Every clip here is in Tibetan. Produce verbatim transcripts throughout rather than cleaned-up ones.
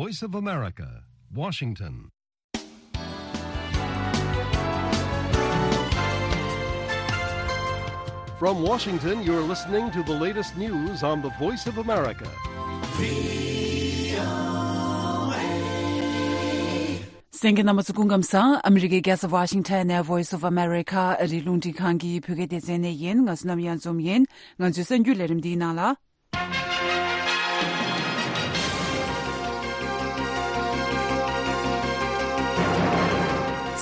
Voice of America, Washington. From Washington, you're listening to the latest news on the Voice of America. གསན་མཁན་རྣམ་པ་ཚོ་སྐུ་ཁམས་བཟང་། ཨ་མི་རི་ཀའི་རྒྱལ་ས་ཝ་ཤིང་ཊོན་ནས་Voice of America ཨ་རིའི་རླུང་འཕྲིན་ཁང་གི་བོད་སྐད་སྡེ་ཚན་ནས་ཡིན། ང་བསོད་ནམས་གཡང་འཛོམས་ཡིན། ང་ཚོའི་གསར་འགྱུར་ལས་རིམ་འདིའི་ནང་ལ།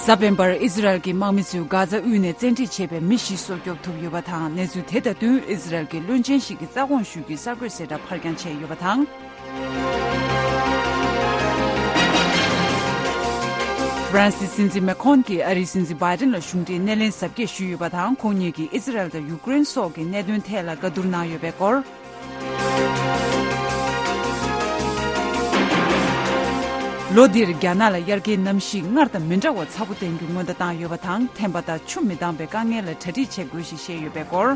གཟའ་སྤེན་པར་ཨི་ཟི་རལ་གྱི་དམག་མི་ཚོས་གྷ་ཛ་དབུས་ནས་བཙན་ཁྲིད་བྱས་པའི་མི་བཞི་སྲོག་སྐྱོབ་ཐུབ་ཡོད་པ་དང་། གནས་ཚུལ་དེ་དང་བསྟུན་ཨི་ཟི་རལ་གྱི་བློན་ཆེན་ཞིག་གི་རྩ་དགོངས་ཞུ་རྒྱུའི་གསར་འགོད་གསལ་བསྒྲགས་ཕར་འགྱངས་བྱས་ཡོད་པ་དང་། ཧྥ་རན་སིའི་སྲིད་འཛིན་མེ་ཁོན་གྱིས་ཨ་རིའི་སྲིད་འཛིན་བྷའི་ཏིན་ལ་གཞུང་འབྲེལ་སྣེ་ལེན་གཟབ་རྒྱས་ཞུས་ཡོད་པ་དང་། ཁོང་གཉིས་ཀྱིས་ཨི་ཟི་རལ་དང་ཡུཀ་རེན་སོགས་ཀྱི་གནད་དོན་ཐད་ལ་བཀའ་བསྡུར་གནང་ཡོད་པའི་སྐོར། ལོ་འདིར་རྒྱ་ནག་ལ་དབྱར་ཁའི་གནམ་གཤིས་སྔར་དང་མི་འདྲ་བ་ཚ་པོ་བསྟན་རྒྱུ་སྔོན་བརྡ་བཏང་ཡོད་པ་དང་། ཐན་པ་དང་ཆུ་མི་འདང་བའི་དཀའ་ངལ་ལ་གྲ་སྒྲིག་བྱེད་དགོས་ཞེས་བཤད་ཡོད་པའི་སྐོར།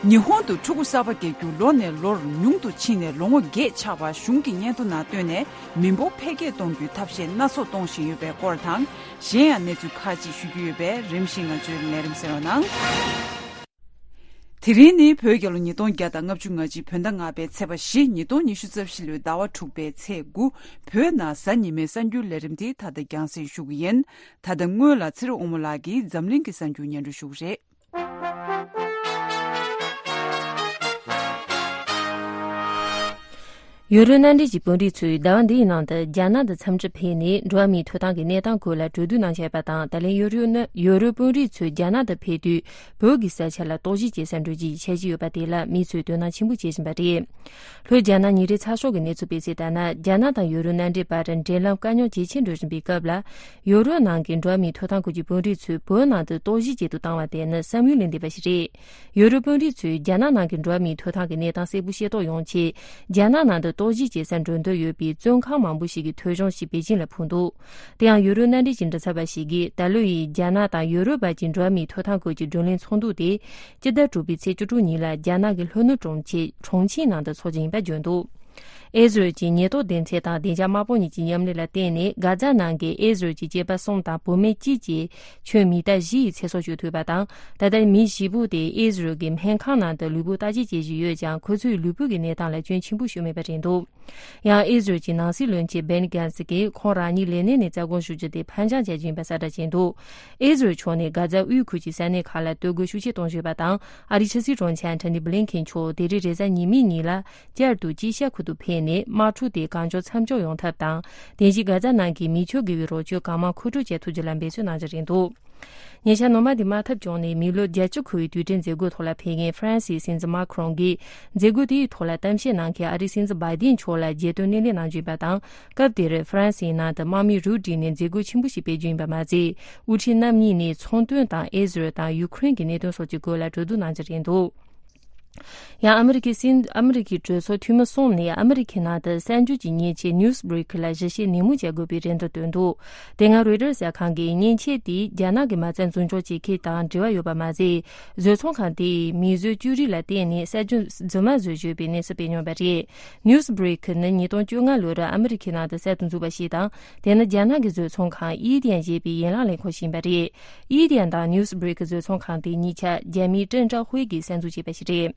ཉི་ཧོང་དུ་ཕྲུ་གུ་གསར་པ་སྐྱེ་རྒྱུ་ལོ་ནས་ལོར་ཉུང་དུ་ཕྱིན་ནས་ལོ་ངོ་བརྒྱད་ཆགས་པ་གཞུང་གི་སྙན་ཐོ་ནང་བཏོན་ནས། མི་འབོར་འཕེལ་རྒྱས་གཏོང་རྒྱུའི་ཐབས་ཤེས་སྣ་ཚོགས་གཏོང་བཞིན་ཡོད་པའི་སྐོར་དང་། གཞན་ཡང་གནས་ཚུལ་ཁག་ཅིག་ཞུ་རྒྱུ་ཡོད་པས། རིམ་བཞིན་ང་ཚོའི་ལས་རིམ་གསན་རོགས་གནང་། དེ་རིང་ནི་བོད་རྒྱལ་ལོ་ཉིས་སྟོང་བརྒྱ་དང་ལྔ་བཅུ་ང་གཅིག་བོད་ཟླ་ལྔ་པའི་ཚེས་པ་བཞི། ཉིས་སྟོང་ཉི་ཤུ་རྩ་བཞི་ལོའི་ཟླ་བ་དྲུག་པའི་ཚེས་དགུ། བོད་ནང་གཟའ་ཉི་མའི་གསར་འགྱུར་ལས་རིམ་འདི་ད་ལྟ་རྒྱང་སྲིང་ཞུ་གི་ཡིན། ད་ལྟ་སྔོན་ལ་ཚེ་རིང་དབང་མོ་ལགས་ཀྱིས་འཛམ་གླིང་གི་གསར་འགྱུར་སྙན་སྒྲོན་ཞུ་གི་རེད། ཡུ་རོབ་མནའ་འབྲེལ་གྱི་དཔོན་རིགས་ཚོས་ཟླ་བ་འདིའི་ནང་དུ་རྒྱ་ནག་ཏུ་འཚམས་འདྲིར་ཕེབས་ནས་འགྲོ་བ་མིའི་ཐོབ་ཐང་གི་གནས་སྟངས་སྐོར་ལ་གྲོས་བསྡུར་གནང་འཆར་ཡོད་པ་དང་། ད་ལན་ཡུ་རོབ་ནི་ཡུ་རོབ་དཔོན་རིགས་ཚོས་རྒྱ་ནག་ཏུ་ཕེབས་དུས་བོད་ཀྱི་ས་ཆ་ལ་རྟོག་ཞིབ་བྱེད་སར་འགྲོ་རྒྱུའི་འཆར་གཞི་ཡོད་པ་དེ་ལ་མི་ཚོས་དོ་སྣང་ཆེན་པོ་བྱེད་བཞིན་པ་རེད། ལྷོ་རྒྱ་ནག་ཉིན་རེའི་ཚགས་ཤོག་གི་གནས་ཚུལ་སྤེལ་གསལ་ལྟར་ན། རྒྱ་ནག་དང་ཡུ་རོབ་མནའ་འབྲེལ་བར་འབྲེལ་ལམ་དཀའ་རྙོག་ཇེ་ཆེར་འགྲོ་བཞིན་པའི་སྐབས་ལ། ཡུ་རོབ་ནང་གི་འགྲོ་བ་མིའི་ཐོབ་ཐང་སྐོར་གྱི་དཔོན་རིགས་ཚོས་བོད་ནང་དུ་རྟོག་ཞིབ་ཆེད་དུ་བཏང་བ་དེ་ནི་བསམ་ཡུལ་ལས་འདས་པ་ཞིག་རེད། ཡུ་རོབ་དཔོན་རིགས་ཚོས་རྒྱ་ནག་ནང་གི་འགྲོ་བ་མིའི་ཐོབ་ཐང་གི་གནས་སྟངས་གསལ་པོ་ཤེས་རྟོགས་ཡོང་ཆེད། རྒྱ་ནག་ནང་དུ་རྟོག་ཞིབ་བྱེད་སར་འགྲོ་འདོད་ཡོད་པའི་བཙོན་ཁང་མང་པོ་ཞིག་གི་ཐོ་གཞུང་ཞིག་པེ་ཅིང་ལ་ཕུལ་འདུག་དེ་ཡང་ཡུ་རོབ་མནའ་འབྲེལ་གྱི་མགྲིན་ཚབ་པ་ཞིག་གིས། ད་ལོ་ཡི་རྒྱ་ནག་དང་ཡུ་རོབ་བར་གྱི་འགྲོ་བ་མིའི་ཐོབ་ཐང་སྐོར་གྱི་བགྲོ་གླེང་ཚོགས་འདུ་དེ། སྤྱི་ཟླ་དྲུག་པའི་ཚེས་བཅུ་དྲུག་ཉིན་ལ་རྒྱ་ནག་གི་ལྷོ་ནུབ་གྲོང་ཁྱེར་ཁྲོང་ཆིང་ནང་དུ་འཚོགས་རྒྱུ་ཡིན་པ་བརྗོད་འདུག་ཨེ་ཟི་རལ་གྱི་ཉེན་རྟོག་སྡེ་ཚན་དང་བདེ་འཇགས་དམག་དཔུང་གཉིས་ཀྱི་མཉམ་ལས་ལ་བརྟེན་ནས། གྷ་ཛ་ནང་གི་ཨེ་ཟི་རལ་གྱི་སྐྱེས་པ་གསུམ་དང་བུད་མེད་གཅིག་བཅས་ཁྱོན་མི་ཊར་བཞི་ཡི་ཚེ་སྲོག་གཅོད་ཐུབ་པ་དང་། ད་ལྟ་མི་བཞི་པོ་དེ་ཨེ་ཟི་རལ་གྱི་སྨན་ཁང་ནང་དུ་ལུས་པོ་བརྟག་དཔྱད་བྱེད་བཞིན་ཡོད་ཀྱང་། ཁོ་ཚོའི་ལུས་པོ་གི་གནས་སྟངས་ལ་སྐྱོན་ཆེན་པོ་ཞིག་མེད་པ་རེད་འདུག་ཡང་ཨེ་ཟི་རལ་གྱི་ནང་སྲིད་བློན་ཆེན་བེན་གྷན་སི་གིས་ཁོང་རང་ཉིད་ལས་གནས་ནས་རྩ་དགོངས་ཞུ་རྒྱུ་དེ་ཕར་འགྱངས་བྱ་རྒྱུ་ཡིན་པ་གསལ་བསྒྲགས་བྱས་འདུག་ཨེ་ཟི་རལ་ཕྱོགས་ནས་གྷ་ཛ་དབུས་ཁུལ་གྱི་ས་གནས་ཁག་ལ་གཏོར་རྒོལ་ཤུགས་ཆེ་གཏོང་བཞིན་པ་དང་། ཨ་རིའི་ཕྱི་སྲིད་དྲུང་ཆེ་ཨན་ཐོ་ནི་བྷི་ལིན་ཁེན་མཆོག་དེ་རིང་རེས་གཟའ་ཉི་མའི་ཉིན་ལ་བསྐྱར་དུ་ཅི་ཤ་ཁུལ་དུ་ཕེབས་ནས། དམག་འཁྲུག་དེ་གང་མགྱོགས་མཚམས་འཇོག་ཡོང་ཐབས་དང་། དེ་བཞིན་གྷ་ཛ་ནང་གི་མི་ཆོས་དགེ་བའི་རོགས་སྐྱོར་གང་མང་མཁོ་སྤྲོད་བྱེད་ཐུབ་རྒྱུ་ལ་འབད་བརྩོན་གནང་རྒྱུ་རེད་འདུག་ཉེ་ཆར་ནོ་མ་དེ་དམག་འཐབ་བྱུང་ནས་མི་ལོ་བརྒྱད་ཅུ་འཁོར་བའི་དུས་དྲན་མཛད་སྒོའི་ཐོག་ལ་ཕེབས་མཁན་ཧྥ་རན་སིའི་སྲིད་འཛིན་མཱ་ཁི་རོང་གིས། མཛད་སྒོ་དེའི་ཐོག་ལ་གཏམ་བཤད་གནང་མཁན་ཨ་རིའི་སྲིད་འཛིན་བྷའི་ཏིན་མཆོག་ལ་རྒྱལ་དོན་སྣེ་ལེན་གནང་རྒྱུ་ཡིན་པ་དང་། སྐབས་དེར་ཧྥ་རན་སིའི་ནང་དུ་དམག་མི་རུབ་བསྒྲིགས་ནས་མཛད་སྒོ་ཆེན་པོ་ཞིག་སྤེལ་རྒྱུ་ཡིན་པ་མ་ཟད། དབུ་ཁྲིད་རྣམ་གཉིས་ནས་ཚོང་དོན་དང་ཨེ་ཟི་རལ་དང་ཡུ་ཁུ་རེན་གྱི་གནད་དོན་སོགས་ཀྱི་སྐོར་ལ་གྲོས་བསྡུར་གནང་རྒྱུ་རེད་འདུག་ཡང་ཨ་མི་རི་ཀའི་སྲིད། ཨ་མི་རི་ཀའི་གྲོས་ཚོགས་འཐུས་མི་གསུམ་ནས་ཨ་མི་རི་ཀའི་ནང་དུ་གསར་འགྱུར་གྱི་མཉེན་ཆས་ནིའུ་སི་བྷི་རེག་ལ་གཞི་བྱེས་ནན་མོ་བྱ་དགོས་པའི་རེ་འདུན་བཏོན་འདུག་དེ་སྔ་རོའི་ཊར་གསར་ཁང་གིས་མཉེན་ཆས་དེས་རྒྱ་ནག་གི་མ་རྩ་འཛིན་སྐྱོང་བྱེད་མཁན་དང་འབྲེལ་བ་ཡོད་པ་མ་ཟད། བཟོ་ཚོང་ཁང་དེས་མིས་བཟོས་བཅོས་རིགས་ལ་བརྟེན་ནས་གསར་འགྱུར་རྫུན་མ་བཟོས་བཞག་པའི་གནས་ཚུལ་སྤེལ་མྱོང་བ་རེད། ནིའུ་སི་བྷི་རེག་ནི་ཉིས་སྟོང་བཅོ་ལྔ་ལོར་ཨ་མི་རི་ཀའི་ནང་དུ་གསར་དུ་འཛུགས་པ་ཞིག་དང་། དེ་ནི་རྒྱ་ནག་གི་བཟོ་ཚོང་ཁང་ཨི་ཏན་ཞེས་པའི་ཡན་ལག་ལས་ཁུངས་ཤིག་ཡིན་པ་རེད། ཨི་ཏན་དང་ནིའུ་སི་བྷི་རེག་བཟོ་ཚོང་ཁང་དེ་གཉིས་ཆ་རྒྱ་མིའི་ཀྲེང་ཀྲའོ་ཧུའེ་གིས་གསར་འཛུགས་བྱས་པ་ཞིག་རེད།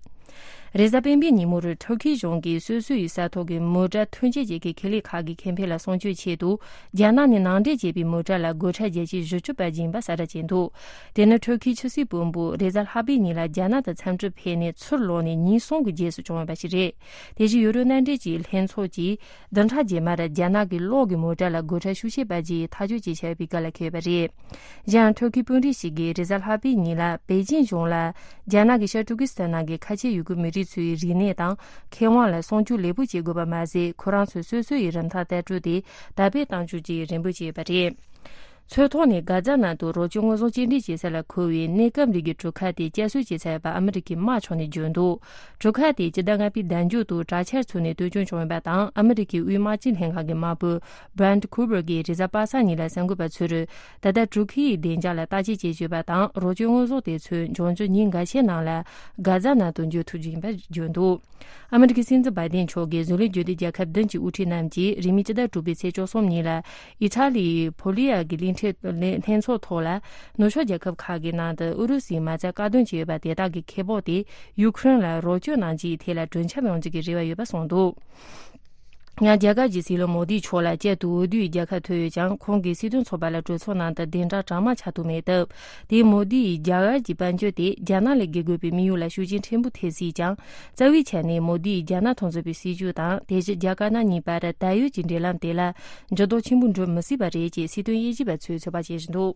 རེས་གཟའ་སྤེན་པའི་ཉིན་མོར་ཐུར་ཁེའི་གཞུང་གིས་སོ་སོ་ཡི་ས་ཐོག་གི་མོ་ཊ་ཐོན་སྐྱེད་བྱེད་མཁན་ཁེ་ལས་ཁག་གི་ཁེ་ཕན་ལ་སྲུང་སྐྱོབ་ཆེད་དུ། རྒྱ་ནག་ནས་ནང་འདྲེན་བྱས་པའི་མོ་ཊ་ལ་སྒོ་ཁྲལ་བརྒྱ་ཆ་བཞི་བཅུ་སྤར་རྒྱུ་ཡིན་པ་གསལ་བསྒྲགས་བྱས་འདུག་དེ་ནི་ཐུར་ཁེའི་ཆབ་སྲིད་དཔོན་པོ་རེས་གཟའ་ལྷག་པའི་ཉིན་ལ་རྒྱ་ནག་ཏུ་འཚམས་འདྲིར་ཕེབས་ནས་ཚུར་ལོག་ནས་ཉིན་གསུམ་གྱི་རྗེས་སུ་བྱུང་བ་ཞིག་རེད། དེ་བཞིན་ཡུ་རོབ་མནའ་འབྲེལ་གྱི་ལྷན་ཚོགས་ཀྱིས། བདུན་ཕྲག་རྗེས་མར་རྒྱ་ནག་གི་གློག་གི་མོ་ཊ་ལ་སྒོ་ཁྲལ་ཤུགས་ཆེ་སྤར་རྒྱུའི་ཐག་གཅོད་བྱས་འཆར་བའི་བཀའ་ལ་འཁེལ་ཡོད་པ་རེད། གཞན་ཡང་ཐུར་ཁེའི་དཔོན་རིགས་ཤིག་གིས་རེས་གཟའ་ལྷག་པའི་ཉིན་ལ་པེ་ཅིན་གཞུང་ལ་རྒྱ་ནག་གིས་ཤར་ཏུར་ཀི་སི་ཐན་ནང་གི་ཁ་ཆེ་ཡུ་གུར་མི་རིགས་ཚོའི་རིག་གནས་དང་ཁེ་དབང་ལ་སྲུང་སྐྱོབ་ལེགས་པོ་བྱེད་དགོས་པ་མ་ཟད། ཁོ་རང་ཚོས་སོ་སོ་ཡི་རིན་ཐང་ལྟ་གྲུབ་དེ་དར་སྤེལ་གཏང་རྒྱུ་བཅས་རེ་འབོད་བྱས་ཡོད་པ་རེད། མཚོ་ཐོག་ནས་གྷ་ཛ་ནང་དུ་རོགས་སྐྱོར་དངོས་ཟོག་སྐྱེལ་འདྲེན་བྱེད་ས་ལ་མཁོ་བའི་གནས་སྐབས་རིགས་ཀྱི་གྲུ་ཁ་དེ་བསྐྱར་གསོ་བྱས་ཚར་བ་ཨ་མི་རི་ཀའི་དམག་ཕྱོགས་ནས་བརྗོད་འདུག་གྲུ་ཁ་དེ་སྤྱི་ཟླ་ལྔ་པའི་ཟླ་མཇུག་ཏུ་དྲག་ཆར་ཚུགས་ནས་དོན་སྐྱོན་བྱུང་ཡོད་པ་དང་། ཨ་མི་རི་ཀའི་དབུས་དམག་སྤྱི་ལྷན་ཁང་གི་དམར་པོ་Brent Cooper གྱིས་རེས་གཟའ་པ་སངས་ཉིན་ལ་གསར་འགོད་པ་ཚོར། ད་ལྟ་གྲུ་ཁའི་བདེ་འཇགས་ལ་བརྟག་དཔྱད་བྱེད་བཞིན་ཡོད་པ་དང་། རོགས་སྐྱོར་དངོས་ཟོག་དེ་ཚོ་འབྱུང་འགྱུར་ཉིན་འགའ་ཤས་ནང་ལ་གྷ་ཛ་ནང་དུ་འབྱོར་ཐུབ་རྒྱུ་ཡིན་པ་བརྗོད་འདུག་ཨ་མི་རི་ཀའི་སྲིད་འཛིན་བྷའི་ཏིན་མཆོག་གིས་བཟོ་ལས་བརྗོད་དེ་རྒྱལ་ཁབ་བདུན་གྱི་དབུ་ཁྲིད་རྣམས་ཀྱིས་རིང་མིན་སྤྱི་ཟླ་དྲུག་པའི་ཚེས་བཅུ་གསུམ་ཉིན་ལ་ཨི་ཊ་ལིའི་ཕོ་ལི་ཡ་གི་གླིང་ཕྲན་ལྷན་ཚོགས་ཐོག་ལ། ནུབ་ཕྱོགས་རྒྱལ་ཁབ་ཁག་གི་ནང་དུ་ཨུ་རུ་སུའི་མ་རྩ་བཀག་སྡོམ་བྱས་ཡོད་པ་དེ་དག་གི་ཁེ་སྤོགས་དེ་ཡུ་ཁུ་རེན་ལ་རོགས་སྐྱོར་གནང་རྒྱུའི་ཐད་ལ་གྲོས་འཆམ་ཡོང་རྒྱུ་གི་རེ་བ་ཡོད་པ་གསུངས་འདུག་ཡང་རྒྱ་གར་གྱི་སྲིད་བློན་མོ་དིའི་ཕྱོགས་ལ་བསྐྱར་དུ་འོས་བསྡུའི་རྒྱལ་ཁ་ཐོབ་ཡོད་ཀྱང་། ཁོང་གིས་སྲིད་དོན་ཚོགས་པ་ལ་གྲོས་ཚོགས་ནང་དུ་གདན་དྲངས་གྲངས་མང་ཆགས་ཐུབ་མེད་སྟབས། དེས་མོ་དིའི་རྒྱ་གར་གྱི་དཔལ་འབྱོར་དེ་རྒྱ་ནག་ལས་བརྒལ་དགོས་པའི་དམིགས་ཡུལ་ལ་ཤུགས་རྐྱེན་ཕྲན་བུ་ཐེབས་སྲིད་ཀྱང་། རྩ་བའི་ཆ་ནས་མོ་དིས་རྒྱ་ནག་དང་མཛའ་བའི་སྲིད་བྱུས་དང་། དེ་བཞིན་རྒྱ་དཀར་ནག་གཉིས་བར་ད་ཡོད་ཀྱི་འབྲེལ་ལམ་དེ་ལ་འགྱུར་ལྡོག་ཆེན་པོ་འགྲོ་མི་སྲིད་པ་རེད་ཅེས་སྲིད་དོན་དབྱེ་ཞིབ་པ་ཚོས་ཚོད་དཔག་བྱེད་བཞིན་འདུག་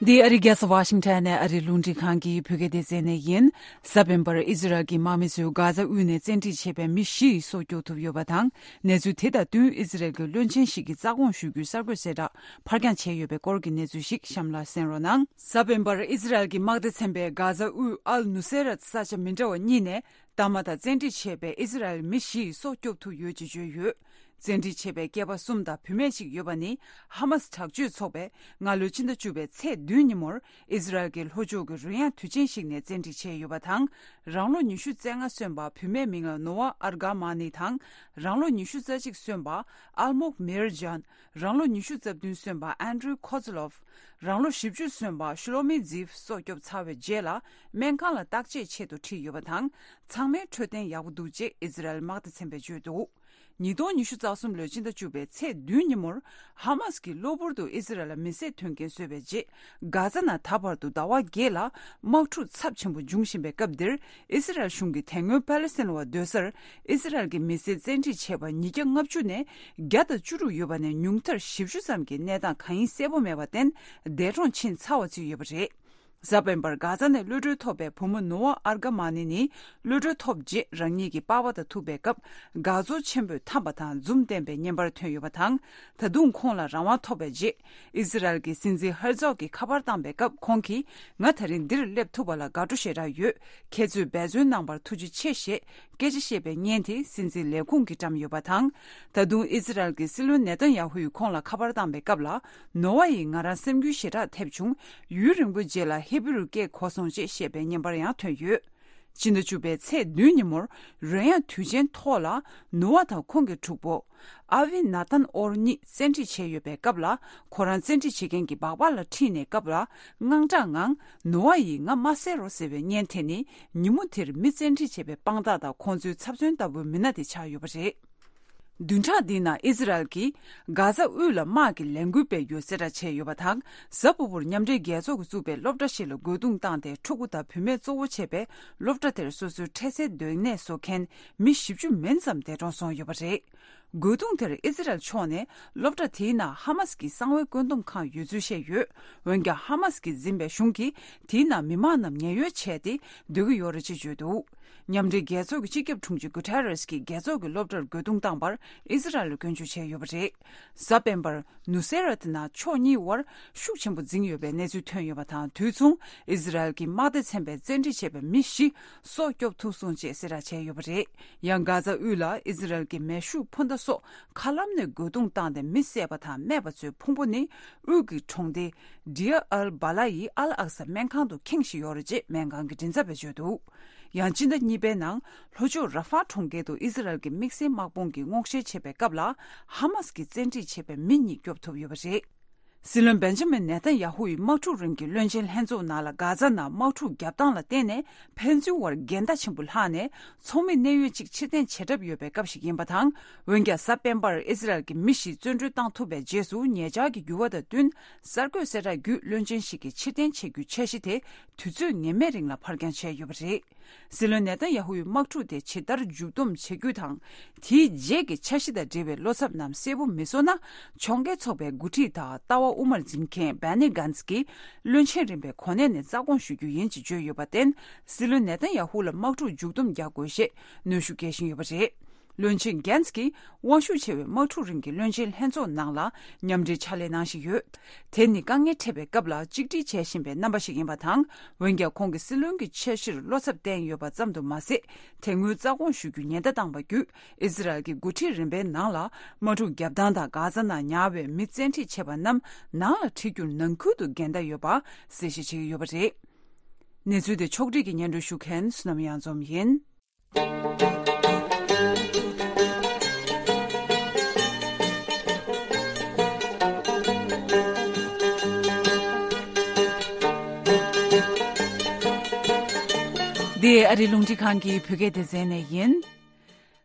འདི་ཨ་རིའི་རྒྱལ་ས་ཝ་ཤིང་ཊོན་ནས་ཨ་རིའི་རླུང་འཕྲིན་ཁང་གི་བོད་སྐད་སྡེ་ཚན་ནས་ཡིན། གཟའ་སྤེན་པར་ཨི་ཟི་རལ་གྱི་དམག་མི་ཚོས་གྷ་ཛ་དབུས་ནས་བཙན་ཁྲིད་བྱས་པའི་མི་བཞི་ཡི་སྲོག་སྐྱོབ་ཐུབ་ཡོད་པ་དང་། གནས་ཚུལ་དེ་དང་བསྟུན་ཨི་ཟི་རལ་གྱི་བློན་ཆེན་ཞིག་གིས་རྩ་དགོངས་ཞུ་རྒྱུའི་གསར་འགོད་གསལ་བསྒྲགས་ཕར་འགྱངས་བྱས་ཡོད་པའི་སྐོར་གྱི་གནས་ཚུལ་ཞིག་གཤམ་ལ་གསན་རོགས་གནང་། གཟའ་སྤེན་པར་ཨི་ཟི་རལ་གྱི་དམག་སྡེ་ཚན་པས་གྷ་ཛ་དབུས་ཨལ་ནུ་སེ་ར་ས་ཆ་མི་འདྲ་བ་གཉིས་ནས། ཟླ་མ་དང་བཙན་ཁྲིད་བྱས་པའི་ཨི་ཟི་རལ་མི་བཞི་ཡི་སྲོག་སྐྱོབ་ཐུབ་ཡོད་ཅེས་བརྗོད་ཡོད། བཙན་ཁྲིད་བྱས་པའི་སྐྱེས་པ་གསུམ་དང་བུད་མེད་གཅིག་ཡོད་པ་ནི། ཧ་མ་སི་དྲག་སྤྱོད་ཚོགས་པས་སྔ་ལོའི་ཕྱི་ཟླ་བཅུ་པའི་ཚེས་བདུན་ཉིན་མོར་ཨི་ཟི་རལ་གྱི་ལྷོ་ཕྱོགས་ཀྱི་རོལ་དབྱངས་དུས་ཆེན་ཞིག་ནས་བཙན་ཁྲིད་བྱས་ཡོད་པ་དང་། རང་ལོ་ཉི་ཤུ་རྩ་ལྔ་སོན་པ་བུད་མེད་མིང་ལ་ནོ་ཝ་ཨར་གྷ་མ་ནི་དང་། རང་ལོ་ཉི་ཤུ་རྩ་གཅིག་སོན་པ་ཨལ་མོག་མེར་ཇཱན། རང་ལོ་ཉི་ཤུ་རྩ་བདུན་སོན་པ་ཨན་ཌྲུ་ཁོ་ཛི་ལོབ། རང་ལོ་བཞི་བཅུ་སོན་པ་ཤུ་ལོ་མི་ཛིབ་སྲོག་སྐྱོབ་ཚར་བའི་རྗེས་ལ། སྨན་ཁང་ལ་བརྟག་དཔྱད་ཆེད་དུ་ཁྲིད་ཡོད་པ་དང་། ཚང་མའི་འཕྲོད་བསྟེན་ཡག་པོ་འདུག་ཅེས་ཨི་ཟི་རལ་དམག་སྡེ་ཚན་པས་བརྗོད་འདུག་ཉིས་སྟོང་ཉི་ཤུ་རྩ་གསུམ་ལོའི་ཕྱི་ཟླ་བཅུ་པའི་ཚེས་བདུན་ཉིན་མོར། ཧ་མ་སི་གིས་གློ་བུར་དུ་ཨི་ཟི་རལ་ལ་མི་བསད་དོན་རྐྱེན་བཟོས་པའི་རྗེས། གྷ་ཛ་ནང་ད་བར་དུ་ཟླ་བ་བརྒྱད་ལ་དམག་འཁྲུག་ཚབས་ཆེན་པོ་འབྱུང་བཞིན་པའི་སྐབས་འདིར། ཨི་ཟི་རལ་གཞུང་གིས་དེ་སྔོན་པ་ལེ་སི་ཐན་བ་སྡོད་སར་ཨི་ཟི་རལ་གྱི་མི་སེར་བཙན་ཁྲིད་བྱས་པ་ཉིས་བརྒྱ་ལྔ་བཅུ་ནས་བརྒྱ་དང་བཅུ་དྲུག་ཡོད་པ་ནས། ཉུང་མཐར་བཞི་བཅུ་ཙམ་གྱི་གནས་སྟངས་གང་ཡིན་གསལ་པོ་མེད་པར་བརྟེན། འདས་གྲོངས་ཕྱིན་ཚར་བ་ཅིག་ཡོད་པ་རེད། གཟའ་སྤེན་པར་གྷ་ཛ་ནས་གློད་གྲོལ་ཐོབ་པའི་བུ་མོ་ནོ་ཝ་ཨར་གྷ་མ་ནི་ནི། གློད་གྲོལ་ཐོབ་རྗེས་རང་ཉིད་ཀྱི་པ་ཕ་དང་ཐུག་པའི་སྐབས། དགའ་ཚོར་ཆེན་པོས་འཐམས་པ་དང་འཛུམ་བསྟན་པའི་བརྙན་པར་ཐོན་ཡོད་པ་དང་། ད་དུང་ཁོང་ལ་རང་དབང་ཐོབ་པའི་རྗེས། ཨི་ཟི་རལ་གྱི་སྲིད་འཛིན་ཧར་ཛོག་གིས་ཁ་པར་བཏང་པའི་སྐབས། ཁོང་གིས། ང་ད་རིང་འདིར་སླེབས་ཐུབ་པ་ལ་དགའ་སྤྲོ་ཞེ་དྲག་ཡོད། ཁྱེད་ཚོས་འབད་བརྩོན་གནང་བར་ཐུགས་རྗེ་ཆེ་ཞེས་སྐད་ཆ་བཤད་པའི་བརྙན་དེ་སྲིད་འཛིན་ལས་ཁུངས་ཀྱིས་བཀྲམ་ཡོད་པ་དང་། ད་དུང་ཨི་ཟི་རལ་གྱི་སྲིད་བློན་ནེ་ཐན་ཡ་ཧུ་ཡིས་ཁོང་ལ་ཁ་པར་བཏང་པའི་སྐབས་ལ། ནོ་ཝ་ཡིས་ང་རང་སེམས་འགུལ་ཞེ་དྲག་ཐེབས་བྱུང་། ཡུན་རིང་པོའི་རྗེས་ལ་ཧི་བི་རུ་སྐད་གོ་སོང་ཅེས་བཤད་པའི་བརྙན་པར་ཡང་ཐོན་ཡོད། ཕྱི་ཟླ་བཅུ་པའི་ཚེས་བདུན་ཉིན་མོར། རོལ་དབྱངས་དུས་ཆེན་ཐོག་ལ། ནོ་ཝ་དང་ཁོང་གི་གྲོགས་པོ། ཨ་བི་ན་ཐན་ཨོར་གཉིས་བཙན་ཁྲིད་བྱས་ཡོད་པའི་སྐབས་ལ། ཁོ་རང་བཙན་ཁྲིད་བྱེད་མཁན་གྱི་སྦག་སྦག་ལ་ཁྲིད་ནས་སྐབས་ལ། དངངས་སྐྲག་ངང་། ནོ་ཝ་ཡིས་ང་མ་བསད་རོགས་ཟེར་བའི་བརྙན་དེ་ནི། ཉིན་མོ་དེར་མི་བཙན་ཁྲིད་བྱས་པའི་དཔང་རྟགས་དང་ཁོང་ཚོའི་ཚབ་མཚོན་ལྟ་བུའི་མི་སྣ་དེ་ཆགས་ཡོད་པ་རེད། བདུན་ཕྲག་འདིའི་ནང་ཨི་ཟི་རལ་གྱིས་གྷ་ཛ་དབུས་ལ་དམག་གི་ལས་འགུལ་སྤེལ་རྒྱུ་གསལ་བསྒྲགས་བྱས་ཡོད་པ་དང་། གཟའ་ཕུར་བུར་མཉམ་འབྲེལ་རྒྱལ་ཚོགས་ཀྱིས་བཙུགས་པའི་སློབ་གྲྭ་ཞིག་ལ་རྒོལ་རྡུང་བཏང་སྟེ། ཕྲུ་གུ་དང་བུད་མེད་གཙོ་བོ་བྱས་པའི་སློབ་གྲྭ་དེར་སོ་སོའི་འཕྲལ་སེལ་སྡོད་གནས་བཟོ་མཁན་མི་བཞི་བཅུ་མིན་ཙམ་འདས་གྲོངས་སོང་ཡོད་པ་རེད། རྒོལ་རྡུང་དེར་ཨི་ཟི་རལ་ཕྱོགས་ནས་སློབ་གྲྭ་དེའི་ནང་ཧ་མ་སི་གི་གསང་བའི་བཀོད་འདོམས་ཁང་ཡོད་ཚུལ་བཤད་ཡོད། འོན་ཀྱང་། ཧ་མ་སི་གིས་འཛིན་པའི་གཞུང་གིས་དེའི་ནང་མི་མང་རྣམས་ཉེན་གཡོལ་བྱས་ཏེ་སྡོད་ཀྱི་ཡོད་རེད་ཅེས་བརྗོད་འདུག་མཉམ་འབྲེལ་རྒྱལ་ཚོགས་ཀྱི་སྤྱི་ཁྱབ་དྲུང་ཆེ་གུ་ཐེ་རེས་ཀྱིས་རྒྱལ་ཚོགས་ཀྱི་སློབ་གྲྭར་རྒོལ་རྡུང་བཏང་བར་ཨི་ཟི་རལ་ལ་སྐྱོན་བརྗོད་བྱས་ཡོད་པ་རེད། གཟའ་སྤེན་པར་ནུ་སེ་ར་དེ་ནང་ཕྱོགས་གཉིས་དབར་ཤུགས་ཆེན་པོ་འཛིང་ཡོད་པའི་གནས་ཚུལ་ཐོན་ཡོད་པ་དང་། དུས་མཚུངས་ཨི་ཟི་རལ་གྱི་དམག་སྡེ་ཚན་པས་བཙན་ཁྲིད་བྱས་པའི་མི་བཞི་སྲོག་སྐྱོབ་ཐུབ་སོང་ཅེས་གསལ་བསྒྲགས་བྱས་ཡོད་པ་རེད། ཡང་གྷ་ཛ་དབུས་ལ་ཨི་ཟི་རལ་གྱི་མེ་ཤུགས་འཕུར་མདའ་སོགས་མཁའ་ལམ་ནས་རྒོལ་རྡུང་བཏང་སྟེ་མི་བསད་པ་དང་རྨས་པ་ཚོའི་ཕུང་པོ་ནི། དབུས་ཀྱི་གྲོང་སྡེ་ཌི་ཡ་ཨལ་བྷ་ལ་ཡི་ཨལ་ཨག་ས་སྨན་ཁང་དུ་ཁེངས་བཞིན་ཡོད་རེད་ཅེས་སྨན་ཁང་གི་མགྲིན་ཚབ་པས་བརྗོད་འདུག་ཡང་སྤྱི་ཟླ་གཉིས་པའི་ནང་ལྷོ་ཕྱོགས་ར་ཧྥ་གྲོང་ཁྱེར་དུ་ཨི་ཟི་རལ་གྱི་དམིགས་བསལ་དམག་དཔུང་གིས་སྔོག་བཤེར་བྱེད་པའི་སྐབས་ལ། ཧ་མ་སི་གིས་བཙན་ཁྲིད་བྱས་པའི་མི་གཉིས་སྐྱོབ་ཐུབ་ཡོད་པ་རེད། སྲིད་བློན་བེན་ཇ་མིན་ནེ་ཐན་ཡ་ཧུ་ཡི་དམག་འཁྲུག་རིང་གི་བློན་ཆེན་ལྷན་ཚོགས་ནང་ལ། གྷ་ཛ་ནང་དམག་འཁྲུག་བརྒྱབ་སྟངས་ལ་བརྟེན་ནས། ཕན་ཚུན་དབར་འགལ་ཟླ་ཆེན་པོ་ལྷག་ནས། ཚོགས་མི་གནད་ཡོད་ཅིག་ཕྱིར་འཐེན་བྱེད་གྲབས་ཡོད་པའི་སྐབས་ཤིག་ཡིན་པ་དང་། འོན་ཀྱང་། གཟའ་སྤེན་པར་ཨི་ཟི་རལ་གྱི་མི་བཞི་བཙོན་གྲོལ་བཏང་ཐུབ་པའི་རྗེས་སུ། ཉེ་ཆར་གྱི་འགྱུར་བ་དང་བསྟུན། གསར་འགོད་གསལ་བསྒྲགས་བརྒྱུད། བློན་ཆེན་ཞིག་གིས་ཕྱིར་འཐེན་བྱེད་རྒྱུའི་འཆར་གཞི་དེ་དུས་ཚོད་ངེས་མེད་རིང་ལ་ཕར་འགྱངས་བྱས་ཡོད་པ་རེད། སྲིད་བློན་ནེ་ཐན་ཡ་ཧུ་ཡི་དམག་འཁྲུག་དེ་ཇི་ལྟར་མཇུག་བསྡོམས་བྱེད་རྒྱུ་དང་། དེའི་རྗེས་ཀྱི་འཆར་གཞི་དང་འབྲེལ་བའི་བློ་འཚབ་རྣམས་གསལ་པོ་མི་བཟོ་ན། ཕྱོགས་འགལ་ཚོགས་པའི་འགོ་ཁྲིད་དང་ལྟ་བ་དབུ་མར་འཛིན་མཁན་བྷེ་ནི་གཱན་ཚི་གིས། བློན་ཆེན་རིམ་པའི་གོ་གནས་ནས་རྩ་དགོངས་ཞུ་རྒྱུ་ཡིན་ཅེས་བརྗོད་ཡོད་པར་བརྟེན། སྲིད་བློན་ནེ་ཐན་ཡ་ཧུ་ལ་དམག་འཁྲུག་མཇུག་བསྡོམས་རྒྱག་དགོས་ཞེས་གནོན་ཤུགས་སྐྱེལ་བཞིན་ཡོད་པ་རེད། བློན་ཆེན་གྷན་ཛི་གིས་དབང་ཤུགས་ཆེ་བའི་དམག་འཁྲུག་རིང་གི་བློན་ཆེན་ལྷན་ཚོགས་ནང་ལ་མཉམ་འབྲེལ་ཕྱག་ལས་གནང་བཞིན་ཡོད། དེ་ནི་དཀའ་ངལ་འཕྲད་པའི་སྐབས་ལ་གཅིག་སྒྲིལ་བྱེད་བཞིན་པའི་རྣམ་པ་ཞིག་ཡིན་པ་དང་། འོན་ཀྱང་ཁོང་གིས་སྲིད་བློན་གྱི་འཆར་གཞིར་བློ་འཚབ་བསྟན་ཡོད་པ་ཙམ་དུ་མ་ཟད། དེ་སྔོན་རྩ་དགོངས་ཞུ་རྒྱུ་ཉེན་བརྡ་བཏང་བ་བརྒྱུད། ཨི་ཟི་རལ་གྱི་འགོ་ཁྲིད་རིམ་པའི་ནང་ལ་དམག་འཁྲུག་བརྒྱབ་སྟངས་དང་། གྷ་ཛ་ནང་ཉར་བའི་མི་བཙན་ཁྲིད་བྱས་པ་རྣམས་ནང་ལ་ཁྲིད་རྒྱུར་ནང་ཁུལ་དུ་འགལ་ཟླ་ཡོད་པ་གསལ་བཤད་བྱེད་ཀྱི་ཡོད་པ་རེད། གནས་ཚུལ་དེ་ཕྱོགས་སྒྲིག་གིས་སྙན་སྒྲོན་ཞུ་མཁན་བསོད་ནམས་གཡང་འཛོམས་ཡིན། འདི་ཨ་རིའི་རླུང་འཕྲིན་ཁང་གི་བོད་སྐད་སྡེ་ཚན་ནས་ཡིན།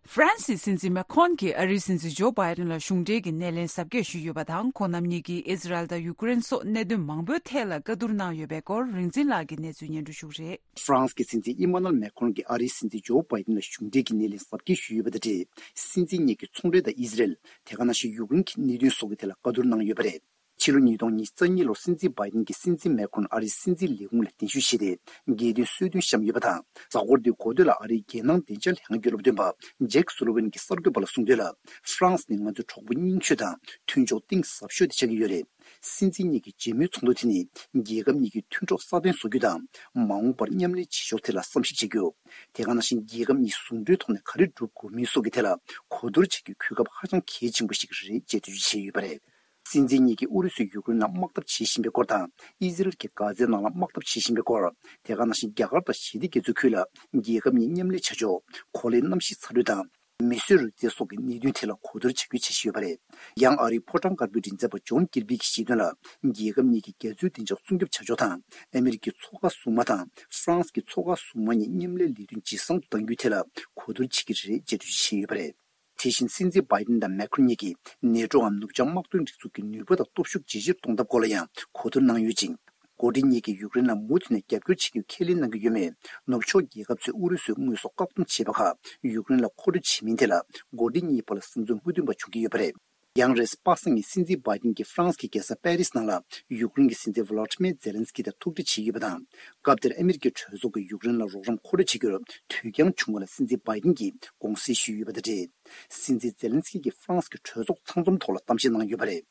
ཧྥ་རན་སིའི་སྲིད་འཛིན་མེ་ཁོན་གྱིས་ཨ་རིའི་སྲིད་འཛིན་ཇོ་བྷའི་ཏན་ལ་གཞུང་འབྲེལ་གྱི་སྣེ་ལེན་གཟབ་རྒྱས་ཞུས་ཡོད་པ་དང་། ཁོང་རྣམ་གཉིས་ཀྱིས་ཨི་ཟི་རལ་དང་ཡུ་ཀེ་རེན་སོགས་གནད་དོན་མང་པོའི་ཐད་ལ་བཀའ་བསྡུར་གནང་ཡོད་པའི་སྐོར། རིག་འཛིན་ལགས་ཀྱིས་གནས་ཚུལ་སྙན་སྒྲོན་ཞུ་གི་རེད། ཧྥ་རན་སི་གི་སྲིད་འཛིན་ཨི་མ་ནུ་ཨེལ་མེ་ཁོན་གྱིས་ཨ་རིའི་སྲིད་འཛིན་ཇོ་བྷའི་ཏན་ལ་གཞུང་འབྲེལ་གྱི་སྣེ་ལེན་གཟབ་རྒྱས་ཞུས་ཡོད་པ་དང་འབྲེལ། སྲིད་འཛིན་གཉིས་ཀྱིས་ཚོང་འབྲེལ་དང་ཨི་ཟི་རལ། དེ་ག་ནང་བཞིན་ཡུཀ་རེན་གྱི་གནད་དོན་སོགས་ཀྱི་ཐད་ལ་བཀའ་བསྡུར་གནང་ཡོད་པ་རེད། ཕྱི་ལོ་ཉིས་སྟོང་ཉི་ཤུ་རྩ་གཉིས་ལོར་སྲིད་འཛིན་བྷའི་ཏན་གྱིས་སྲིད་འཛིན་མེ་ཁོན་ཨ་རིའི་སྲིད་འཛིན་ལས་ཁུངས་ལ་གདན་ཞུ་བྱས་ཏེ། རྒྱལ་དོན་གསོལ་སྟོན་བཤམས་ཡོད་པ་དང་། གཟའ་འཁོར་འདིའི་འགོ་སྟོད་ལ་ཨ་རིའི་རྒྱལ་ནང་བདེ་འཇགས་ལྷན་ཁང་གི་སློབ་སྟོན་པ་ཇེག་སུ་ལོ་ཝན་གྱིས་གསར་འགོད་པ་ལ་གསུངས་དོན་ལ། ཧྥ་རན་སི་ནི་ང་ཚོའི་གྲོགས་པོ་རྙིང་ཤོས་དང་མཐུན་ཕྱོགས་གཏིང་ཟབ་ཤོས་དེ་ཆགས་ཀྱི་ཡོད་རེད། སྲིད་འཛིན་གཉིས་ཀྱི་མཇལ་མོལ་ཚོགས་འདུ་དེ་ནི་རྒྱལ་ཁབ་གཉིས་ཀྱི་མཐུན་གྲོགས་སྲ་བརྟན་བཟོ་རྒྱུ་དང་། མ་འོངས་པར་མཉམ་ལས་བྱེད་ཕྱོགས་ཐད་ལ་བསམ་གཞིག་བྱེད་རྒྱུ། དེ་ག་ནང་བཞིན་རྒྱལ་ཁབ་གཉིས་ཟུང་འབྲེལ་ཐོག་ནས་ག་རེ་སྒྲུབ་དགོས་མིན་སོགས་ཀྱི་ཐད་ལ་གོ་བསྡུར་བྱེད་རྒྱུའི་གོ་སྐབས་ཧ་ཅང་གལ་ཆེན་པོ་ཞིག་རེད་ཅེས་འགྲེལ་བརྗོད་བྱས་ཡོད་པ་རེད། སྲིད་འཛིན་གཉིས་ཀྱིས་ཨུ་རུ་སུས་ཡུཀ་རེན་ནང་དམག་འཐབ་བྱེད་བཞིན་པའི་སྐོར་དང་། ཨི་ཟི་རལ་གྱིས་གྷ་ཛའི་ནང་ལ་དམག་འཐབ་བྱེད་བཞིན་པའི་སྐོར། དེ་ག་ནང་བཞིན་རྒྱ་གར་དང་ཞི་བདེ་རྒྱ་མཚོའི་ཁུལ་ལ་རྒྱལ་ཁབ་གཉིས་མཉམ་ལས་བྱ་ཕྱོགས། གོ་ལའི་གནམ་གཤིས་ཚ་དྲོད་དང་། མིས་བཟོས་རུས་རྩལ་སོགས་ཀྱི་གནད་དོན་ཐད་ལ་གོ་བསྡུར་བྱ་རྒྱུའི་འཆར་གཞི་ཡོད་པ་རེད། ཡང་ཨ་རིའི་ཕོ་བྲང་དཀར་པོའི་མགྲིན་ཚབ་པ་ཇོན་ཀིར་བི་གྱིས་བཤད་དོན་ལ། རྒྱལ་ཁབ་གཉིས་ཀྱིས་རྒྱ་མཚོའི་བདེ་འཇགས་སྲུང་སྐྱོབ་བྱ་ཕྱོགས་དང་། ཨ་མི་རི་ཀའི་མཚོ་ཁ་སྲུང་དམག་དང་ཧྥ་རན་སི་གི་མཚོ་ཁ་སྲུང་དམག་གཉིས་མཉམ་ལས་ལས་དོན་ཇེ་བཟང་དུ་གཏང་རྒྱུའི་ཐད་ལ་གོ་བསྡུར་བྱེད་ཀྱི་རེད་ཅེས་འགྲེལ་བརྗོད་བྱས་ཡོད་པ་རེད། དེ་བཞིན་སྲིད་འཛིན་བྷའི་ཏན་དང་མེ་ཁོན་གཉིས་ཀྱིས་ནེ་ཊོའམ་ནུབ་བྱང་དམག་དོན་སྒྲིག་འཛུགས་ཀྱི་ནུས་པ་དང་སྟོབས་ཤུགས་ཇེ་ཆེར་གཏོང་ཐབས་སྐོར་ལ་ཡང་གོ་བསྡུར་གནང་ཡོད་ཅིང་། འགོ་ཁྲིད་གཉིས་ཀྱིས་ཡུཀ་རེན་ལ་མུ་མཐུད་ནས་རྒྱབ་སྐྱོར་བྱེད་རྒྱུའི་ཁས་ལེན་གནང་གི་ཡོད་མོད། ནུབ་ཕྱོགས་རྒྱལ་ཁབ་ཚོས་ཨུ་རུ་སུས་དངོས་སུ་བཀག་སྡོམ་བྱས་པ་ཁག་ཡུཀ་རེན་ལ་མཁོ་སྤྲོད་བྱེད་མིན་ཐད་ལ་འགོ་ཁྲིད་གཉིས་བར་ལ་བསམ་ཚུལ་མ་མཐུན་པ་བྱུང་གི་ཡོད་པ་རེད། ཡང་རེས་པ་སངས་ཀྱི་སྲིད་འཛིན་བྷའི་ཏིན་གྱིས་ཧྥ་རན་སི་གི་རྒྱལ་ས་པེ་རིས་ནང་ལ་ཡུཀ་རེན་གྱི་སྲིད་འཛིན་ཝ་ལོ་ཏི་མེ་ཛེ་ལན་སི་ཀི་དང་ཐུག་འཕྲད་བྱས་ཡོད་པ་དང་། སྐབས་དེར་ཨ་མི་རི་ཀའི་གྲོས་ཚོགས་ཀྱིས་ཡུཀ་རེན་ལ་རོགས་རམ་མཁོ་སྤྲོད་བྱེད་རྒྱུར་དུས་འགྱངས་བྱུང་བ་ལ་སྲིད་འཛིན་བྷའི་ཏིན་གྱིས་དགོངས་སེལ་ཞུས་ཡོད་པ་དང་འབྲེལ། སྲིད་འཛིན་ཛེ་ལན་སི་ཀི་གིས་ཧྥ་རན་སི་གི་གྲོས་ཚོགས་ཚང་འཛོམས་ཐོག་ལ་གཏམ་བཤད་གནང་ཡོད་པ་རེད།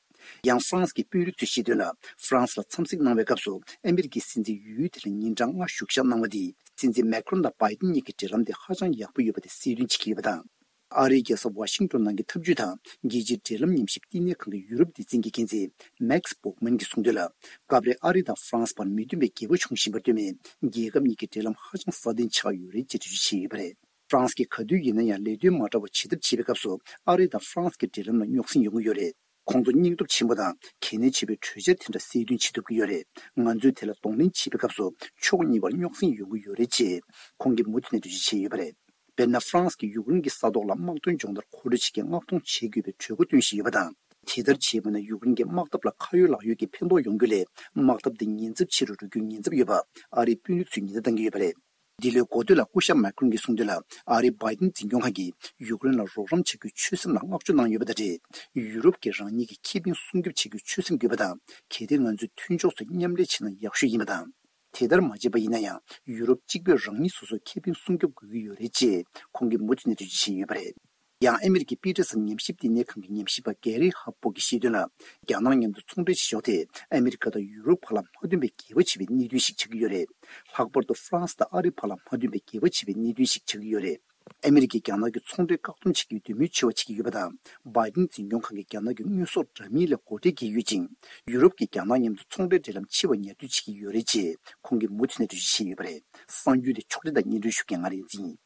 ཡང་ཧྥ་རན་སི་གི་དཔོན་རིགས་ཚོས་བཤད་དོན་ལ། ཧྥ་རན་སི་ལ་འཚམས་གཟིགས་གནང་བའི་སྐབས་སུ་ཨ་མི་རི་ཀའི་སྲིད་འཛིན་ཡུལ་དེ་ལ་ཉིན་གྲངས་ལྔ་བཞུགས་ཞག་གནང་བ་དེས། སྲིད་འཛིན་མེ་ཁྲོན་དང་བྷའི་ཏིན་གཉིས་ཀྱི་འབྲེལ་ལམ་དེ་ཧ་ཅང་ཡག་པོ་ཡོད་པ་དེ་གསལ་སྟོན་བྱེད་ཀྱི་ཡོད་པ་དང་། ཨ་རིའི་རྒྱལ་ས་ཝ་ཤིང་ཏོན་ནང་གི་འཐབ་ཇུས་དང་རྒྱལ་སྤྱིའི་འབྲེལ་ལམ་ཉམས་ཞིབ་བསྟི་གནས་ཁང་གི་ཡུ་རོབ་སྡེ་ཚན་གྱི་འགན་འཛིན་མེག་སི་སྦོག་མན་གྱིས་གསུངས་དོན་ལ། སྐབས་རེ་ཨ་རི་དང་ཧྥ་རན་སི་བར་མི་མཐུན་པའི་འགལ་བ་བྱུང་བཞིན་པར་ལྟོས་མེད། རྒྱལ་ཁབ་གཉིས་ཀྱི་འབྲེལ་ལམ་ཧ་ཅང་སྲ་བརྟན་ཆགས་ཡོད་རེད་ཅེས་འགྲེལ་བརྗོད་བྱས་ཡོད་པ་རེད། ཧྥ་རན་སི་གིས་ག་དུས་ཡིན་ན་ཡང་ལས་དོན་མ་འདྲ་བ་བྱེད་ཐབས་བྱེད་པའི་སྐབས་སུ་ཨ་རི་དང་ཧྥ་རན་སི་གི་འབྲེལ་ལམ་ལ་རྙོག་ཟིང་ཡོང་གི་ཡོད་རེད། ཁོང་ཚོ་སྙིང་སྟོབས་ཆེན་པོ་དང་གལ་གནད་ཆེ་བའི་གྲོས་འཆར་དེ་འདྲ་གསལ་སྟོན་བྱེད་ཐུབ་ཀྱི་ཡོད་རེད། ང་ཚོས་དེ་ལ་གདོང་ལེན་བྱེད་པའི་སྐབས་སུ་ཕྱོགས་གཉིས་བར་རྙོག་ཟིང་ཡོང་གི་ཡོད་རེད་ཅེས་ཁོང་གིས་མུ་མཐུད་ནས་འགྲེལ་བརྗོད་བྱས་ཡོད་པ་རེད། དཔེར་ན། ཧྥ་རན་སི་གིས་ཡུཀ་རེན་གྱི་ས་ཐོག་ལ་དམག་དོན་སྦྱོང་བརྡར་མཁོ་སྤྲོད་བྱེད་རྒྱུའི་མངགས་གཏོང་བྱེད་དགོས་པའི་གྲོས་འགོ་བཏོན་བཞིན་ཡོད་པ་དང་། དེ་ལྟར་བྱས་པ་ན་ཡུཀ་རེན་གྱི་དམག་འཐབ་ལ་ཁ་ཡོད་ལག་ཡོད་ཀྱི་ཕན་ཐོགས་ཡོང་རྒྱུ་ལས། དམག་འཐབ་འདི་ཉེན་ཚབས་ཆེ་རུ་འགྲོ་རྒྱུའི་ཉེན་ཚབས་ཡོད་པ་ཨ་རིའི་དཔོན་རིགས་ཚོས་ཉེན་བརྡ་བཏང་གི་ཡོད་པ་རེད། འདི་ལོའི་འགོ་སྟོད་ལ་སྐུ་ཞབས་མེ་ཁྲོན་གྱིས་གསུངས་དོན་ལ། ཨ་རིའི་བྷའི་ཏིན་འཛིན་སྐྱོང་ཁང་གིས་ཡུཀ་རེན་ལ་རོགས་རམ་བྱ་རྒྱུའི་ཆོད་སེམས་ལ་བསྔགས་བརྗོད་གནང་ཡོད་པ་དང་འབྲེལ། ཡུ་རོབ་ཀྱིས་རང་ཉིད་ཀྱི་ཁེ་ཕན་སྲུང་སྐྱོབ་བྱ་རྒྱུའི་ཆོད་སེམས་དགོས་པ་དང་། གལ་ཏེ་ང་ཚོས་མཐུན་ཕྱོགས་སུ་མཉམ་ལས་བྱས་ན་ཡག་ཤོས་ཡིན་པ་དང་། དེ་ལྟར་མ་བྱས་པ་ཡིན་ན་ཡང་། ཡུ་རོབ་གཅིག་པུས་རང་ཉིད་སོ་སོའི་ཁེ་ཕན་སྲུང་སྐྱོབ་དགོས་ཀྱི་ཡོད་རེད་ཅེས་ཁོང་གིས་མུ་མཐུད་ནས་འགྲེལ་བརྗོད་བྱས་ཡོད་པ་རེད། ཡང་ཨ་མི་རི་ཀའི་པི་ཊར་སན་ཉམས་ཞིབ་བསྟི་གནས་ཁང་གི་ཉམས་ཞིབ་པ་གེ་རི་ཧབ་པོག་གིས་བཤད་དོན་ལ། རྒྱ་ནག་མཉམ་དུ་ཚོང་འབྲེལ་བྱེད་ཕྱོགས་དེ་ཨ་མི་རི་ཀ་དང་ཡུ་རོབ་བར་ལ་མ་མཐུན་པའི་འགལ་བ་ཆེ་བའི་གནད་དོན་ཞིག་ཆགས་ཀྱི་ཡོད་རེད། ལྷག་པར་དུ་ཧྥ་རན་སི་དང་ཨ་རི་བར་ལ་མ་མཐུན་པའི་འགལ་བ་ཆེ་བའི་གནད་དོན་ཞིག་ཆགས་ཀྱི་ཡོད་རེད། ཨ་མི་རི་ཀས་རྒྱ་ནག་གི་ཚོང་འབྲེལ་བཀག་སྡོམ་བྱེད་རྒྱུའི་འདོད་མོས་ཆེ་བ་བྱེད་ཀྱི་ཡོད་པ་དང་། བྷའི་ཏིན་འཛིན་སྐྱོང་ཁང་གིས་རྒྱ་ནག་གི་དངོས་ཟོག་འདྲ་མིན་ལ་སྒོ་ཁྲལ་འགེལ་ཡོད་ཅིང་། ཡུ་རོབ་ཀྱིས་རྒྱ་ནག་མཉམ་དུ་ཚོང་འབྲེལ་འབྲེལ་ལམ་ཕྱེ་བར་ཉར་འདོད་བྱེད་ཀྱི་ཡོད་རེད་ཅེས་ཁོང་གིས་མུ་མཐུད་ནས་འགྲེལ་བརྗོད་བྱས་ཡོད་པ་རེད། གསར་འགྱུར་དེ་ཕྱོགས་སྒྲིག་དང་སྙན་སྒྲོན་ཞུ་མཁན་ང་རིག་འཛིན་ཡིན།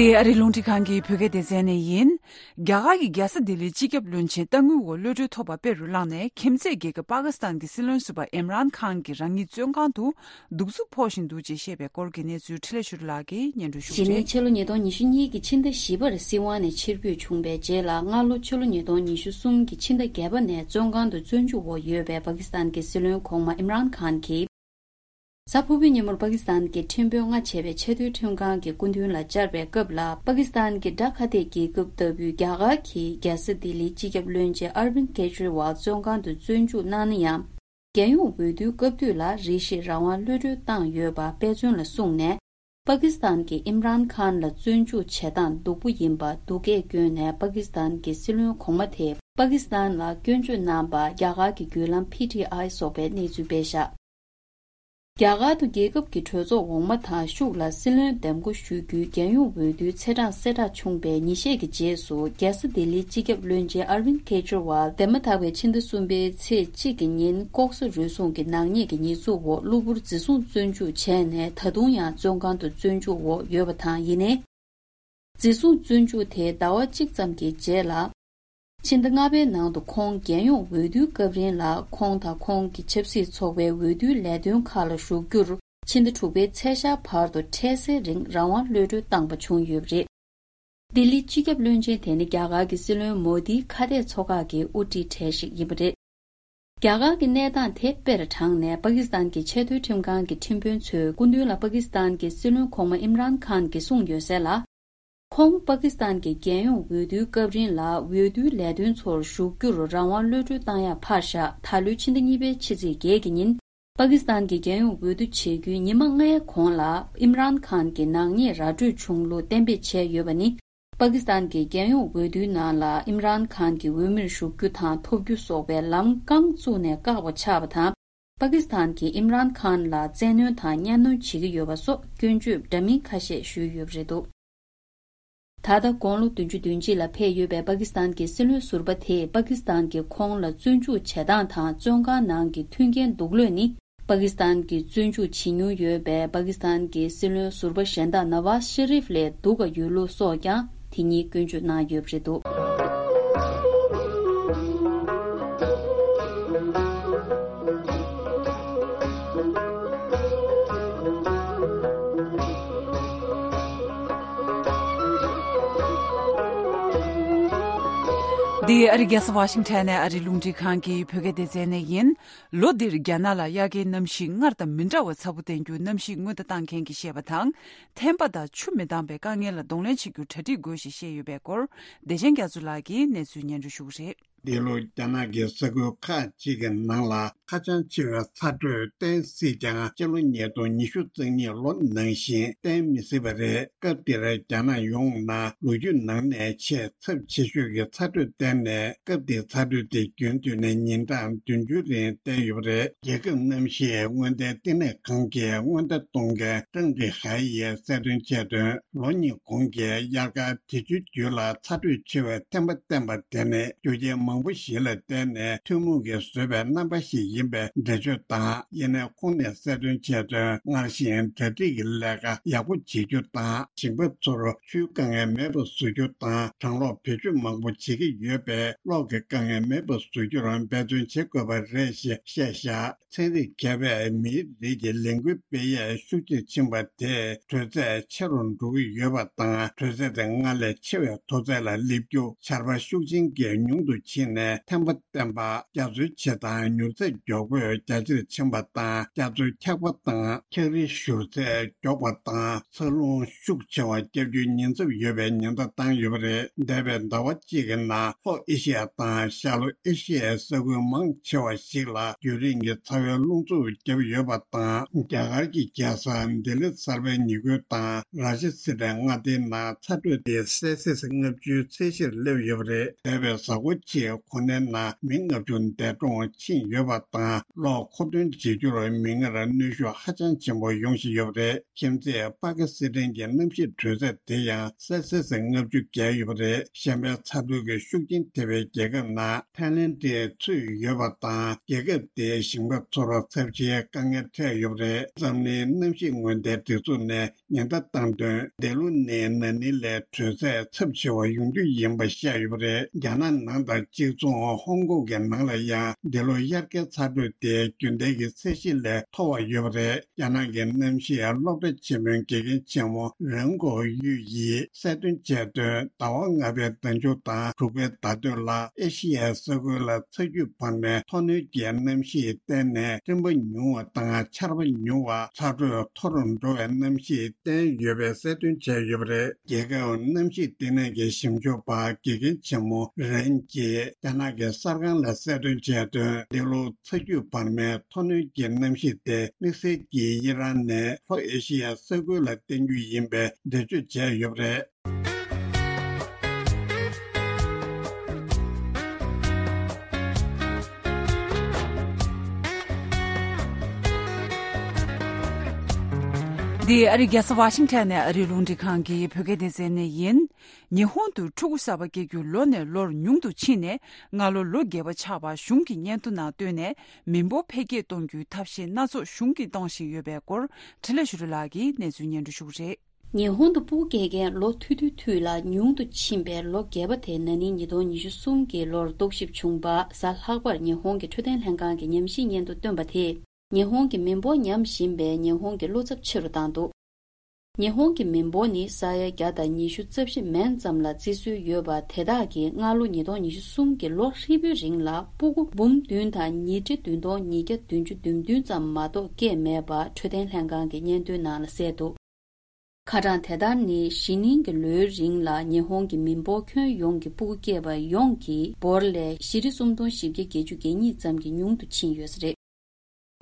འདི་ཨ་རིའི་རླུང་འཕྲིན་ཁང་གི་བོད་སྐད་སྡེ་ཚན་ནས་ཡིན། རྒྱ་གར་གྱི་རྒྱལ་ས་ལྡི་ལིའི་སྤྱི་ཁྱབ་བློན་ཆེན་ཏང་ཨུའི་འོག་གློད་གྲོལ་ཐོབ་པ་དཔེ་རུ་བླངས་ནས། ཁྱིམ་མཚེས་རྒྱལ་ཁབ་པ་ཀི་སི་ཐན་གྱི་སྲིད་བློན་ཟུར་པ་ཨིམ་རཱན་ཁཱན་གྱི་རང་ཉིད་བཙོན་ཁང་དུ་གདུག་རྩུབ་ཕོག་བཞིན་འདུག་ཅེས་བཤད་པའི་སྐོར་གྱི་གནས་ཚུལ་འཕྲིན་ལས་ཆོས་སྒྲོན་ལགས་ཀྱིས་སྙན་སྒྲོན་ཞུ་གི་རེད། ཕྱི་ལོ་ཉིས་སྟོང་ཉི་ཤུ་གཉིས་ཀྱི་ཕྱི་ཟླ་བཞི་པར་སྲིད་དབང་ནས་ཕྱིར་འབུད་བྱུང་བའི་རྗེས་ལ། སྔ་ལོ་ཕྱི་ལོ་ཉིས་སྟོང་ཉི་ཤུ་གསུམ་གྱི་ཕྱི་ཟླ་བརྒྱད་པ་ནས་བཙོན་ཁང་དུ་བཙོན་འཇུག་འོག་ཡོད་པའི་པ་ཀི་སི་ཐན་གྱི་སྲིད་བློན་གོང་མ་ཨིམ་རཱན་ཁཱན་གྱིས། གཟའ་ཕུར་བུའི་ཉིན་མོར་པ་ཀི་སི་ཐན་གྱི་ཁྲིམས་དཔོན་ལྔ་བྱས་པའི་ཆེས་མཐོའི་ཁྲིམས་ཁང་གི་སྐུ་མདུན་ལ་བཅར་བའི་སྐབས་ལ། པ་ཀི་སི་ཐན་གྱི་དགྲ་ཁ་གཏད་རྒྱལ་ཁབ་ལྟ་བུའི་རྒྱ་གར་གྱི་རྒྱལ་ས་ལྡི་ལིའི་སྤྱི་ཁྱབ་བློན་ཆེན་ཨར་བིན་ཀེ་ཇི་རི་ཝལ་བཙོན་ཁང་དུ་བཙོན་འཇུག་གནང་ན་ཡང་། རྒྱལ་ཡོངས་འོས་བསྡུའི་སྐབས་དུས་ལ་རེ་ཞིག་རང་དབང་གློད་གྲོལ་བཏང་ཡོད་པ་དཔེ་མཚོན་ལ་བཟུང་ནས། པ་ཀི་སི་ཐན་གྱི་ཨིམ་རཱན་ཁཱན་ལ་བཙོན་འཇུག་བྱེད་སྟངས་སྡུག་པོ་ཡིན་པ་སྡུག་སྐད་བསྐྱོན་ནས། པ་ཀི་སི་ཐན་གྱི་སྲིད་བློན་གོང་མ་དེས་པ་ཀི་སི་ཐན་ལ་སྐྱོན་བརྗོད་གནང་པ་རྒྱ་གར་གྱི་བརྒྱུད་ལམ་པི་ཊི་ཨའི་སོགས་པས་གནས་ཚུལ་སྤེལ་བཞག་རྒྱ་གར་དུ་རྒྱལ་ཁབ་ཀྱི་གྲོས་ཚོགས་འོག་མ་དང་ཤུགས་ལ་སྲིད་བློན་འདེམས་བསྐོ་ཞུ་རྒྱུའི་རྒྱལ་ཡོངས་འོས་བསྡུའི་ཚེས་གྲངས་གསལ་བསྒྲགས་བྱུང་པའི་ཉིན་ཤས་ཀྱི་རྗེས་སུ། རྒྱལ་ས་ལྡི་ལིའི་སྤྱི་ཁྱབ་བློན་ཆེན་ཨར་བིན་ཀེ་ཇི་རི་ཝལ་འདས་མ་ཐག་པའི་ཕྱི་ཟླ་གསུམ་པའི་ཚེས་གཅིག་གི་ཉིན་ལྐོག་ཟ་རུལ་སུངས་ཀྱི་ནག་ཉེས་ཀྱི་ཉེས་འཛུགས་འོག་གློ་བུར་འཛིན་བཟུང་བཙོན་འཇུག་བྱས་ནས། ད་དུང་ཡང་བཙོན་ཁང་དུ་བཙོན་འཇུག་འོག་ཡོད་པ་དང་། ཡིན་ནའི། འཛིན་བཟུང་བཙོན་འཇུག་དེ་ཟླ་བ་གཅིག་ཙམ་གྱི་རྗེས་ལ། ཕྱི་ཟླ་ལྔ་པའི་ནང་དུ་ཁོང་རྒྱལ་ཡོངས་འོས་བསྡུའི་སྐབས་རིང་ལ་ཁོང་དང་ཁོང་གི་ཆབ་སྲིད་ཚོགས་པའི་འོས་བསྡུའི་ལས་དོན་ཁག་ལ་ཞུགས་རྒྱུར། ཕྱི་ཟླ་དྲུག་པའི་ཚེས་ཤར་བར་དུ་འཕྲལ་སེལ་རིང་རང་དབང་གློད་གྲོལ་བཏང་པ་བྱུང་ཡོད་པ་རེད། ལྡི་ལིའི་སྤྱི་ཁྱབ་བློན་ཆེན་དེ་ནི་རྒྱ་གར་གྱི་སྲིད་བློན་མོ་དིའི་ཁ་གཏད་ཚོགས་ཁག་གི་དབུ་ཁྲིད་གྲས་ཤིག་ཡིན་པ་རེད། རྒྱ་གར་གྱི་གནས་སྟངས་དེ་དཔེར་དྲངས་ནས། པ་ཀི་སི་ཐན་གྱི་ཆེས་མཐོའི་ཁྲིམས་ཁང་གི་ཁྲིམས་དཔོན་ཚོའི་སྐུ་མདུན་ལ་པ་ཀི་སི་ཐན་གྱི་སྲིད་བློན་གོང་མ་ཨིམ་རཱན་ཁཱན་གྱིས་གསུངས་ཡོད་གསལ་ལ། ཁོང་པ་ཀི་སི་ཐན་གྱི་རྒྱལ་ཡོངས་འོས་བསྡུའི་སྐབས་རིང་ལ་འོས་བསྡུའི་ལས་དོན་ཚོར་ཞུགས་རྒྱུར་རང་དབང་གློད་གྲོལ་བཏང་ཡག་ཕར་བཞག་ད་ལོའི་ཕྱི་ཟླ་གཉིས་པའི་ཕྱི་ཚེས་བརྒྱད་ཀྱི་ཉིན། པ་ཀི་སི་ཐན་གྱི་རྒྱལ་ཡོངས་འོས་བསྡུ་བྱེད་རྒྱུའི་ཉི་མ་ལྔའི་གོང་ལ། ཨིམ་རཱན་ཁཱན་གྱི་ནག་ཉེས་ར་སྤྲོད་བྱུང་ལུགས་གཏན་འབེབས་བྱས་ཡོད་པ་ནི། པ་ཀི་སི་ཐན་གྱི་རྒྱལ་ཡོངས་འོས་བསྡུའི་ནང་ལ་ཨིམ་རཱན་ཁཱན་གྱི་འོས་མིར་ཞུགས་རྒྱུ་དང་ཐོབ་རྒྱུ་སོགས་པའི་ལམ་རྐང་བཙུགས་ནས་བཀག་པ་ཆགས་པ་དང་། པ་ཀི་སི་ཐན་གྱིས་ཨིམ་རཱན་ཁཱན་ལ་བཙན་གནོན་དང་གཉའ་གནོན་བྱེད་ཀྱི་ཡོད་པ་སོགས་སྐྱོན་བརྗོད་འདྲ་མིན་ཁ་ཤས་ཞུས་ཡོད་པ་རེད་འདུག་ད་ལྟ་དགུང་ལོ་བདུན་ཅུ་དོན་གཅིག་ལ་ཕེབས་ཡོད་པའི་པ་ཀི་སི་ཐན་གྱི་སྲིད་བློན་ཟུར་པ་དེས། པ་ཀི་སི་ཐན་གྱིས་ཁོང་ལ་བཙོན་འཇུག་བྱེད་སྟངས་དང་བཙོན་ཁང་ནང་གི་མཐུན་རྐྱེན་སྡུག་ལོས་ནི། པ་ཀི་སི་ཐན་གྱིས་བཙོན་འཇུག་བྱེད་མྱོང་ཡོད་པའི་པ་ཀི་སི་ཐན་གྱི་སྲིད་བློན་ཟུར་པ་གཞན་དག་ནཱ་ཝཱཟ་ཤེ་རིབ་ལས་སྡུག་ག་ཡོད་ལུགས་སོགས་ཀྱང་དེ་ཉིད་སྐྱོན་བརྗོད་གནང་ཡོད་པ་རེད་འདུག་འདི་ཨ་རི་རྒྱལ་ས་ཝ་ཤིང་ཊོན་ནས་ཨ་རི་རླུང་འཕྲིན་ཁང་གི་བོད་སྐད་སྡེ་ཚན་ནས་ཡིན། ལོ་འདིར་རྒྱ་ནག་ལ་དབྱར་ཁའི་གནམ་གཤིས་སྔར་དང་མི་འདྲ་བ་ཚ་པོ་བསྟན་རྒྱུ་གནམ་གཤིས་སྔོན་བརྡ་བཏང་མཁན་གྱིས་བཤད་པ་དང་། ཐན་པ་དང་ཆུ་མི་འདང་པའི་དཀའ་ངལ་ལ་གདོང་ལེན་བྱེད་རྒྱུར་གྲ་སྒྲིག་དགོས་ཞེས་བཤད་ཡོད་པའི་སྐོར། བདེ་ཆེན་རྒྱ་མཚོ་ལགས་ཀྱིས་གནས་ཚུལ་སྙན་སྒྲོན་ཞུ་གི་རེད། འདི་ལོ་རྒྱ་ནག་གི་ས་ཁུལ་ཁག་ཅིག་གི་ནང་ལ་ཧ་ཅང་ཆེ་བའི་ཚ་དྲོད་བསྟན་སྲིད་ཀྱང་། སྤྱི་ལོ་ཉིས་སྟོང་ཉི་ཤུ་རྩ་གཉིས་ལོ་ནང་བཞིན་བསྟན་མི་སྲིད་པ་རེད། སྐབས་དེར་རྒྱ་ནག་ཡོངས་ནང་ལོ་རྒྱུས་ནང་ནས་ཆེས་ཚབས་ཆེ་ཤོས་ཀྱི་ཚ་དྲོད་བསྟན་ནས། སྐབས་དེའི་ཚ་དྲོད་དེ་རྒྱུན་མཐུད་ནས་ཉིན་གྲངས་བདུན་ཅུའི་རིང་བསྟན་ཡོད་པ་རེད། རྒྱལ་ཁབ་གནམ་གཤིས་སྔོན་བརྡའི་བསྟི་གནས་ཁང་གི་སྔོན་བརྡ་གཏོང་མཁན་ཀྲང་ཀྲི་ཧའེ་ཡིས་གསལ་སྟོན་བྱས་དོན། ལོ་གཉིས་གོང་གི་དབྱར་ཁ་དེ་ཚོའི་རྒྱུད་ལ་ཚ་དྲོད་ཆེ་བའི་ཐན་པ་བསྟན་པ་དེ་ནི་རྒྱུ་རྐྱེན་མང་པོ་ཞིག་ལ་བརྟེན་ནས་ཐུན་མོང་གིས་བཟོས་པའི་རྣམ་པ་ཞིག་ཡིན་པའི་འགྲེལ་བརྗོད་དང་། ཡིན་ནའི་ཁོང་ནས་གསལ་སྟོན་བྱས་དོན། སྔར་བཞིན་གྲ་སྒྲིག་གི་ལས་ཀ་ཡག་པོ་བྱེད་རྒྱུ་དང་། ཞིང་པ་ཚོར་ཆུའི་དཀའ་ངལ་མེད་པ་བཟོ་རྒྱུ་དང་། གྲང་གློག་བེད་སྤྱོད་མང་པོ་བྱེད་ཀྱི་ཡོད་པས། གློག་གི་དཀའ་ངལ་མེད་པ་བཟོ་རྒྱུར་འབད་བརྩོན་བྱེད་དགོས་པ་རེད་ཞེས་བཤད་བཞག་ཚན་རིག་མཁས་པས་མིའི་རིགས་ཀྱི་ལས་འགུལ་སྤེལ་ཡས་ཤུགས་ཆེར་ཕྱིན་པ་དེས་དྲོད་ཚད་ཆེ་རུ་འགྲོ་གི་ཡོད་པ་དང་། དྲོད་ཚད་དེ་སྔར་ལས་ཆེ་བའི་མཐོ་ཚད་ལ་སླེབས་རྒྱུ། ཆར་པ་ཤུགས་ཆེན་གྱིས་ཉུང་དུ་ཕྱིན་ནས་ཐན་པ་བསྟན་པ། རྒྱ་མཚོའི་བྱེ་ཐང་མྱུར་ཚད་མགྱོགས་པོས་རྒྱ་ཆེར་ཕྱིན་པ་དང་། རྒྱ་མཚོའི་འཁྱགས་པ་དང་འཁྱགས་རིའི་བཞུར་ཚད་མགྱོགས་པ་དང་། ཚ་རླུང་ཤུགས་ཆེ་བ་བརྒྱབ་རྒྱུའི་ཉེན་ཚབས་ཡོད་པའི་ཉེན་བརྡ་བཏང་ཡོད་པ་རེད། འདས་པའི་ཟླ་བ་གཅིག་གི་ནང་ལྷོ་ཨེ་ཤི་ཡ་དང་ཤར་ལྷོ་ཨེ་ཤི་ཡའི་ས་ཁུལ་མང་ཆེ་བ་ཞིག་ལ་རྒྱུན་རིང་གི་ཚ་བའི་རླུང་འཚུབ་བརྒྱབ་ཡོད་པ་དང་། རྒྱ་གར་གྱི་རྒྱལ་ས་ལྡི་ལི་གསར་པའི་ཉེ་ཁུལ་དང་ར་ཤི་སི་ཊའི་མངའ་སྡེའི་ནང་ཚ་དྲོད་དེ་སེལ་སི་སི་ལྔ་བཅུའི་ཚད་གཞིར་སླེབས་ཡོད་པ་རེད། འདས་པའི་གཟའ་འཁོར་གཅིག་གོ་གནས་ནང་མི་ལྔ་བཅུ་འདས་གྲོངས་ཕྱིན་ཡོད་པ་དང་། གློག་མཁོ་འདོན་བྱེད་རྒྱུར་མི་སྣར་གནོན་ཤུགས་ཧ་ཅང་ཆེན་པོ་ཡོང་བཞིན་ཡོད་པ་རེད། ཁྱིམ་མཚེས་པ་ཀི་སི་ཐན་གྱི་གནམ་གཤིས་དྲོད་ཚད་དེ་ཡང་སེལ་སི་སི་ལྔ་བཅུ་བརྒལ་ཡོད་པ་རེད། གཞན་པའི་ཚ་དྲོད་ཀྱི་ཤུགས་རྐྱེན་ཐེབས་པའི་རྒྱལ་ཁབ་ནང་ཐའི་ལེན་ཌི་ཚུད་ཡོད་པ་དང་། རྒྱལ་ཁབ་དེའི་ཞིང་པ་ཚོར་ཚབས་ཆེའི་དཀའ་ངལ་འཕྲད་ཡོད་པ་རེད། འཛམ་གླིང་གནམ་གཤིས་སྔོན་བརྡའི་སྒྲིག་འཛུགས་ནས་ཉེན་བརྡ་བཏང་དོན། འདི་ལོ་ནི་ན་ནིང་ལས་དྲོད་ཚད་ཚབས་ཆེ་བ་ཡོང་རྒྱུ་ཡིན་པ་བཤད་ཡོད་པ་རེད། རྒྱ་ནག་ནང་དང་ གཅིག་མཚུངས་ཧོང་ཀོང་གི་ནང་ལ་ཡང་འདི་ལོ་དབྱར་ཁའི་ཚ་དྲོད་དེ་རྒྱུན་ལྡན་གྱི་ཚད་གཞི་ལས་མཐོ་བ་ཡོད་པ་རེད། རྒྱ་ནག་གི་གནམ་གཤིས་སློབ་གྲྭ་ཆེན་མོའི་དགེ་རྒན་ཆེན་མོ་རེན་གོ་གཡུས་ཡིས་གསལ་སྟོན་བྱས་དོན། ཟླ་བ་ལྔ་པའི་ཟླ་མཇུག་དང་དྲུག་པའི་ཟླ་སྟོད་ལ་ཨེ་ཤི་ཡའི་ས་ཁུལ་ལ་ཚ་རྒྱུས་བར་མའི་མཐོ་གནོན་གྱི་གནམ་གཤིས་བརྟེན་ནས་སྤྲིན་པ་ཉུང་བ་དང་ཆར་པ་ཉུང་བ། ཚ་དྲོད་མཐོ་རུ་འགྲོ་བའི་གནམ་གཤིས་བསྟན་ཡོད་པའི་གསལ་སྟོན་བྱས་ཡོད་པ་རེད། རྒྱལ་ཁབ་གནམ་གཤིས་ལྟེ་གནས་ཀྱི་ཞིབ་འཇུག་པ་དགེ་རྒན་ཆེན་མོ་རེན་གྱིས་རྒྱ་ནག་གི་གསར་ཁང་ལ་གསལ་སྟོན་བྱས་དོན། འདི་ལོ་ཚ་རྒྱུས་བར་མའི་མཐོ་གནོན་གྱི་གནམ་གཤིས་དེ་དམིགས་བསལ་གྱིས་ཨི་རན་ནས་ལྷོ་ཨེ་ཤི་ཡའི་ས་ཁུལ་ལ་བསྟན་རྒྱུ་ཡིན་པའི་འགྲེལ་བརྗོད་བྱས་ཡོད་པ་རེད། འདི་ཨ་རི་རྒྱལ་ས་ཝ་ཤིང་ཊོན་ནས་ཨ་རིའི་རླུང་འཕྲིན་ཁང་གི་བོད་སྐད་སྡེ་ཚན་ནས་ཡིན། ཉི་ཧོང་དུ་ཕྲུ་གུ་གསར་པ་སྐྱེ་རྒྱུ་ལོ་ནས་ལོར་ཉུང་དུ་ཕྱིན་ནས་སྔ་ལོ་ལོ་བརྒྱད་པ་ཆགས་པ་གཞུང་གི་སྙན་ཐོ་ནང་བཏོན་ནས་མི་འབོར་འཕེལ་རྒྱས་གཏོང་རྒྱུའི་ཐབས་ཤེས་སྣ་ཚོགས་གཞུང་གིས་གཏོང་བཞིན་ཡོད་པའི་སྐོར་འཕྲིན་ལས་ཞུ་རི་ལགས་ཀྱིས་གནས་ཚུལ་སྙན་སྒྲོན་ཞུ་གི་རེད། ཉི་ཧོང་དུ་སྤུ་གུ་སྐྱེ་མཁན་ལོ་ཐུང་ཐུང་ཐུང་ལ་ཉུང་དུ་ཕྱིན་པའི་ལོ་བརྒྱད་པ་དེ་ན་ནིང་ཉིས་སྟོང་ཉི་ཤུ་གསུམ་གྱི་ལོར་རྟོག་ཞིབ་བྱུང་བ། གཟའ་ལྷག་པར་ཉི་ཧོང་གི་འཕྲོད་བསྟེན་ལྷན་ཁང་གི་ཉམས་ཞིབ་སྙན་ཐོ་བཏོན་པ་དེས། ཉི་ཧོང་གི་མི་འབོར་ཉམས་བཞིན་པའི་ཉི་ཧོང་གི་བློ་འཚབ་ཆེ་རུ་བཏང་འདུག་ཉི་ཧོང་གི་མི་འབོར་ནི་ས་ཡ་བརྒྱ་དང་ཉི་ཤུ་རྩ་བཞི་མན་ཙམ་ལ་བརྩི་སྲོལ་ཡོད་པ་དེ་དག་གིས་སྔ་ལོ་ཉིས་སྟོང་ཉི་ཤུ་གསུམ་གྱི་ལོ་ཧྲིལ་པོའི་རིང་ལ་སྤུ་གུ་འབུམ་བདུན་དང་ཉིས་ཁྲི་བདུན་སྟོང་ཉིས་བརྒྱ་བདུན་ཅུ་དོན་བདུན་ཙམ་མ་གཏོགས་སྐྱེས་མེད་པ་འཕྲོད་བསྟེན་ལྷན་ཁང་གི་སྙན་ཐོའི་ནང་ལ་གསལ་འདུག་ཁ་གྲངས་དེ་ལྟར་ནི་གཞེས་ནིང་གི་ལོའི་རིང་ལ་ཉི་ཧོང་གི་མི་འབོར་ཁྱོན་ཡོངས་ཀྱི་སྤུ་གུ་སྐྱེས་པ་ཡོངས་ཀྱི་འབོར་ལས་བཞི་ཁྲི་སུམ་སྟོང་བཞི་བརྒྱ་བརྒྱད་ཅུ་གྱ་གཉིས་ཙམ་གྱིས་ཉུང་དུ་ཕྱིན་ཡོད་ས་རེད།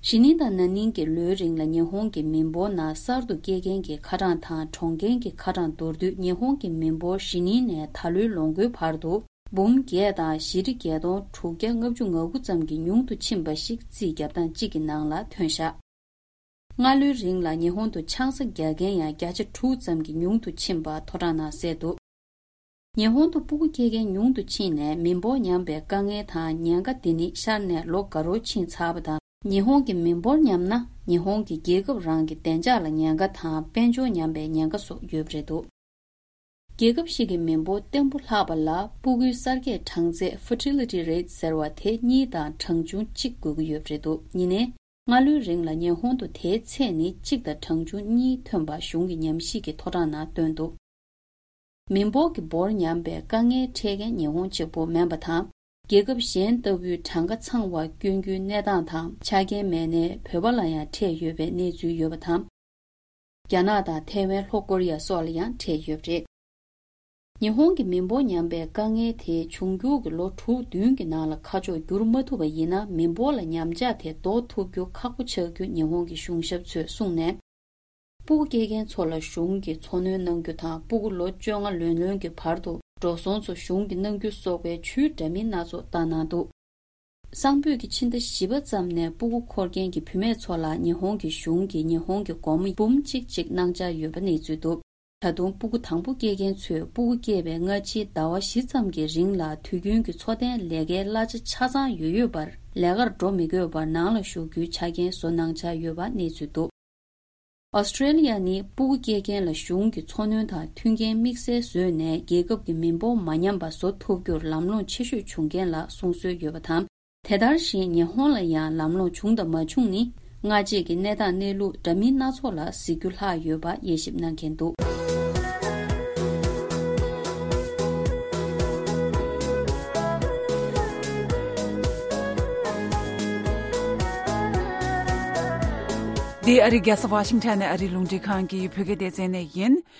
གཞེས་ནིང་དང་ན་ནིང་གི་ལོའི་རིང་ལ་ཉི་ཧོང་གི་མི་འབོར་ནང་གསར་དུ་སྐྱེས་མཁན་གྱི་ཁ་གྲངས་དང་གྲོངས་མཁན་གྱི་ཁ་གྲངས་མདོར་བསྡུས་ཉི་ཧོང་གི་མི་འབོར་གཞེས་ནིང་ནས་ད་ལོའི་ལོ་འགོའི་བར་དུ་འབུམ་བརྒྱད་དང་བཞི་ཁྲི་བརྒྱད་སྟོང་དྲུག་བརྒྱ་ལྔ་བཅུ་ང་དགུ་ཙམ་གྱིས་ཉུང་དུ་ཕྱིན་པ་ཞིག་རྩིས་རྒྱབ་སྟངས་གཅིག་གི་ནང་ལ་ཐོན་བཞག་སྔ་ལོའི་རིང་ལ་ཉི་ཧོང་དུ་ཆང་ས་རྒྱག་མཁན་ཡང་བརྒྱ་ཆ་དྲུག་ཙམ་གྱིས་ཉུང་དུ་ཕྱིན་པ་ཐོ་གྲངས་ནང་གསལ་འདུག་ཉི་ཧོང་དུ་སྤུ་གུ་སྐྱེ་མཁན་ཉུང་དུ་ཕྱིན་ནས་མི་འབོར་ཉམས་པའི་དཀའ་ངལ་དང་ཉེན་ཁ་དེ་ནི་ཤར་ནས་ལོ་འགའ་རོ་ཕྱིན་ཚར་བ་དང་། ཉི་ཧོང་གི་མི་འབོར་ཉམས་ན་ཉི་ཧོང་གི་རྒྱལ་ཁབ་རང་གི་བདེ་འཇགས་ལ་ཉེན་ཁ་དང་དཔལ་འབྱོར་ཉམས་པའི་ཉེན་ཁ་སོགས་ཡོད་པ་རེད་འདུག་རྒྱལ་ཁབ་ཞིག་གི་མི་འབོར་བརྟན་པོ་ལྷག་པ་ལ་སྤུ་གུའི་གསར་སྐྱེས་གྲངས་ཚད་fertility rate ཟེར་བ་དེ་གཉིས་དང་གྲངས་ཆུང་གཅིག་དགོས་ཀྱི་ཡོད་པ་རེད་འདུག་ཡིན་ནའི། སྔ་ལོའི་རིང་ལ་ཉི་ཧོང་དུ་དེའི་ཚད་ནི་གཅིག་དང་གྲངས་ཆུང་གཉིས་ཐོན་པ་གཞུང་གི་ཉམས་ཞིབ་ཀྱི་ཐོ་གྲངས་ནང་བཏོན་འདུག་མི་འབོར་གྱི་འབོར་ཉམས་པའི་དཀའ་ངལ་འཕྲད་མཁན་ཉི་ཧོང་གཅིག་པུ་མིན་པ་དང་། རྒྱལ་ཁབ་གཞན་ལྟ་བུའི་གྲངས་ཀ་ཚང་བ་སྐྱོན་རྒྱུའི་གནས་སྟངས་དང་ཆ་རྐྱེན་མེད་ནའི་བོད་པ་ལ་ཡང་འཕྲད་ཡོད་པའི་གནས་ཚུལ་ཡོད་པ་དང་། རྒྱ་ནག་དང་ཐའེ་ཝན། ལྷོ་ཀོ་རི་ཡ་སོགས་ལ་ཡང་འཕྲད་ཡོད་པ་རེད། ཉི་ཧོང་གི་མི་འབོར་ཉམས་པའི་དཀའ་ངལ་དེ་འབྱུང་འགྱུར་གྱི་ལོ་དྲུག་བདུན་གྱི་ནང་ལ་ཁ་ཕྱོགས་བསྒྱུར་མ་ཐུབ་པ་ཡིན་ན། མི་འབོར་ལ་ཉམས་ཆག་དེ་ཟློག་ཐུབ་རྒྱུ་ཁག་པོ་ཆགས་རྒྱུ་ཉི་ཧོང་གི་གཞུང་ཞབས་ཚོས་གསུངས་ནས། སྤུ་གུ་སྐྱེ་མཁན་ཚོ་ལ་གཞུང་གིས་འཚོ་སྣོན་གནང་རྒྱུ་དང་། སྤུ་གུ་ལོ་བཅོ་ལྔ་ལོན་ལོན་གྱི་བར་དུ་འགྲོ་སོང་ཚོ་གཞུང་གིས་གནང་རྒྱུ་སོགས་པའི་ཇུས་འདྲ་མིན་སྣ་ཚོགས་བཏང་གནང་འདུག་གསང་ཕུད་ཀྱི་ཕྱི་ཟླ་བཞི་པ་ཙམ་ནས་སྤུ་གུ་འཁོར་མཁན་གྱི་བུད་མེད་ཚོ་ལ་ཉི་ཧོང་གི་གཞུང་གིས་ཉི་ཧོང་གི་སྒོར་མོ་འབུམ་གཅིག་གཅིག་གནང་འཆར་ཡོད་པ་གནས་ཚུལ་འདུག་ད་དུང་སྤུ་གུ་དང་པོ་སྐྱེ་མཁན་ཚོས་སྤུ་གུ་སྐྱེས་པའི་སྔ་ཕྱིའི་ཟླ་བ་བཞི་ཙམ་གྱི་རིང་ལ་དུས་རྒྱུན་གྱི་འཚོ་རྟེན་ལས་ཀའི་གླ་ཆ་ཆ་ཚང་ཡོད་ཡོད་པར་ལས་ཀར་འགྲོ་མི་དགོས་པར་ནང་ལ་བཞུགས་རྒྱུའི་ཆ་རྐྱེན་བཟོ་གནང་འཆར་ཡོད་པ་གནས་ཚུལ་འདུག་ཨོ་སི་ཀྲེ་ལི་ཡ་ནི་སྤུ་གུ་སྐྱེ་མཁན་ལ་གཞུང་གི་འཚོ་སྣོན་དང་མཐུན་རྐྱེན་དམིགས་བསལ་བཟོས་ནས་རྒྱལ་ཁབ་ཀྱི་མི་འབོར་མ་ཉམས་པ་བཟོ་ཐུབ་རྒྱུར་ལམ་ལྷོང་ཆེ་ཤོས་བྱུང་མཁན་ལ་གསུང་སྲོལ་ཡོད་པ་དང་། དེ་ལྟར་བཞིན་ཉི་ཧོང་ལ་ཡང་ལམ་ལྷོང་བྱུང་དང་མ་བྱུང་ནི་སྔ་རྗེས་ཀྱི་གནས་སྟངས་གནས་ལུགས་འདྲ་མིན་སྣ་ཚོགས་ལ་གཟིགས་རྒྱུ་ལྷག་ཡོད་པ་དབྱེ་ཞིབ་གནང་མཁན་འདུག་འདི་ཨ་རི་རྒྱལ་ས་ཝ་ཤིང་ཊོན་ནས་ཨ་རིའི་རླུང་འཕྲིན་ཁང་གི་བོད་སྐད་སྡེ་ཚན་ནས་ཡིན།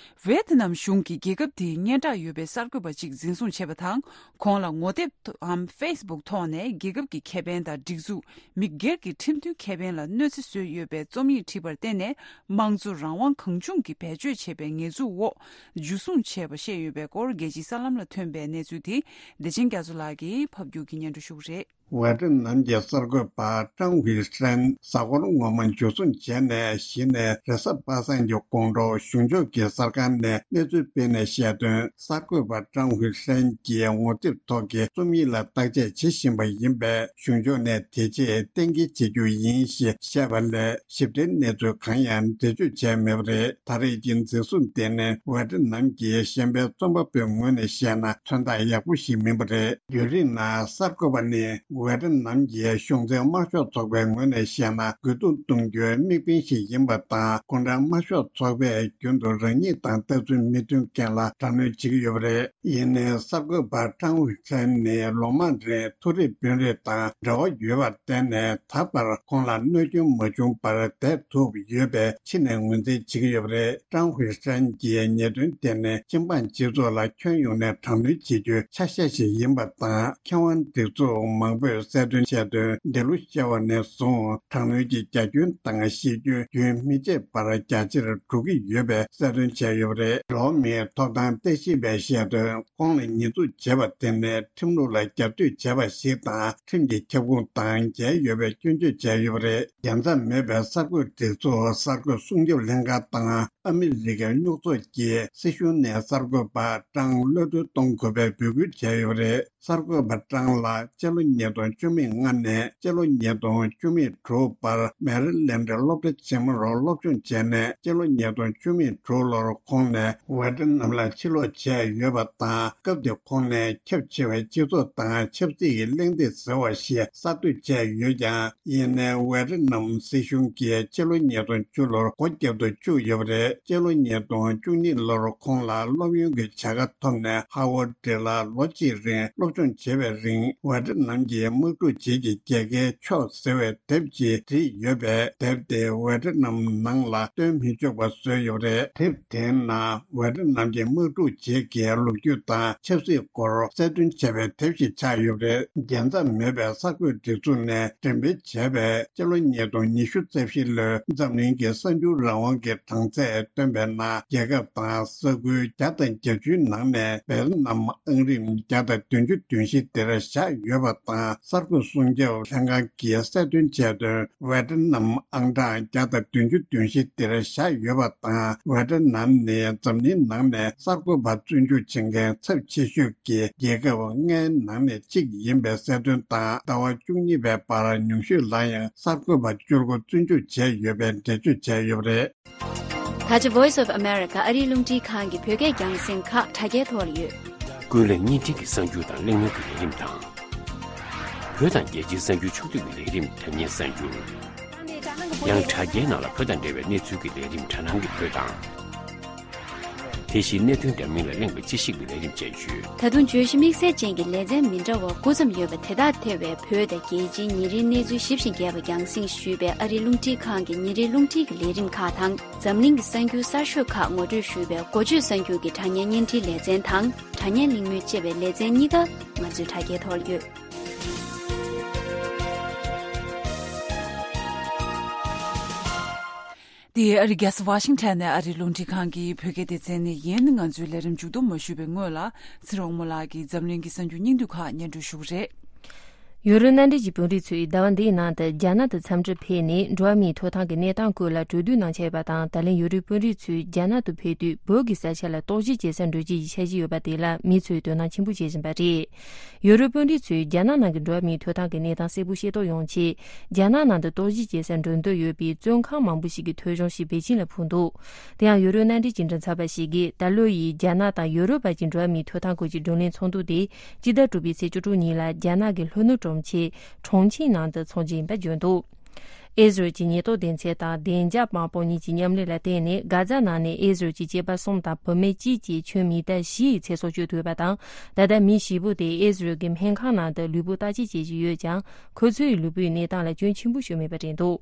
ཝེ་ཐི་ནམ་གཞུང་གིས་རྒྱལ་ཁབ་དེའི་སྙན་གྲགས་ཡོད་པའི་གསར་འགོད་པ་གཅིག་འཛིན་བཟུང་བྱས་པ་དང་། ཁོང་ལ་ངོ་དེབ་འམ་ཕེ་སི་བུག་ཐོག་ནས་རྒྱལ་ཁབ་ཀྱི་ཁེ་ཕན་དང་སྒྲིག་འཛུགས། མི་སྒེར་གྱི་ཁྲིམས་མཐུན་ཁེ་ཕན་ལ་གནོད་འཚེ་བཟོས་ཡོད་པའི་རྩོམ་ཡིག་བྲིས་པར་བརྟེན་ནས། དམངས་གཙོ་རང་དབང་གང་བྱུང་གིས་བེད་སྤྱོད་བྱས་པའི་ཉེས་འཛུགས་འོག་འཇུ་བཟུང་བྱས་པ་བཤད་ཡོད་པའི་སྐོར། རྒྱལ་སྤྱིའི་གསར་ལམ་ལ་ཐོན་པའི་གནས་ཚུལ་དེ་བདེ་ཆེན་རྒྱ་མཚོ་ལགས་ཀྱིས་ཕབ་སྒྱུར་གྱིས་སྙན་སྒྲོན་ཞུ་གི་རེད། ཝེ་ཏི་ནམ་གྱི་གསར་འགོད་པ་ཀྲང་ཧུའེ་ཧྲན་གཟའ་འཁོར་སྔོན་མ་འཇུ་བཟུང་བྱས་ནས་གཞི་ནས་རེས་གཟའ་པ་སངས་ཀྱི་དགོང་དྲོ་གཞུང་ཕྱོགས་ཀྱི་གསར་ཁང་ནས་གནས་ཚུལ་སྤེལ་ནས་བཤད་དོན། གསར་འགོད་པ་ཀྲང་ཧུའེ་ཧྲན་གྱིས་ངོ་དེབ་ཐོག་གི་རྩོམ་ཡིག་ལ་བརྟག་དཔྱད་བྱེད་བཞིན་པ་ཡིན་པས། གཞུང་ཕྱོགས་ནས་དེ་རྗེས་གཏན་འཁེལ་བྱེད་རྒྱུ་ཡིན་ཞེས་བཤད་པ་ལས། ཞིབ་ཕྲའི་གནས་ཚུལ་གང་ཡང་འགྲེལ་བརྗོད་བྱས་མེད་པ་རེད། ད་རེས་ཀྱི་འཛིན་བཟུང་དེ་ནི་ཝེ་ཏི་ནམ་གྱི་གཞན་ཕན་རྩོམ་པ་པོའི་ངོས་ནས་བཤད་ན་མཚོན་རྟགས་ཡག་པོ་ཞིག་མིན་པ་རེད། ཡུན་རིང་ན་གསར་འགོད་པ་ནི་ཝེ་ཏི་ནམ་གྱི་གཞུང་འཛིན་དམར་ཤོག་ཚོགས་པའི་ངོས་ནས་བཤད་ན་རྒོལ་རྡུང་གཏོང་རྒྱུའི་དམིགས་འབེན་ཞིག་ཡིན་པ་དང་། གུང་ཁྲན་དམར་ཤོག་ཚོགས་པས་རྒྱུན་དུ་རང་ཉིད་དང་ལྟ་ཚུལ་མི་མཐུན་མཁན་ལ་དྲག་གནོན་བྱེད་ཀྱི་ཡོད་པ་རེད། ཡིན་ནའི་གསར་འགོད་པ་ཀྲང་ཧུའེ་ཧྲན་ནི་ལོ་མང་རིང་མཐོ་རིམ་དཔོན་རིགས་དང་འབྲེལ་བ་ཡོད་པར་བརྟེན་ནས། ད་བར་ཁོང་ལ་གནོད་སྐྱོན་མ་བྱུང་བར་བསྡད་ཐུབ་ཡོད་པས་ཕྱི་ནས་ངོས་འཛིན་བྱེད་ཀྱི་ཡོད་པ་རེད། ཀྲང་ཧུའེ་ཧྲན་གྱིས་ཉེས་དོན་དེ་ནི་སྤྱི་འབངས་སྤྱི་ཚོགས་ལ་ཁྱོན་ཡོངས་ནས་དྲག་གནོན་བྱེད་རྒྱུའི་ཆ་ཤས་ཤིག་ཡིན་པ་དང་། མཁས་དབང་སྒྲིག་འཛུགས་མང་པོས་གསལ་སྟོན་བྱས་དོན། འདི་ལོ་ཤར་བ་ནས་བཟུང་དྲག་གནོན་གྱི་རྒྱ་ཁྱོན་དང་གཞི་ཁྱོན་རྒྱུན་མི་ཆད་པར་རྒྱ་ཆེར་འགྲོ་གི་ཡོད་པའི་གསལ་སྟོན་བྱས་ཡོད་པ་རེད། འགྲོ་བ་མིའི་ཐོབ་ཐང་ལྟ་ཞིབ་པས་བཤད་དོན། ཁོང་ལ་ཉེས་འཛུགས་བྱས་པ་དེ་ནི་ཁྲིམས་ལུགས་ལ་རྒྱབ་གཏོད་བྱས་པ་ཞིག་དང་། ཁྲིམས་ཀྱི་ཁྱབ་ཁོངས་དང་འགལ་ཡོད་པའི་སྐྱོན་བརྗོད་བྱས་ཡོད་པ་རེད། རྒྱལ་མཚམས་མེད་པའི་གསར་འགོད་སྒྲིག་འཛུགས་གསར་འགོད་སྲུང་སྐྱོབ་ལྷན་ཁང་དང་ཨ་མི་རི་ཀའི་སྨྱུག་ཚོགས་ཀྱིས་སྲིད་གཞུང་ནས་གསར་འགོད་པ་ཀྲང་གློད་གྲོལ་གཏོང་དགོས་པའི་འབོད་སྐུལ་བྱས་ཡོད་པ་རེད། གསར་འགོད་པ་ཀྲང་ལ་སྤྱི་ལོ་ཉིས་སྟོང་བཅུ་མེད་ལྔ་ནས་སྤྱི་ལོ་ཉིས་སྟོང་བཅུ་མེད་དྲུག་བར་མེ་རི་ལེན་ཌི་སློབ་གྲྭ་ཆེན་མོར་སློབ་སྦྱོང་བྱས་ནས། སྤྱི་ལོ་ཉིས་སྟོང་བཅུ་མེད་དྲུག་ལོར་ཁོང་ནས་ཝེ་ཏི་ནམ་ལ་ཕྱིར་ལོག་བྱས་ཡོད་པ་དང་། སྐབས་དེ་ཁོང་ནས་ཁྱབ་ཆེ་བའི་སྤྱི་ཚོགས་དང་ཆབ་སྲིད་ཀྱི་གླེང་སྟེགས་ཟེར་བ་ཞིག་གསར་གཏོད་བྱས་ཡོད་ཀྱང་། ཡིན་ནའི་ཝེ་ཏི་ནམ་སྲིད་གཞུང་གིས་སྤྱི་ལོ་ཉིས་སྟོང་བཅུ་ལོར་སྒོ་བརྒྱབ་ཏུ་བཅུག་ཡོད་པ་རེད། སྤྱི་ལོ་ཉིས་སྟོང་བཅུ་གཉིས་ལོར་ཁོང་ལ་སློབ་ཡོན་གྱི་བྱ་དགའ་ཐོབ་ནས་ཧ་ཝར་ཌི་ལ་ལོ་གཅིག་རིང་སློབ་སྦྱོང་བྱེད་པའི་རིང་ཝེ་ཏི་ནམ་གྱི་དམག་འཁྲུག་རྗེས་ཀྱི་རྒྱལ་ཁའི་ཕྱོགས་ཟེར་བའི་དེབ་ཅིག་བྲིས་ཡོད་པས། དེབ་དེ་ཝེ་ཏི་ནམ་ནང་ལ་སྟོན་མི་ཆོག་པ་བཟོས་ཡོད་པ་རེད། དེབ་དེའི་ནང་ཝེ་ཏི་ནམ་གྱི་དམག་འཁྲུག་རྗེས་ཀྱི་ལོ་རྒྱུས་དང་ཆབ་སྲིད་སྐོར་གསལ་སྟོན་བྱས་པའི་དེབ་ཞིག་ཆགས་ཡོད་པ་རེད། རྒྱལ་མཚམས་མེད་པའི་གསར་འགོད་སྒྲིག་འཛུགས་ནས་འགྲེམས་སྤེལ་བྱས་པའི་སྤྱི་ལོ་ཉིས་སྟོང་ཉི་ཤུ་རྩ་བཞི་ལོའི་འཛམ་གླིང་གི་གསར་འགྱུར་རང་དབང་གི་གྲངས་ཚད་བཏོན་པའི་ནང་། རྒྱལ་ཁབ་དང་ས་ཁུལ་བརྒྱ་དང་བརྒྱད་ཅུའི་ནང་ནས་ཝེ་ཏི་ནམ་ཨང་རིམ་བརྒྱ་དང་བདུན་ཅུ་དོན་བཞི་དེར་བཞག་ཡོད་པ་དང་། གསར་འགོད་སྲུང་སྐྱོབ་ལྷན་ཁང་གིས་གསལ་སྟོན་བྱས་དོན། ཝེ་ཏི་ནམ་ཨང་གྲངས་བརྒྱ་དང་བདུན་ཅུ་དོན་བཞི་དེར་བཞག་ཡོད་པ་དང་། ཝེ་ཏི་ནམ་ནི་འཛམ་གླིང་ནང་ནས་གསར་འགོད་པ་བཙོན་འཇུག་བྱེད་མཁན་ཚབས་ཆེ་ཤོས་ཀྱི་རྒྱལ་ཁབ་ལྔའི་ནང་ནས་གཅིག་ཡིན་པའི་གསལ་སྟོན་དང་། ཟླ་བ་བཅུ་གཉིས་པའི་བར་ཉུང་ཤོས་ལ་ཡང་གསར་འགོད་པ་བཅུ་དགུ་བཙོན་འཇུག་བྱས་ཡོད་པའི་འགྲེལ་བརྗོད་བྱས་ཡོད་པ་རེད། ད་ཆ་Voice of America ཨ་རིའི་རླུང་འཕྲིན་ཁང་གི་བོད་སྐད་རྒྱང་སྲིང་ཁག་དྲ་རྒྱའི་ཐོག་ལ་ཡོད། ཀུན་གླེང་བརྙན་འཕྲིན་གྱི་གསར་འགྱུར་དང་གླེང་མོལ་གྱི་ལས་རིམ་དང་། བོད་དང་རྒྱལ་སྤྱིའི་གསར་འགྱུར་ཕྱོགས་བསྡུས་ཀྱི་ལས་རིམ་དྲ་བརྙན་གསར་འགྱུར། ཡང་དྲ་རྒྱའི་ནང་ལ་བོད་དང་འབྲེལ་བའི་གནས་ཚུལ་གྱི་ལས་རིམ་དྲ་སྣང་གི་བོད་དང་། དེ་བཞིན་གནད་དོན་འདྲ་མིན་ལ་གླེང་བའི་དཔྱད་ཞིབ་ཀྱི་ལས་རིམ་བཅས་ཡོད། ད་དུང་བརྗོད་གཞི་དམིགས་བསལ་ཅན་གྱི་ལེ་ཚན་མི་འདྲ་བ་དགུ་ཙམ་ཡོད་པ་དེ་དག་ཐེ་བའི་བོད་དང་རྒྱལ་སྤྱིའི་ཉིན་རེའི་གནས་ཚུལ་ཞིབ་ཅིང་རྒྱས་པ་རྒྱང་སྲིང་ཞུས་པའི་ཨ་རིའི་རླུང་འཕྲིན་ཁང་གི་ཉིན་རེའི་རླུང་འཕྲིན་གྱི་ལས་རིམ་ཁག་དང་། འཛམ་གླིང་གི་གསར་འགྱུར་གསར་ཤོས་ཁག་ངོ་སྤྲོད་ཞུས་པའི་འགོ་བརྗོད་གསར་འགྱུར་གྱི་དྲ་བརྙན་བརྙན་འཕྲིན་ལེ་ཚན་དང་། དྲ་བརྙན་གླེང་མོལ་ཅེས་པའི་ལེ་ཚན་གཉིས་ཀ་ང་ཚོའི་དྲ་རྒྱའི་ཐོག་ལ་ཡོད། འདི་ཨ་རི་རྒྱལ་ས་ཝ་ཤིང་ཊོན་ནས་ཨ་རིའི་རླུང་འཕྲིན་ཁང་གི་བོད་སྐད་སྡེ་ཚན་ནས་ཡིན། ང་ཚོའི་ལས་རིམ་མཇུག་བསྡོམས་མ་ཞུས་པའི་སྔོན་ལ། ཚེ་རིང་དབང་མོ་ལགས་ཀྱིས་འཛམ་གླིང་གི་གསར་འགྱུར་སྙིང་བསྡུས་ཁག་སྙན་སྒྲོན་ཞུ་གི་རེད། ཡུ་རོབ་མནའ་འབྲེལ་གྱི་དཔོན་རིགས་ཚོས་ཟླ་བ་འདིའི་ནང་དུ་རྒྱ་ནག་ཏུ་འཚམས་འདྲིར་ཕེབས་ནས། འགྲོ་བ་མིའི་ཐོབ་ཐང་གི་གནས་སྟངས་སྐོར་ལ་གྲོས་བསྡུར་གནང་འཆར་ཡོད་པ་དང་། ད་ལན་ཡུ་རོབ་དཔོན་རིགས་ཚོས་རྒྱ་ནག་ཏུ་ཕེབས་དུས་བོད་ཀྱི་ས་ཆ་ལ་རྟོག་ཞིབ་བྱེད་སར་འགྲོ་རྒྱུ་ཡི་འཆར་གཞི་ཡོད་པ་དེ་ལ་མི་ཚོས་དོ་སྣང་ཆེན་པོ་བྱེད་བཞིན་པ་རེད། ཡུ་རོབ་དཔོན་རིགས་ཚོས་རྒྱ་ནག་ནང་གི་འགྲོ་བ་མིའི་ཐོབ་ཐང་གི་གནས་སྟངས་གསལ་པོ་ཤེས་རྟོགས་ཡོང་ཆེད། རྒྱ་ནག་ནང་དུ་རྟོག་ཞིབ་བྱེད་སར་འགྲོ་འདོད་ཡོད་པའི་བཙོན་ཁང་མང་པོ་ཞིག་གི་ཐོ་གཞུང་ཞིག་པེ་ཅིན་ལ་ཕུལ་འདུག་དེ་ཡང་ཡུ་རོབ་མནའ་འབྲེལ་སྐྱིན་གྲོང་ཚབ་པ་ཞིག་གིས། ད་ལོ་ཡི་རྒྱ་ནག་དང་ཡུ་རོབ་བར་གྱི་འགྲོ་བ་མིའི་ཐོབ་ཐང་སྐོར་གྱི་བགྲོ་གླེང་ཚོགས་འདུ་དེ་སྤྱི་ཟླ་དྲུག་པའི་ཚེས་བཅུ་དྲུག་ཉིན་ལ་རྒྱ་ནག་གི་ལྷོ་ནུབ་གྲོང་ཁྱེར་ཁྲོང་ཆིང་ནང་དུ་འཚོགས་རྒྱུ་ཡིན་པ་བརྗོད་འདུག་ཨེ་ཟི་རལ་གྱི་ཉེན་རྟོག་སྡེ་ཚན་དང་བདེ་འཇགས་དམག་དཔུང་གཉིས་ཀྱི་མཉམ་ལས་ལ་བརྟེན་ནས། གྷ་ཛ་ནང་ནས་ཨེ་ཟི་རལ་གྱི་སྐྱེས་པ་གསུམ་དང་བུད་མེད་གཅིག་བཅས་ཁྱོན་མི་ཊར་བཞི་ཡི་ཚེ་སྲོག་གཅོད་ཐུབ་པ་དང་། ད་ལྟ་མི་བཞི་པོ་དེ་ཨེ་ཟི་རལ་གྱི་སྨན་ཁང་ནང་དུ་ལུས་པོ་བརྟག་དཔྱད་བྱེད་བཞིན་ཡོད་ཀྱང་། ཁོ་ཚོའི་ལུས་པོའི་གནས་སྟངས་ལ་སྐྱོན་ཆེན་པོ་ཞིག་མེད་པ་རེད་འདུག་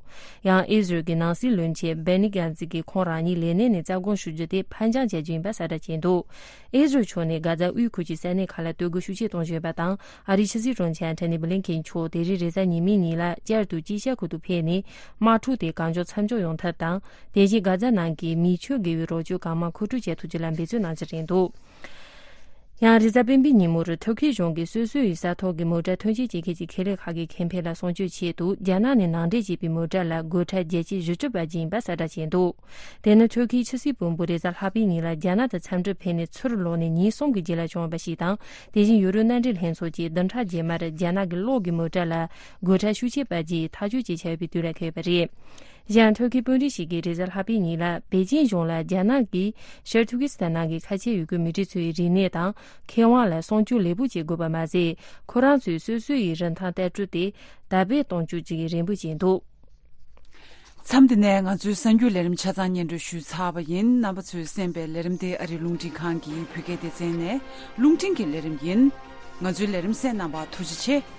ཡང་ཨེ་ཟི་རལ་གྱི་ནང་སྲིད་བློན་ཆེན་སྦེ་ནི་གྷན་ཛི་གིས་ཁོང་རང་ཉིད་ལས་གནས་ནས་རྩ་དགོངས་ཞུ་རྒྱུ་དེ་ཕར་འགྱངས་བྱ་རྒྱུ་ཡིན་པ་གསལ་བསྒྲགས་བྱས་འདུག་ཨེ་ཟི་རལ་ཕྱོགས་ནས་གྷ་ཛ་དབུས་ཁུལ་གྱི་ས་གནས་ཁག་ལ་གཏོར་རྒོལ་ཤུགས་ཆེ་གཏོང་བཞིན་ཡོད་པ་དང་། ཨ་རིའི་ཕྱི་སྲིད་དྲུང་ཆེ་ཨན་ཐོ་ནི་བྷི་ལིན་ཁེན་མཆོག་དེ་རིང་རེས་གཟའ་ཉི་མའི་ཉིན་ལ་བསྐྱར་དུ་དཀྱིལ་ཤར་ཁུལ་དུ་ཕེབས་ནས། དམག་འཁྲུག་དེ་གང་མགྱོགས་མཚམས་འཇོག་ཡོང་ཐབས་དང་། དེ་བཞིན་གྷ་ཛ་ནང་གི་མི་ཆོས་དགེ་བའི་རོགས་སྐྱོར་གང་མང་མཁོ་སྤྲོད་བྱེད་ཐུབ་རྒྱུ་ལ་འབད་བརྩོན་གནང་རྒྱུ་རེད་འདུག་ཡང་རེས་གཟའ་སྤེན་པའི་ཉིན་མོར་ཐུར་ཁེ་གཞུང་གིས་སོ་སོའི་ས་ཐོག་གི་མོ་ཊ་ཐོན་སྐྱེད་བྱེད་མཁན་གྱི་ཁེ་ལས་ཁག་གི་ཁེ་ཕན་ལ་སྲུང་སྐྱོབ་ཆེད་དུ། རྒྱ་ནག་ནས་ནང་འདྲེན་བྱས་པའི་མོ་ཊ་ལ་སྒོ་ཁྲལ་བརྒྱ་ཆ་བཞི་བཅུ་བར་བྱིན་པ་གསལ་བསྒྲགས་བྱས་འདུག་དེ་ནི་ཐུར་ཁེའི་ཕྱི་སྲིད་བློན་པོ་རེས་གཟའ་ལྷག་པའི་ཉིན་ལ་རྒྱ་ནག་དང་འཚམས་འདྲིར་ཕེབས་ནས་ཚུར་ལོག་ནས་ཉིན་གསུམ་གྱི་རྗེས་ལ་བྱུང་བ་ཞིག་དང་། དེ་བཞིན་ཡུ་རོབ་མནའ་འབྲེལ་ལྷན་ཚོགས་ཀྱིས་བདུན་ཕྲག་རྗེས་མར་རྒྱ་ནག་གི་གློག་གི་མོ་ཊ་ལ་སྒོ་ཁྲལ་ཤུགས་ཆེ་བར་བརྒྱབ་ཐག་གཅོད་བྱེད་འཆར་བའི་དུས་ལ་འཁེལ་བ་རེད། གཞན་ཐུར་ཁེའི་དཔོན་རིགས་ཤིག་གིས་རེས་གཟའ་ལྷག་པའི་ཉིན་ལ་པེ་ཅིན་གཞུང་ལ་རྒྱ་ནག་གིས་ཤར་ཐུར་ཀི་སི་ཐན་ནང་གི་ཁ་ཆེ་ཡུལ་གྱི་མི་གྲངས་ཚོའི་རིག་གནས་དང་ཁེ་དབང་ལ་སྲུང་སྐྱོབ་ལེགས་པོ་བྱེད་དགོས་པ་མ་ཟད། ཁོ་རང་ཚོས་སོ་སོ་ཡི་རིན་ཐང་ལྟ་གྲུབ་དེ་དར་སྤེལ་གཏོང་རྒྱུ་བཅས་ཀྱི་རེ་འབོད་བྱས་འདུག་མཚམས་འདི་ནས་ང་ཚོའི་གསར་འགྱུར་ལས་རིམ་ཆ་ཚང་སྙན་སྒྲོན་ཞུས་ཚར་བ་ཡིན། རྣམ་པ་ཚོས་གསན་པའི་ལས་རིམ་དེ་ཨ་རིའི་རླུང་འཕྲིན་ཁང་གི་བོད་སྐད་སྡེ་ཚན་ནས་རླུང་འཕྲིན་གྱི་ལས་རིམ་ཡིན། ང་ཚོའི་ལས་རིམ་གསན་གནང་བར་ཐུགས་རྗེ་ཆེ།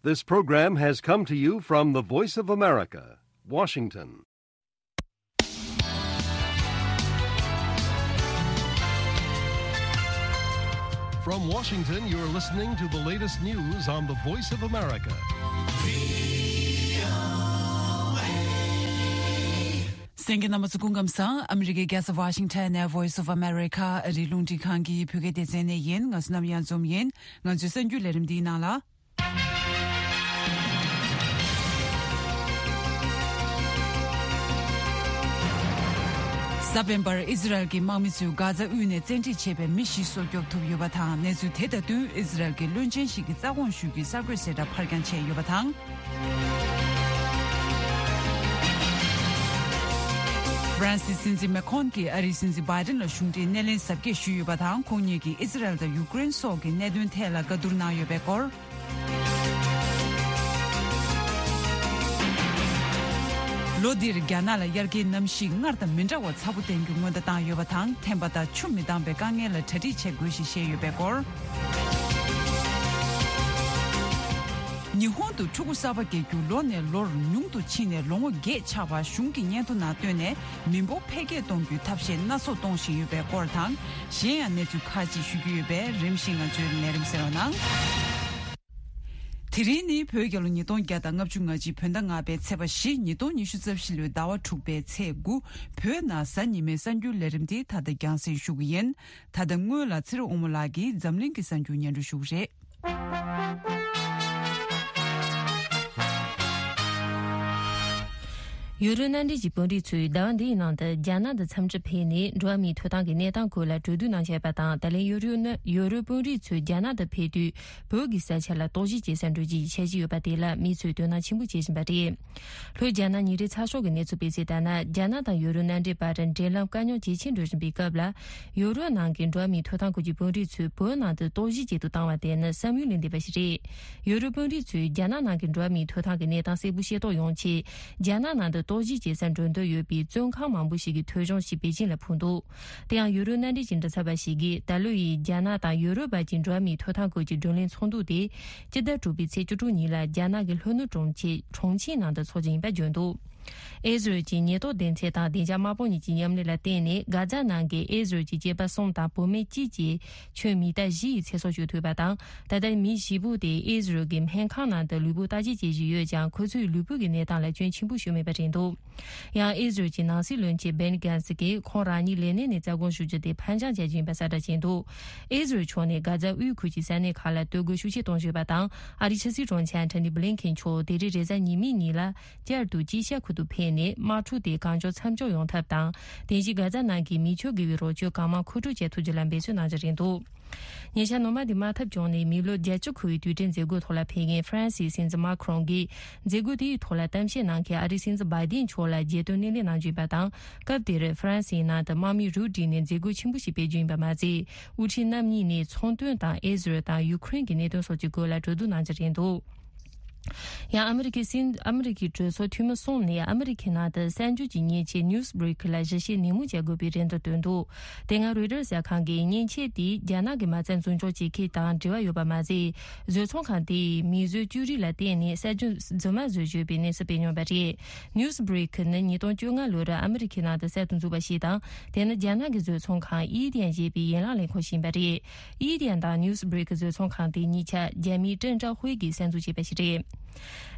This program has come to you from the Voice of America, Washington. From Washington, you're listening to the latest news on the Voice of America. གསན་མཁན་རྣམ་པ་ཚོ་སྐུ་ཁམས་བཟང་། ཨ་མི་རི་ཀའི་རྒྱལ་ས་Washington ནས་Voice of America ཨ་རིའི་རླུང་འཕྲིན་ཁང་གི་བོད་སྐད་སྡེ་ཚན་ནས་ཡིན། ང་ཚོ་ནམ་ཡང་འཛོམས་ཡིན། ང་ཚོའི་གསར་འགྱུར་ལས་རིམ་འདིའི་ནང་ལ། གཟའ་སྤེན་པར་ཨི་ཟི་རལ་གྱི་དམག་མི་ཚོས་གྷ་ཛ་དབུས་ནས་བཙན་ཁྲིད་བྱས་པའི་མི་བཞི་སྲོག་སྐྱོབ་ཐུབ་ཡོད་པ་དང་། གནས་ཚུལ་དེ་དང་བསྟུན་ཨི་ཟི་རལ་གྱི་བློན་ཆེན་ཞིག་གི་རྩ་དགོངས་ཞུ་རྒྱུའི་གསར་འགོད་གསལ་བསྒྲགས་ཕར་འགྱངས་བྱས་ཡོད་པ་དང་། ཧྥ་རན་སིའི་སྲིད་འཛིན་མེ་ཁོན་གྱིས་ཨ་རིའི་སྲིད་འཛིན་བྷའི་ཌེན་ལ་གཞུང་འབྲེལ་སྣེ་ལེན་གཟབ་རྒྱས་ཞུས་ཡོད་པ་དང་། ཁོང་ཉིད་ཀྱིས་ཨི་ཟི་རལ་དང་ཡུ་ཀེ་རེན་སོགས་ཀྱི་གནད་དོན་ཐད་ལ་བཀའ་བསྡུར་གནང་ཡོད་པའི་སྐོར། ལོ་འདིར་རྒྱ་ནག་ལ་དབྱར་ཁའི་གནམ་གཤིས་སྔར་དང་མི་འདྲ་བ་ཚ་པོ་བསྟན་རྒྱུ་སྔོན་བརྡ་བཏང་ཡོད་པ་དང་། ཐན་པ་དང་ཆུ་མི་འདང་བའི་དཀའ་ངལ་ལ་གྲ་སྒྲིག་བྱེད་དགོས་ཞེས་བཤད་ཡོད་པའི་སྐོར། ཉི་ཧོང་དུ་ཕྲུ་གུ་གསར་པ་སྐྱེ་རྒྱུ་ལོ་ནས་ལོར་ཉུང་དུ་ཕྱིན་ནས་ལོ་ངོ་བརྒྱད་ཆགས་པ་གཞུང་གི་སྙན་ཐོ་ནང་བཏོན་ནས། མི་འབོར་འཕེལ་རྒྱས་གཏོང་རྒྱུའི་ཐབས་ཤེས་སྣ་ཚོགས་གཏོང་བཞིན་ཡོད་པའི་སྐོར་དང་། གཞན་ཡང་གནས་ཚུལ་ཁག་ཅིག་ཞུ་རྒྱུ་ཡོད་པས། རིམ་བཞིན་ང་ཚོའི་ལས་རིམ་གསན་རོགས་གནང་། དེ་རིང་ནི་བོད་རྒྱལ་ལོ་ཉིས་སྟོང་བརྒྱ་དང་ལྔ་བཅུ་ང་གཅིག་བོད་ཟླ་ལྔ་པའི་ཚེས་པ་བཞི། ཉིས་སྟོང་ཉི་ཤུ་རྩ་བཞི་ལོའི་ཟླ་བ་དྲུག་པའི་ཚེས་དགུ། བོད་ནང་གཟའ་ཉི་མའི་གསར་འགྱུར་ལས་རིམ་འདི་ད་ལྟ་རྒྱང་སྲིང་ཞུ་གི་ཡིན། ད་ལྟ་སྔོན་ལ་ཚེ་རིང་དབང་མོ་ལགས་ཀྱིས་འཛམ་གླིང་གི་གསར་འགྱུར་སྙན་སྒྲོན་ཞུ་གི་རེད། ཡུ་རོབ་མནའ་འབྲེལ་གྱི་དཔོན་རིགས་ཚོས་ཟླ་བ་འདིའི་ནང་དུ་རྒྱ་ནག་ཏུ་འཚམས་འདྲིར་ཕེབས་ནས་འགྲོ་བ་མིའི་ཐོབ་ཐང་གི་གནས་སྟངས་སྐོར་ལ་གྲོས་བསྡུར་གནང་འཆར་ཡོད་པ་དང་། ད་ལན་ཡུ་རོབ་ནི་ཡུ་རོབ་དཔོན་རིགས་ཚོས་རྒྱ་ནག་ཏུ་ཕེབས་དུས་བོད་ཀྱི་ས་ཆ་ལ་རྟོག་ཞིབ་བྱེད་སར་འགྲོ་རྒྱུའི་འཆར་གཞི་ཡོད་པ་དེ་ལ་མི་ཚོས་དོ་སྣང་ཆེན་པོ་བྱེད་བཞིན་པ་རེད། ལྷོའི་རྒྱ་ནག་ཉིན་རེའི་ཚགས་ཤོག་གིས་གནས་ཚུལ་སྤེལ་གསལ་ལྟར་ན། རྒྱ་ནག་དང་ཡུ་རོབ་མནའ་འབྲེལ་བར་འབྲེལ་ལམ་དཀའ་རྙོག་ཇེ་ཆེར་འགྲོ་བཞིན་པའི་སྐབས་ལ། ཡུ་རོབ་ནང་གི་འགྲོ་བ་མིའི་ཐོབ་ཐང་སྐོར་གྱི་དཔོན་རིགས་ཚོས་བོད་ནང་དུ་རྟོག་ཞིབ་བྱེད་དུ་བཏང་བ་དེ་ནི་བསམ་ཡུལ་ལས་འདས་པ་ཞིག་རེད། ཡུ་རོབ་དཔོན་རིགས་ཚོས་རྒྱ་ནག་ནང་གི་འགྲོ་བ་མིའི་ཐོབ་ཐང་གི་གནས་སྟངས་གསལ་པོ་ཤེས་རྟོགས་ཡོང་ཆེད། རྒྱ་ནག་ནང་དུ་རྟོག་ཞིབ་བྱེད་སར་འགྲོ་འདོད་ཡོད་པའི་བཙོན་ཁང་མང་པོ་ཞིག་གི་ཐོ་གཞུང་ཞིག་པེ་ཅིན་ལ་ཕུལ་འདུག་དེ་ཡང་ཡུ་རོབ་མནའ་འབྲེལ་གྱི་མགྲིན་ཚབ་པ་ཞིག་གིས། ད་ལོ་ཡི་རྒྱ་ནག་དང་ཡུ་རོབ་བར་གྱི་འགྲོ་བ་མིའི་ཐོབ་ཐང་སྐོར་གྱི་བགྲོ་གླེང་ཚོགས་འདུ་དེ། སྤྱི་ཟླ་དྲུག་པའི་ཚེས་བཅུ་དྲུག་ཉིན་ལ་རྒྱ་ནག་གི་ལྷོ་ནུབ་གྲོང་ཁྱེར་ཁྲོང་ཆིང་ནང་དུ་འཚོགས་རྒྱུ་ཡིན་པ་བརྗོད་འདུག་ཨེ་ཟི་རལ་གྱི་ཉེན་རྟོག་སྡེ་ཚན་དང་བདེ་འཇགས་དམག་དཔུང་གཉིས་ཀྱི་མཉམ་ལས་ལ་བརྟེན་ནས། གྷ་ཛ་ནང་གི་ཨེ་ཟི་རལ་གྱི་སྐྱེས་པ་གསུམ་དང་བུད་མེད་གཅིག་བཅས་ཁྱོན་མི་རྟ་བཞི་ཡི་ཚེ་སྲོག་གཅོད་ཐུབ་པ་དང་། ད་ལྟ་མི་བཞི་པོ་དེ་ཨེ་ཟི་རལ་གྱི་སྨན་ཁང་ནང་དུ་ལུས་པོ་བརྟག་དཔྱད་བྱེད་བཞིན་ཡོད་ཀྱང་། ཁོ་ཚོའི་ལུས་པོ་གི་གནས་སྟངས་ལ་སྐྱོན་ཆེན་པོ་ཞིག་མེད་པ་རེད་འདུག་ཡང་ཨེ་ཟི་རལ་གྱི་ནང་སྲིད་བློན་ཆེན་བེན་གྷན་སི་གིས་ཁོང་རང་ཉིད་ལས་གནས་ནས་རྩ་དགོངས་ཞུ་རྒྱུ་དེ་ཕར་འགྱངས་བྱ་རྒྱུ་ཡིན་པ་གསལ་བསྒྲགས་བྱས་འདུག་ཨེ་ཟི་རལ་ཕྱོགས་ནས་གྷ་ཛ་དབུས་ཁུལ་གྱི་ས་གནས་ཁག་ལ་གཏོར་རྒོལ་ཤུགས་ཆེ་གཏོང་བཞིན་པ་དང་། ཨ་རིའི་ཕྱི་སྲིད་དྲུང་ཆེ་ཨན་ཐོ་ནི་བྷི་ལིན་ཁེན་མཆོག་དེ་རིང་རེས་གཟའ་ཉི་མའི་ཉིན་ལ་བསྐྱར་དུ་ཅི་ཤ་ཁུལ་དུ་ཕེབས་ནས། དམག་འཁྲུག་དེ་གང་མགྱོགས་མཚམས་འཇོག་ཡོང་ཐབས་དང་། དེ་བཞིན་གྷ་ཛ་ནང་གི་མི་ཆོས་དགེ་བའི་རོགས་སྐྱོར་གང་མང་མཁོ་སྤྲོད་བྱེད་ཐུབ་རྒྱུ་ལ་འབད་བརྩོན་གནང་རྒྱུ་རེད་འདུག་ཉེ་ཆར་ནོར་མ་འདི་དམག་འཐབ་བྱུང་ནས་མི་ལོ་བརྒྱད་ཅུ་འཁོར་བའི་དུས་དྲན་མཛད་སྒོའི་ཐོག་ལ་ཕེབས་མཁན་ཧྥ་རན་སིའི་སྲིད་འཛིན་མཱ་ཁི་རོང་གིས། མཛད་སྒོ་དེའི་ཐོག་ལ་གཏམ་བཤད་གནང་མཁན་ཨ་རིའི་སྲིད་འཛིན་བྷའི་ཏིན་མཆོག་ལ་རྒྱལ་དོན་སྣེ་ལེན་གནང་རྒྱུ་ཡིན་པ་དང་། སྐབས་དེར་ཧྥ་རན་སིའི་ནང་དུ་དམག་མི་རུ་བསྒྲིགས་ནས་མཛད་སྒོ་ཆེན་པོ་ཞིག་སྤེལ་རྒྱུ་ཡིན་པ་མ་ཟད། དབུ་ཁྲིད་རྣམ་གཉིས་ནས་ཚོང་དོན་དང་ཨེ་ཟི་རལ་དང་ཡུ་ཁུ་རེན་གྱི་གནད་དོན་སོགས་ཀྱི་སྐོར་ལ་གྲོས་བསྡུར་གནང་རྒྱུ་རེད་འདུག་ཡང་ཨ་མི་རི་ཀའི་སྲིད། ཨ་མི་རི་ཀའི་གྲོས་ཚོགས་འཐུས་མི་གསུམ་ནས་ཨ་མི་རི་ཀའི་ནང་དུ་གསར་འགྱུར་གྱི་མཉེན་ཆས་Newsbreak ལ་ཞིབ་བཤེར་ནན་མོ་བྱེད་དགོས་པའི་རེ་འདུན་བཏོན་འདུག་དེ་སྔ་Reuters གསར་ཁང་གིས་མཉེན་ཆས་དེས་རྒྱ་ནག་གི་མ་རྩ་འཛིན་སྐྱོང་བྱེད་མཁན་དང་འབྲེལ་བ་ཡོད་པ་མ་ཟད། བཟོ་ཚོང་ཁང་དེས་མིའི་བཟོས་བཅོས་རིགས་ལ་བརྟེན་ནས་གསར་འགྱུར་རྫུན་མ་བཟོས་ཡོད་པའི་གནས་ཚུལ་སྤེལ་མྱོང་པ་རེད། Newsbreak ནི་ཉིས་སྟོང་བཅོ་ལྔ་ལོར་ཨ་མི་རི་ཀའི་ནང་དུ་གསར་དུ་འཛུགས་པ་ཞིག་དང་། དེ་ནི་རྒྱ་ནག་གི་བཟོ་ཚོང་ཁང་ཨི་ཏན་ཞེས་པའི་ཡན་ལག་ལས་ཁུངས་ཤིག་ཡིན་པ་རེད། ཨི་ཏན་དང་Newsbreak བཟོ་ཚོང་ཁང་དེ་གཉིས་ཆ་རྒྱ་མིའི་ཀྲེང་ཀྲའོ་ཧུའེ་གིས་གསར་འཛུགས་བྱས་པ་ཞིག་རེད།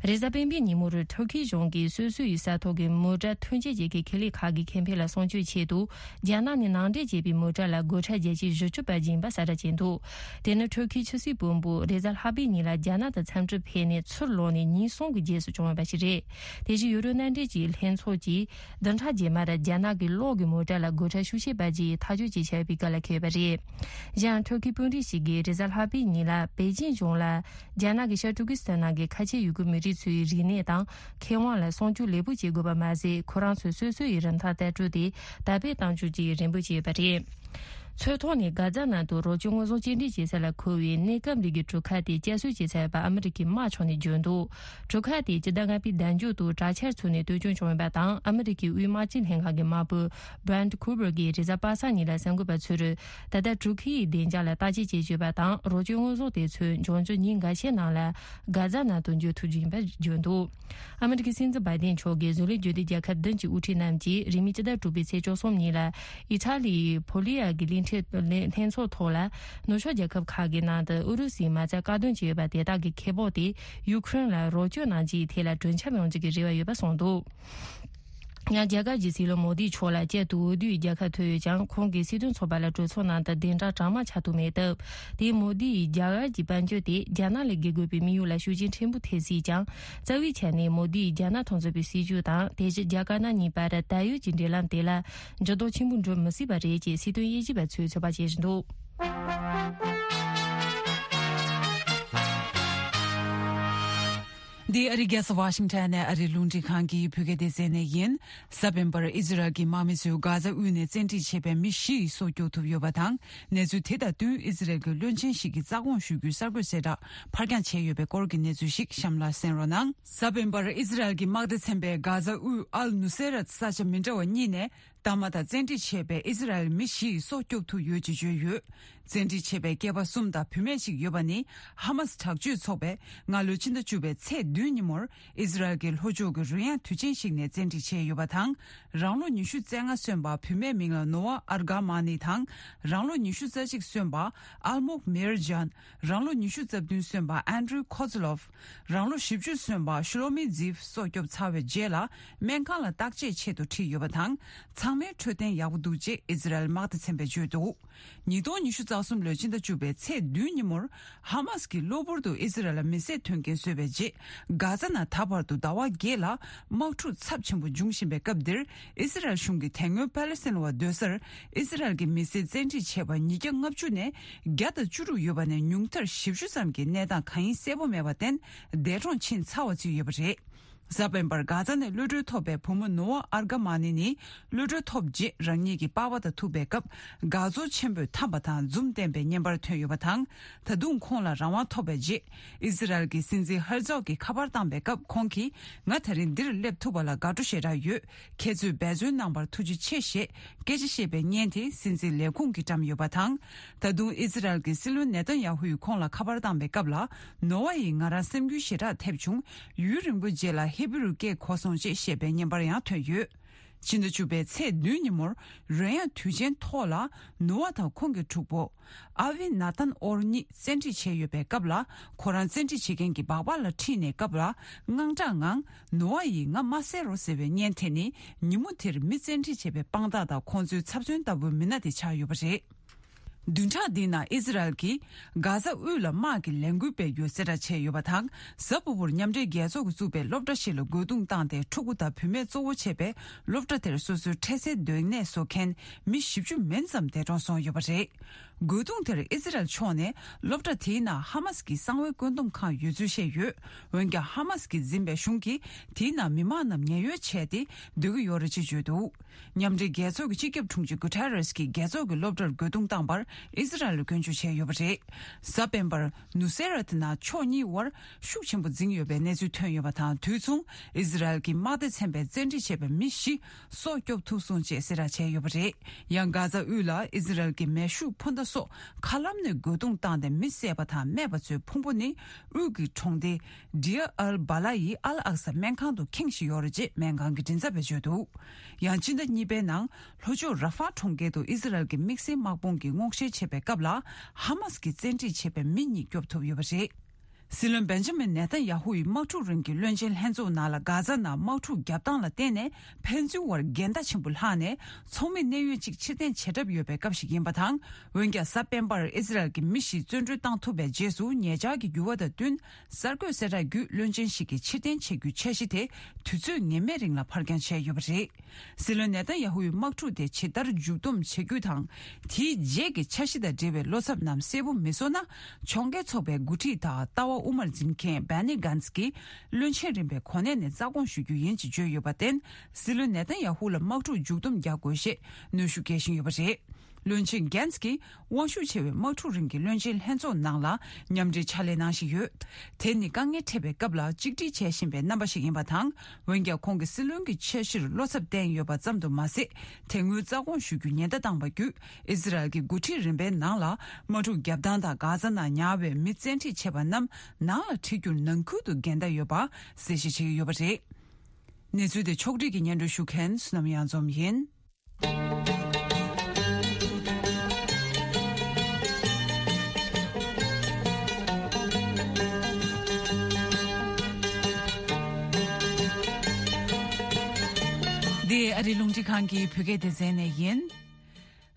རེས་གཟའ་སྤེན་པའི་ཉིན་མོར་ཐུར་ཁེའི་གཞུང་གིས་སོ་སོའི་ས་ཐོག་གི་མོ་ཊ་ཐོན་སྐྱེད་བྱེད་མཁན་ཁེ་ལས་ཁག་གི་ཁེ་ཕན་ལ་སྲུང་སྐྱོབ་ཆེད་དུ། རྒྱ་ནག་ནས་ནང་འདྲེན་བྱས་པའི་མོ་ཊ་ལ་སྒོ་ཁྲལ་བརྒྱ་ཆའི་བཞི་བཅུ་པར་སྦྱིན་པ་གསལ་བསྒྲགས་བྱས་འདུག་དེ་ནི་ཐུར་ཁེའི་ཕྱི་སྲིད་བློན་པོ་རེས་གཟའ་ལྷག་པའི་ཉིན་ལ་རྒྱ་ནག་ཏུ་འཚམས་འདྲིར་ཕེབས་ནས་ཚུར་ལོག་ནས་ཉིན་གསུམ་གྱི་རྗེས་སུ་བྱུང་བ་ཞིག་རེད། དེ་བཞིན་ཡུ་རོབ་མནའ་འབྲེལ་གྱི་ལྷན་ཚོགས་ཀྱིས་བདུན་ཕྲག་རྗེས་མར་རྒྱ་ནག་གི་གློག་གི་མོ་ཊ་ལ་སྒོ་ཁྲལ་ཤུགས་ཆེ་སྤར་རྒྱུའི་ཐག་གཅོད་ཅིག་བྱས་པའི་སྐབས་ལ་འཁེལ་བ་རེད། གཞན་ཐུར་ཁེའི་དཔོན་རིགས་ཤིག་གིས་རེས་གཟའ་ལྷག་པའི་ཉིན་ལ་པེ་ཅིན་གཞུང་ལ། རྒྱ་ནག་གིས་ཤར་ཏུར་ཀི་སི་ཐན་ནང་གི་ཁ་ཆེ་ཡུ་གུར་མི་རིགས་ཚོའི་རིག་གནས་དང་ཁེ་དབང་ལ་སྲུང་སྐྱོབ་ལེགས་པོ་བྱེད་དགོས་པ་མ་ཟད། ཁོ་རང་ཚོས་སོ་སོ་ཡི་རིན་ཐང་ལྟ་གྲུབ་དེ་དར་སྤེལ་གཏང་རྒྱུ་བཅས་རེ་འབོད་བྱས་ཡོད་པ་རེད། ཚོས་ཐོག་ནས་གྷ་ཛ་ནང་དུ་རོགས་སྐྱོར་དངོས་ཟོག་སྐྱེལ་འདྲེན་བྱེད་ས་ལ་མཁོ་བའི་གནས་སྐབས་རིགས་ཀྱི་གྲུ་ཁ་དེ་བསྐྱར་གསོ་བྱས་ཚར་བ་ཨ་མི་རི་ཀའི་དམག་ཕྱོགས་ནས་བརྗོད་འདུག་གྲུ་ཁ་དེ་སྤྱི་ཟླ་ལྔ་པའི་ཟླ་མཇུག་ཏུ་དྲག་ཆར་ཚུགས་ནས་གཏོར་སྐྱོན་བྱུང་ཡོད་པ་དང་། ཨ་མི་རི་ཀའི་དབུས་དམག་སྤྱི་ལྷན་ཁང་གི་དམག་དཔོན་Brent Cooper གིས་རེས་གཟའ་པ་སངས་ཉིན་ལ་གསར་འགོད་པ་ཚོར། ད་ལྟ་གྲུ་ཁའི་བདེ་འཇགས་ལ་བརྟག་དཔྱད་བྱེད་ཀྱི་ཡོད་པ་དང་། རོགས་སྐྱོར་དངོས་ཟོག་དེ་ཚོ་འབྱུང་འགྱུར་ཉིན་འགའ་ཤས་ནང་ལ་གྷ་ཛ་ནང་དུ་འབྱོར་ཐུབ་རྒྱུ་ཡིན་པར་བརྗོད་འདུག་ཨ་མི་རི་ཀའི་སྲིད་འཛིན་བྷའི་ཌེན་མཆོག་གིས་བཟོ་ལས་སྒྱུར་སྡེ་རྒྱལ་ཁབ་བདུན་གྱི་དབུ་ཁྲིད་རྣམས་ཀྱིས་རིང་མིན་སྤྱི་ཟླ་དྲུག་པའི་ཚེས་བཅུ་གསུམ་ཉིན་ལ་ཨི་ཊ་ལིའི་ཕོ་ལི་ཡ་གི་གླིང་ཕྲན་ལྷན་ལྷན་ཚོགས་ཐོག་ལ། ནུབ་ཕྱོགས་རྒྱལ་ཁབ་ཁག་གི་ནང་དུ་ཨུ་རུ་སུའི་མ་རྩ་བཀག་སྡོམ་བྱས་ཡོད་པ་དེ་དག་གི་ཁེ་སྤོགས་དེ་ཡུ་ཁུ་རེན་ལ་རོགས་སྐྱོར་གནང་རྒྱུའི་ཐད་ལ་གྲོས་འཆམ་ཡོང་རྒྱུ་གི་རེ་བ་ཡོད་པ་གསུངས་འདུག་ཡང་རྒྱ་གར་གྱི་སྲིད་བློན་མོ་དི་མཆོག་ལ་བསྐྱར་དུ་འོས་བསྡུའི་རྒྱལ་ཁ་ཐོབ་ཡོད་ཀྱང་། ཁོང་གིས་སྲིད་དོན་ཚོགས་པ་ལ་གྲོས་ཚོགས་ནང་དུ་གདན་འདྲེན་གྲངས་མང་ཆགས་ཐུབ་མེད་སྟབས། དེས་མོ་དི་ཡི་རྒྱ་གར་གྱི་དཔལ་འབྱོར་དེ་རྒྱ་ནག་ལས་བརྒལ་དགོས་པའི་དམིགས་ཡུལ་ལ་ཤུགས་རྐྱེན་ཕྲན་བུ་ཐེབས་སྲིད་ཀྱང་། རྩ་བའི་ཆ་ནས་མོ་དི་ཡིས་རྒྱ་ནག་མཐུན་ཚོགས་པའི་སྲིད་བྱུས་དང་། དེ་བཞིན་རྒྱ་དཀར་ནག་གཉིས་བར་ད་ཡོད་ཀྱི་འབྲེལ་ལམ་དེ་ལ་འགྱུར་ལྡོག་ཆེན་པོ་འགྲོ་མི་སྲིད་པ་རེད་ཅེས་སྲིད་དོན་དབྱེ་ཞིབ་པ་ཚོས་ཚོད་དཔག་བྱེད་བཞིན་འདུག་འདི་ཨ་རིའི་རྒྱལ་ས་ཝ་ཤིང་ཊོན་ནས་ཨ་རིའི་རླུང་འཕྲིན་ཁང་གི་བོད་སྐད་སྡེ་ཚན་ནས་ཡིན། གཟའ་སྤེན་པར་ཨི་ཛི་རལ་གྱི་དམག་མི་ཚོས་གྷ་ཛ་དབུས་ནས་བཙན་ཁྲིད་བྱས་པའི་མི་བཞི་ཡི་སྲོག་སྐྱོབ་ཐུབ་ཡོད་པ་དང་། གནས་ཚུལ་དེ་དང་བསྟུན་ཨི་ཛི་རལ་གྱི་བློན་ཆེན་ཞིག་གིས་རྩ་དགོངས་ཞུ་རྒྱུའི་གསར་འགོད་གསལ་བསྒྲགས་ཕར་འགྱངས་བྱས་ཡོད་པའི་སྐོར་གྱི་གནས་ཚུལ་ཞིག་གཤམ་ལ་གསན་རོགས་གནང་། གཟའ་སྤེན་པར་ཨི་ཛི་རལ་གྱི་དམག་སྡེ་ཚན་པས་གྷ་ཛ་དབུས་ཨལ་ནུ་སེ་རད་ས་ཆ་མི་འདྲ་བ་གཉིས་ནས། དམག་དང་བཙན་ཁྲིད་བྱས་པའི་ཨི་ཛི་རལ་མི་བཞི་ཡི་སྲོག་སྐྱོབ་ཐུབ་ཡོད་ཅེས་བརྗོད་ཡོད། བཙན་ཁྲིད་བྱས་པའི་སྐྱེས་པ་གསུམ་དང་བུད་མེད་གཅིག་ཡོད་པ་ནི། ཧ་མ་སི་དྲག་སྤྱོད་ཚོགས་པས་སྔ་ལོའི་ཕྱི་ཟླ་བཅུ་པའི་ཚེས་བདུན་ཉིན་མོར་ཨི་ཛི་རལ་གྱི་ལྷོ་ཕྱོགས་ཀྱི་རོལ་དབྱངས་དུས་ཆེན་ཞིག་ནས་བཙན་ཁྲིད་བྱས་ཡོད་པ་དང་། རང་ལོ་ཉི་ཤུ་རྩ་ལྔ་སོན་པ་བུད་མེད་མིང་ལ་ནོ་ཝ་ཨར་ག་མ་ནི་དང་། རང་ལོ་ཉི་ཤུ་རྩ་གཅིག་སོན་པ་ཨལ་མོག་མེར་ཇཱན། རང་ལོ་ཉི་ཤུ་རྩ་བདུན་སོན་པ་ཨན་ཌྲུ་ཁོ་ཛི་ལོབ། རང་ལོ་བཞི་བཅུ་སོན་པ་ཤུ་ལོ་མི་ཛིབ་སྲོག་སྐྱོབ་ཚར་བའི་རྗེས་ལ། སྨན་ཁང་ལ་བརྟག་དཔྱད་ཆེད་དུ་ཁྲིད་ཡོད་པ་དང་། ཚང་མའི་འཕྲོད་བསྟེན་ཡག་པོ་འདུག་ཅེས་ཨི་ཛི་རལ་དམག་སྡེ་ཚན་པས་བརྗོད་འདུག་ཉིས་སྟོང་ཉི་ཤུ་རྩ་གསུམ་ལོའི་ཕྱི་ཟླ་བཅུ་པའི་ཚེས་བདུན་ཉིན་མོར། ཧ་མ་སི་གིས་གློ་བུར་དུ་ཨི་ཛི་རལ་ལ་མི་བསད་དོན་རྐྱེན་བཟོས་པའི་རྗེས། གྷ་ཛ་ནང་ད་བར་དུ་ཟླ་བ་བརྒྱད་ལ་དམག་འཁྲུག་ཚབས་ཆེན་པོ་འབྱུང་བཞིན་པའི་སྐབས་འདིར། ཨི་ཛི་རལ་གཞུང་གིས་དེ་སྔོན་པ་ལེ་སི་ཐན་བ་སྡོད་སར་ཨི་ཛི་རལ་གྱི་མི་སེར་བཙན་ཁྲིད་བྱས་པ་ཉིས་བརྒྱ་ལྔ་བཅུ་ནས་བརྒྱ་དང་བཅུ་དྲུག་ཡོད་པ་ནས། ཉུང་མཐར་བཞི་བཅུ་ཙམ་གྱི་གནས་སྟངས་གང་ཡིན་གསལ་པོ་མེད་པར་བརྟེན། འདས་གྲོངས་ཕྱིན་ཚར་བ་བརྩིས་ཡོད་པ་རེད། གཟའ་སྤེན་པར་གྷ་ཛ་ནས་གློད་གྲོལ་ཐོབ་པའི་བུ་མོ་ནོ་ཝ་ཨར་ག་མ་ནི་ནི། གློད་གྲོལ་ཐོབ་རྗེས་རང་ཉིད་ཀྱི་པར་པ་དང་ཐུག་པའི་སྐབས། དགའ་ཚོར་ཆེན་པོས་འཐམས་པ་དང་འཛུམ་བསྟན་པའི་བརྙན་པར་ཐོན་ཡོད་པ་དང་། ད་དུང་ཁོང་ལ་རང་དབང་ཐོབ་པའི་རྗེས། ཨི་ཛི་རལ་གྱི་སྲིད་འཛིན་ཧར་ཛོག་གིས་ཁ་པར་བཏང་པའི་སྐབས། ཁོང་གིས། ང་ད་རིང་འདིར་སླེབས་ཐུབ་པ་ལ་དགའ་སྤྲོ་ཞེ་དྲག་ཡོད། ཁྱེད་ཚོས་འབད་བརྩོན་གནང་བར་ཐུགས་རྗེ་ཆེ་ཞེས་སྐད་ཆ་བཤད་པའི་བརྙན་དེ་སྲིད་འཛིན་ལས་ཁུངས་ཀྱིས་བཀྲམ་ཡོད་པ་དང་། ད་དུང་ཨི་ཛི་རལ་གྱི་སྲིད་བློན་ནེ་ཐན་ཡ་ཧུ་ཡིས་ཁོང་ལ་ཁ་པར་བཏང་པའི་སྐབས་ལ། ནོ་ཝ་ཡིས་ང་རང་སེམས་འགུལ་ཞེ་དྲག་ཐེབས་བྱུང་། ཡུན་རིང་པོའི་རྗེས་ལ་ཧི་བི་རུ་སྐད་གོ་སོང་ཅེས་བཤད་པའི་བརྙན་པར་ཡང་ཐོན་ཡོད། ཕྱི་ཟླ་བཅུ་པའི་ཚེས་བདུན་ཉིན་མོར། རོལ་དབྱངས་དུས་ཆེན་ཐོག་ལ། ནོ་ཝ་དང་ཁོང་གི་གྲོགས་པོ། ཨ་ཝི་ན་ཐན་ཨོར་གཉིས་བཙན་ཁྲིད་བྱས་ཡོད་པའི་སྐབས་ལ། ཁོ་རང་བཙན་ཁྲིད་བྱེད་མཁན་གྱི་སྦག་སྦག་ལ་ཁྲིད་ནས་སྐབས་ལ། དངངས་སྐྲག་ངང་། ནོ་ཝ་ཡིས་ང་མ་བསད་རོགས་ཟེར་བའི་བརྙན་དེ་ནི། ཉིན་མོ་དེར་མི་བཙན་ཁྲིད་བྱས་པའི་དཔང་རྟགས་དང་། ཁོང་ཚོའི་ཚབ་མཚོན་ལྟ་བུའི་མི་སྣ་དེ་ཆགས་ཡོད་པ་རེད། བདུན་ཕྲག་འདིའི་ནང་ཨི་ཛི་རལ་གྱིས་གྷ་ཛ་དབུས་ལ་དམག་གི་ལས་འགུལ་སྤེལ་རྒྱུ་གསལ་བསྒྲགས་བྱས་ཡོད་པ་དང་། གཟའ་ཕུར་བུར་མཉམ་འབྲེལ་རྒྱལ་ཚོགས་ཀྱིས་བཙུགས་པའི་སློབ་གྲྭ་ཞིག་ལ་རྒོལ་རྡུང་བཏང་སྟེ། ཕྲུ་གུ་དང་བུད་མེད་གཙོ་བོ་བྱས་པའི་སློབ་གྲྭ་དེར་སོ་སོའི་འཕྲལ་སེལ་སྡོད་གནས་བཟོ་མཁན་མི་བཞི་བཅུ་མན་ཙམ་འདས་གྲོངས་སོང་ཡོད་པ་རེད། རྒོལ་རྡུང་དེར་ཨི་ཛི་རལ་ཕྱོགས་ནས་སློབ་གྲྭ་དེའི་ནང་ཧ་མ་སི་གི་གསང་བའི་བཀོད་འདོམས་ཁང་ཡོད་ཚུལ་བཤད་ཡོད། འོན་ཀྱང་། ཧ་མ་སི་གིས་འཛིན་པའི་གཞུང་གིས་དེའི་ནང་མི་མང་རྣམས་ཉེན་གཡོལ་བྱས་ཏེ་སྡོད་ཀྱི་ཡོད་རེད་ཅེས་བརྗོད་འདུག་མཉམ་འབྲེལ་རྒྱལ་ཚོགས་ཀྱི་སྤྱི་ཁྱབ་དྲུང་ཆེ་གུ་ཐེ་རེས་ཀྱིས་རྒྱལ་ཚོགས་ཀྱི་སློབ་གྲྭར་རྒོལ་རྡུང་བཏང་བར་ ཨི་ཟི་རལ་ལ་སྐྱོན་བརྗོད་བྱས་ཡོད་པ་རེད། གཟའ་སྤེན་པར་ནུ་སེ་ར་ཏི་ནང་ཕྱོགས་གཉིས་དབར་ཤུགས་ཆེན་པོ་འཛིང་ཡོད་པའི་གནས་ཚུལ་ཐོན་ཡོད་པ་དང་། དུས་མཚུངས་ཨི་ཟི་རལ་གྱི་དམག་སྡེ་ཚན་པས་བཙན་ཁྲིད་བྱས་པའི་མི་བཞི་སྲོག་སྐྱོབ་ཐུབ་སོང་ཅེས་གསལ་བསྒྲགས་བྱས་ཡོད་པ་རེད། ཡང་གྷ་ཛ་དབུས་ལ་ཨི་ཟི་རལ་གྱི་མེ་ཤུགས་འཕུར་མདའ་སོགས་མཁའ་ལམ་ནས་རྒོལ་རྡུང་བཏང་སྟེ་མི་བསད་པ་དང་རྨས་པ་ཚོའི་ཕུང་པོ་ནི་དབུས་ཀྱི་གྲོང་སྡེ་ཌི་ཡ་ཨལ་བྷ་ལ་ཡི་ཨལ་ཨག་ས་སྨན་ཁང་དུ་ཁེངས་བཞིན་ཡོད་རེད་ཅེས་སྨན་ཁང་གི་མགྲིན་ཚབ་པས་བརྗོད་འདུག་ཡང་སྤྱི་ཟླ་གཉིས་པའི་ནང་ལྷོ་ཕྱོགས་ར་ཧྥ་གྲོང་ཁྱེར་དུ་ཨི་ཟི་རལ་གྱི་དམིགས་བསལ་དམག་དཔུང་གིས་སྔོག་བཤེར་བྱེད་པའི་སྐབས་ལ་ཧ་མ་སི་གིས་བཙན་ཁྲིད་བྱས་པའི་མི་གཉིས་སྐྱོབ་ཐུབ་ཡོད་པ་རེད། སྲིད་བློན་བེན་ཇ་མིན་ནེ་ཐན་ཡ་ཧུ་ཡི་དམག་འཁྲུག་རིང་གི་བློན་ཆེན་ལྷན་ཚོགས་ནང་ལ་གྷ་ཛ་ནང་དམག་འཁྲུག་བརྒྱབ་སྟངས་ལ་བརྟེན་ནས་ཕན་ཚུན་བར་འགལ་ཟླ་ཆེན་པོ་ལྷག་ནས་ཚོགས་མི་གནད་ཡོད་ཅིག་ཕྱིར་འཐེན་བྱེད་གྲབས་ཡོད་པའི་སྐབས་ཤིག་ཡིན་པ་དང་། འོན་ཀྱང་གཟའ་སྤེན་པར་ཨི་ཟི་རལ་གྱི་མི་བཞི་བཙོན་གྲོལ་བཏང་ཐུབ་པའི་རྗེས་སུ་ཉེ་ཆར་གྱི་འགྱུར་བ་དང་བསྟུན་གསར་འགོད་གསལ་བསྒྲགས་བརྒྱུད་བློན་ཆེན་ཞིག་གི་ཕྱིར་འཐེན་བྱེད་རྒྱུའི་འཆར་གཞི་དེ་དུས་ཚོད་ངེས་མེད་རིང་ལ་ཕར་འགྱངས་བྱས་ཡོད་པ་རེད། སྲིད་བློན་ནེ་ཐན་ཡ་ཧུ་ཡི་དམག་འཁྲུག་དེ་ཇི་ལྟར་མཇུག་བསྡོམས་བྱེད་རྒྱུ་དང་། དེའི་རྗེས་ཀྱི་འཆར་གཞི་དང་འབྲེལ་བའི་བློ་འཚབ་རྣམས་གསལ་པོ་མི་བཟོ་ན། ཕྱོགས་འགལ་ཚོགས་པའི་འགོ་ཁྲིད་དང་ལྟ་བ་དབུ་མར་འཛིན་མཁན་བྷེ་ནི་གྷན་སི་ཀྱིས་བློན་ཆེན་རིམ་པའི་གོ་གནས་ནས་རྩ་དགོངས་ཞུ་རྒྱུ་ཡིན་ཅེས་བརྗོད་ཡོད་པར་བརྟེན། སྲིད་བློན་ནེ་ཐན་ཡ་ཧུ་ལ་དམག་འཁྲུག་མཇུག་བསྡོམས་རྒྱག་དགོས་ཞེས་གནོན་ཤུགས་སྐྱེལ་བཞིན་ཡོད་པ་རེད། བློན་ཆེན་གྷན་སི་ཀྱིས་དབང་ཤུགས་ཆེ་བའི་དམག་འཁྲུག་རིང་གི་བློན་ཆེན་ལྷན་ཚོགས་ནང་ལ་མཉམ་འབྲེལ་ཕྱག་ལས་གནང་བཞིན་ཡོད། དེ་ནི་དཀའ་ངལ་འཕྲད་པའི་སྐབས་ལ་གཅིག་སྒྲིལ་བྱེད་བཞིན་པའི་རྣམ་པ་ཞིག་ཡིན་པ་དང་། འོན་ཀྱང་ཁོང་གིས་སྲིད་བློན་གྱི་འཆར་གཞིར་བློ་འཚབ་བསྟན་ཡོད་པ་ཙམ་དུ་མ་ཟད། དེ་སྔོན་རྩ་དགོངས་ཞུ་རྒྱུ་ཉེན་བརྡ་བཏང་བ་བརྒྱུད། ཨི་ཟི་རལ་གྱི་འགོ་ཁྲིད་རིམ་པའི་ནང་ལ་དམག་འཁྲུག་བརྒྱབ་སྟངས་དང་། གྷ་ཛ་ནང་ཉར་བའི་མི་བཙན་ཁྲིད་བྱས་པ་རྣམས་ནང་ལ་ཁྲིད་རྒྱུར་ནང་ཁུལ་དུ་འགལ་ཟླ་ཡོད་པ་གསལ་བཤད་བྱེད་ཀྱི་ཡོད་པ་རེད། གནས་ཚུལ་དེ་ཕྱོགས་སྒྲིག་གིས་སྙན་སྒྲོན་ཞུ་མཁན་བསོད་ནམས་གཡང་འཛོམས་ཡིན། འདི་ཨ་རིའི་རླུང་འཕྲིན་ཁང་གི་བོད་སྐད་སྡེ་ཚན་ནས་ཡིན།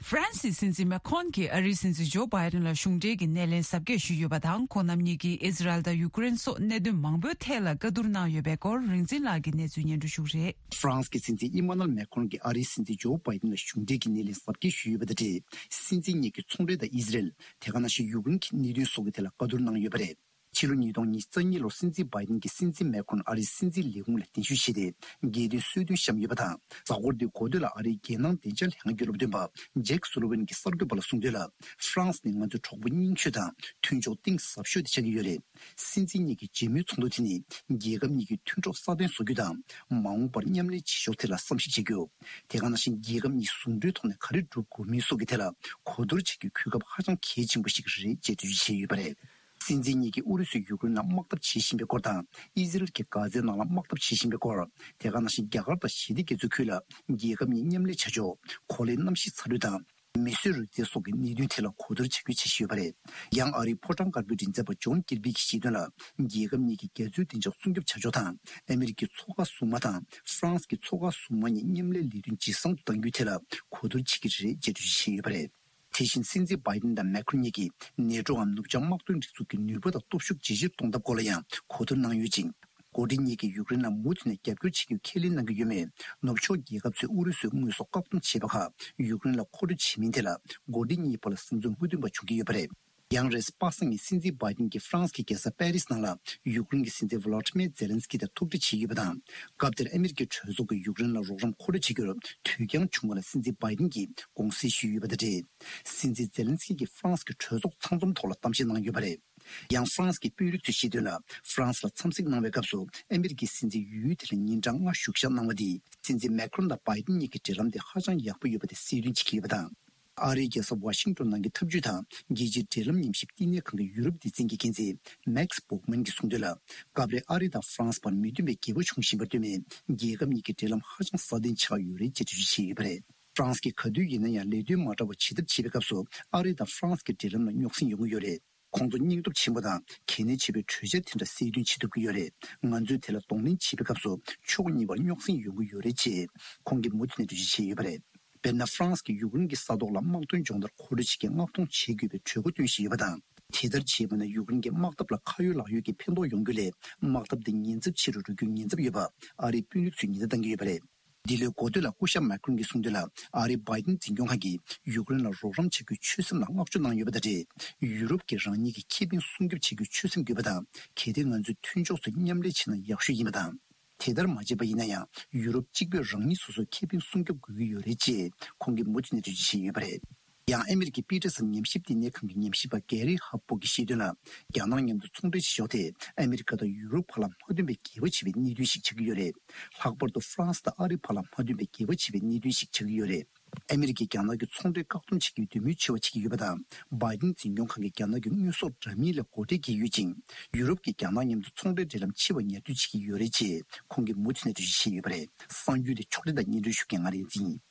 ཧྥ་རན་སིའི་སྲིད་འཛིན་མེ་ཁོན་གྱིས་ཨ་རིའི་སྲིད་འཛིན་ཇོ་བྷའི་ཌེན་ལ་གཞུང་འབྲེལ་གྱི་སྣེ་ལེན་གཟབ་རྒྱས་ཞུས་ཡོད་པ་དང་། ཁོང་རྣམ་གཉིས་ཀྱིས་ཨི་ཟི་རལ་དང་ཡུ་ཀེ་རེན་སོགས་གནད་དོན་མང་པོའི་ཐད་ལ་བཀའ་བསྡུར་གནང་ཡོད་པའི་སྐོར། རིག་འཛིན་ལགས་ཀྱིས་གནས་ཚུལ་སྙན་སྒྲོན་ཞུ་གི་རེད། ཧྥ་རན་སི་གི་སྲིད་འཛིན་ཨི་མ་ནུ་ཨེལ་མེ་ཁོན་གྱིས་ཨ་རིའི་སྲིད་འཛིན་ཇོ་བྷའི་ཌེན་ལ་གཞུང་འབྲེལ་གྱི་སྣེ་ལེན་གཟབ་རྒྱས་ཞུས་ཡོད་པ་དང་འབྲེལ། སྲིད་འཛིན་གཉིས་ཀྱིས་ཚོང་འབྲེལ་དང་ཨི་ཟི་རལ། དེ་ག་ནང་བཞིན་ཡུ་ཀེ་རེན་གྱི་གནད་དོན་སོགས་ཀྱི་ཐད་ལ་བཀའ་བསྡུར་གནང་ཡོད་པ་རེད། ཕྱི་ལོ་ཉིས་སྟོང་ཉི་ཤུ་རྩ་གཉིས་ལོར་སྲིད་འཛིན་བྷའི་ཌེན་གྱིས་སྲིད་འཛིན་མེ་ཁོན་ཨ་རིའི་སྲིད་འཛིན་ལས་ཁུངས་ལ་གདན་ཞུ་བྱས་ཏེ། རྒྱལ་དོན་གསོལ་སྟོན་བཤམས་ཡོད་པ་དང་། གཟའ་འཁོར་འདིའི་འགོ་སྟོད་ལ་ཨ་རིའི་རྒྱལ་ནང་བདེ་འཇགས་ལྷན་ཁང་གི་སློབ་སྟོན་པ་ཇེག་སུ་ལི་ཝན་གྱིས་གསར་འགོད་པ་ལ་གསུངས་དོན་ལ། ཧྥ་རན་སི་ནི་ང་ཚོའི་གྲོགས་པོ་རྙིང་ཤོས་དང་མཐུན་ཕྱོགས་གཏིང་ཟབ་ཤོས་དེ་ཆགས་ཀྱི་ཡོད་རེད། སྲིད་འཛིན་གཉིས་ཀྱི་མཇལ་མོལ་ཚོགས་འདུ་དེ་ནི་རྒྱལ་ཁབ་གཉིས་ཀྱི་མཐུན་གྲོགས་སྲ་བརྟན་བཟོ་རྒྱུ་དང་། མ་འོངས་པར་མཉམ་ལས་བྱེད་ཕྱོགས་ཐད་ལ་བསམ་གཞིག་བྱེད་རྒྱུ། དེ་ག་ནང་བཞིན་རྒྱལ་ཁབ་གཉིས་ཟུང་འབྲེལ་ཐོག་ནས་ག་རེ་སྒྲུབ་དགོས་མིན་སོགས་ཀྱི་ཐད་ལ་གོ་བསྡུར་བྱེད་རྒྱུའི་གོ་སྐབས་ཧ་ཅང་གལ་ཆེན་པོ་ཞིག་རེད་ཅེས་འགྲེལ་བརྗོད་བྱས་ཡོད་པ་རེད། སྲིད་འཛིན་གཉིས་ཀྱིས་ཨུ་རུ་སུས་ཡུཀ་རེན་ལ་དམག་འཐབ་བྱེད་བཞིན་པའི་སྐོར་དང་། ཨི་ཟི་རལ་གྱིས་གྷ་ཛའི་ནང་ལ་དམག་འཐབ་བྱེད་བཞིན་པའི་སྐོར། དེ་ག་ནང་བཞིན་རྒྱ་གར་དང་ཞི་བདེ་རྒྱ་མཚོའི་ཁུལ་ལ་རྒྱལ་ཁབ་གཉིས་མཉམ་ལས་བྱ་ཕྱོགས། གོ་ལའི་གནམ་གཤིས་ཚ་དྲོད་དང་མི་གསོད་རུལ་རྩེད་སོགས་ཀྱི་གནད་དོན་ཐད་ལ་གོ་བསྡུར་བྱ་རྒྱུའི་འཆར་གཞི་ཡོད་པ་རེད། ཡང་ཨ་རིའི་ཕོ་བྲང་དཀར་པོའི་མགྲིན་ཚབ་པ་ཇོན་ཀིར་པི་གྱིས་བཤད་དོན་ལ། རྒྱལ་ཁབ་གཉིས་ཀྱིས་རྒྱ་མཚོའི་བདེ་འཇགས་སྲུང་སྐྱོབ་བྱ་ཕྱོགས་དང་། ཨ་མི་རི་ཀའི་མཚོ་ཁ་སྲུང་མ་དང་ཧྥ་རན་སི་གི་མཚོ་ཁ་སྲུང་མ་གཉིས་མཉམ་ལས་ལས་དོན་ཇེ་བཟང་དུ་གཏང་རྒྱུའི་ཐད་ལ་གོ་བསྡུར་བྱེད་ཀྱི་རེད་ཅེས་འགྲེལ་བརྗོད་བྱས་ཡོད་པ་རེད། དེ་བཞིན་སྲིད་འཛིན་བྷའི་ཌེན་དང་མེ་ཁོན་གཉིས་ཀྱིས་ནེ་ཊོའམ་ནུབ་བྱང་དམག་དོན་སྒྲིག་འཛུགས་ཀྱི་ནུས་པ་དང་སྟོབས་ཤུགས་ཇེ་ཆེར་གཏོང་ཐབས་སྐོར་ལ་ཡང་གོ་བསྡུར་གནང་ཡོད་ཅིང་། འགོ་ཁྲིད་གཉིས་ཀྱིས་ཡུཀ་རེན་ལ་མུ་མཐུད་ནས་རྒྱབ་སྐྱོར་བྱེད་རྒྱུ་ཁས་ལེན་གནང་གི་ཡོད་མེད། ནུབ་ཕྱོགས་རྒྱལ་ཁབ་ཚོས་ཨུ་རུ་སུའི་དངོས་ཟོག་བཀག་སྡོམ་བྱས་པ་ཁག་ཡུཀ་རེན་ལ་མཁོ་སྤྲོད་བྱེད་མིན་ཐད་ལ། འགོ་ཁྲིད་གཉིས་བར་ལ་གཟིགས་ཚོར་མུ་མཐུད་པ་བྱུང་གི་ཡོད་པ་རེད། ཡང་རེས་པ་སངས་ཀྱི་སྲིད་འཛིན་བྷའི་ཌེན་གྱིས་ཧྥ་རན་སི་གི་རྒྱལ་ས་པེ་རིས་ནང་ལ་ཡུཀ་རེན་གྱི་སྲིད་འཛིན་ཝ་ལ་ཏི་མེ་ཛེ་ལན་སི་ཀི་དང་ཐུག་འཕྲད་བྱས་ཡོད་པ་དང་། སྐབས་དེར་ཨ་མི་རི་ཀའི་གྲོས་ཚོགས་ཀྱིས་ཡུཀ་རེན་ལ་རོགས་རམ་མཁོ་སྤྲོད་བྱེད་རྒྱུར་དུས་འགྱངས་བྱུང་བ་ལ་སྲིད་འཛིན་བྷའི་ཌེན་གྱིས་དགོངས་སེལ་ཞུས་ཡོད་པ་དང་འབྲེལ། སྲིད་འཛིན་ཛེ་ལན་སི་ཀི་གིས་ཧྥ་རན་སི་གི་གྲོས་ཚོགས་ཚང་འཛོམས་ཐོག་ལ་གཏམ་བཤད་གནང་ཡོད་པ་རེད། ཡང་ཧྥ་རན་སི་གི་དཔོན་རིགས་ཚོས་བཤད་དོན་ལ། ཧྥ་རན་སི་ལ་འཚམས་གཟིགས་གནང་བའི་སྐབས་སུ་ཨ་མི་རི་ཀའི་སྲིད་འཛིན་ཡུལ་དེ་ལ་ཉིན་གྲངས་ལྔ་བཞུགས་ཞག་གནང་བ་འདིས་སྲིད་འཛིན་མེ་ཁོན་དང་བྷའི་ཌེན་གཉིས་ཀྱི་འབྲེལ་ལམ་དེ་ཧ་ཅང་ཡག་པོ་ཡོད་པ་དེ་གསལ་སྟོན་བྱེད་ཀྱི་ཡོད་པ་དང་། ཨ་རིའི་རྒྱལ་ས་ཝ་ཤིང་ཊོན་ནང་གི་འཐབ་ཇུས་དང་རྒྱལ་སྤྱིའི་འབྲེལ་ལམ་ཉམས་ཞིབ་བསྟི་གནས་ཁང་གི་ཡུ་རོབ་སྡེ་ཚན་གྱི་འགན་འཛིན་མེག་སི་སྦོག་མན་གྱིས་གསུངས་དོན་ལ། སྐབས་རེ་ཨ་རི་དང་ཧྥ་རན་སི་བར་མི་མཐུན་པའི་འགལ་བ་བྱུང་བཞིན་པར་ལྟོས་མེད། རྒྱལ་ཁབ་གཉིས་ཀྱི་འབྲེལ་ལམ་ཧ་ཅང་སྲ་བརྟན་ཆགས་ཡོད་རེད་ཅེས་འགྲེལ་བརྗོད་བྱས་ཡོད་པ་རེད། ཧྥ་རན་སི་གིས་ག་དུས་ཡིན་ན་ཡང་ལས་དོན་མ་འདྲ་བ་བྱེད་ཐབས་བྱེད་པའི་སྐབས་སུ་ཨ་རི་དང་ཧྥ་རན་སི་གི་འབྲེལ་ལམ་ལ་རྙོག་ཟིང་ཡོང་གི་ཡོད་རེད། ཁོང་ཚོ་སྙིང་སྟོབས་ཆེན་པོ་དང་གལ་གནད་ཆེ་བའི་གྲོས་འཆར་དེ་འདྲ་གསལ་སྟོན་བྱེད་ཐུབ་ཀྱི་ཡོད་རེད། ང་ཚོས་དེ་ལ་གདོང་ལེན་བྱེད་པའི་སྐབས་སུ་ཕྱོགས་གཉིས་བར་རྙོག་ཟིང་ཡོང་གི་ཡོད་རེད་ཅེས་ཁོང་གིས་མུ་མཐུད་ནས་འགྲེལ་བརྗོད་བྱས་ཡོད་པ་རེད། དཔེར་ན། ཧྥ་རན་སི་གིས་ཡུཀ་རེན་གྱི་ས་ཐོག་ལ་དམག་དོན་སྦྱོང་བརྡར་མཁོ་སྤྲོད་བྱེད་མཁན་མངགས་གཏོང་བྱེད་དགོས་པའི་གྲོས་འགོ་བཏོན་བཞིན་ཡོད་པ་དང་། དེ་ལྟར་བྱས་པ་ན་ཡུཀ་རེན་གྱི་དམག་འཐབ་ལ་ཁ་ཡོད་ལག་ཡོད་ཀྱི་ཕན་ཐོགས་ཡོང་རྒྱུ་ལས། དམག་འཐབ་འདི་ཉེན་ཚབས་ཆེ་རུ་འགྲོ་རྒྱུའི་ཉེན་ཚབས་ཡོད་པ་ཨ་རིའི་དཔོན་རིགས་ཚོས་ཉེན་བརྡ་བཏང་གི་ཡོད་པ་རེད། འདི་ལོའི་འགོ་སྟོད་ལ་སྐུ་ཞབས་མེ་ཁོན་གྱིས་གསུངས་དོན་ལ། ཨ་རིའི་བྷའི་ཌེན་འཛིན་སྐྱོང་ཁང་གིས་ཡུཀ་རེན་ལ་རོགས་རམ་བྱ་རྒྱུའི་ཆོད་སེམས་ལ་བསྔགས་བརྗོད་གནང་ཡོད་པ་དང་འབྲེལ། ཡུ་རོབ་ཀྱིས་རང་ཉིད་ཀྱི་ཁེ་ཕན་སྲུང་སྐྱོབ་བྱ་རྒྱུའི་ཆོད་སེམས་དགོས་པ་དང་། གལ་ཏེ་ང་ཚོས་མཐུན་ཕྱོགས་ཚོས་མཉམ་ལས་བྱས་ན་ཡག་ཤོས་ཡིན་པ་དང་། དེ་ལྟར་མ་བྱས་པ་ཡིན་ན་ཡང་ཡུ་རོབ་གཅིག་པུས་རང་ཉིད་སོ་སོའི་ཁེ་ཕན་སྲུང་སྐྱོབ་དགོས་ཀྱི་ཡོད་རེད་ཅེས་ཁོང་གིས་མུ་མཐུད་ནས་འགྲེལ་བརྗོད་བྱས་ཡོད་པ་རེད། ཡང་ཨ་མི་རི་ཀའི་པི་ཏྲི་སན་ཉམས་ཞིབ་བསྟི་གནས་ཁང་གི་ཉམས་ཞིབ་པ་གེ་རི་ཧབ་པོ་གིས་བཤད་དོན་ལ། རྒྱ་ནག་མཉམ་དུ་ཚོང་འབྲེལ་བྱེད་ཕྱོགས་དེ་ཨ་མི་རི་ཀ་དང་ཡུ་རོབ་བར་ལ་མ་མཐུན་པའི་འགལ་བ་ཆེ་བའི་གནད་དོན་ཞིག་ཆགས་ཀྱི་ཡོད་རེད། ལྷག་པར་དུ་ཧྥ་རན་སི་དང་ཨ་རི་བར་ལ་མ་མཐུན་པའི་འགལ་བ་ཆེ་བའི་གནད་དོན་ཞིག་ཆགས་ཀྱི་ཡོད་རེད། ཨ་མི་རི་ཀས་རྒྱ་ནག་གི་ཚོང་འབྲེལ་བཀག་སྡོམ་བྱེད་རྒྱུའི་འདོད་མོས་ཆེ་བ་བྱེད་ཀྱི་ཡོད་པ་དང་། བྷའི་ཏིན་འཛིན་སྐྱོང་ཁང་གིས་རྒྱ་ནག་གི་དངོས་ཟོག་འདྲ་མིན་ལ་སྒོ་ཁྲལ་འགེལ་ཡོད་ཅིང་། ཡུ་རོབ་ཀྱིས་རྒྱ་ནག་མཉམ་དུ་ཚོང་འབྲེལ་འབྲེལ་ལམ་ཕྱེ་བར་ཉར་འདོད་བྱེད་ཀྱི་ཡོད་རེད་ཅེས་ཁོང་གིས་མུ་མཐུད་ནས་འགྲེལ་བརྗོད་བྱས་ཡོད་པ་རེད། གསར་འགྱུར་དེ་ཕྱོགས་སྒྲིག་དང་སྙན་སྒྲོན་ཞུ་མཁན་ང་རིག་འཛིན་ཡིན།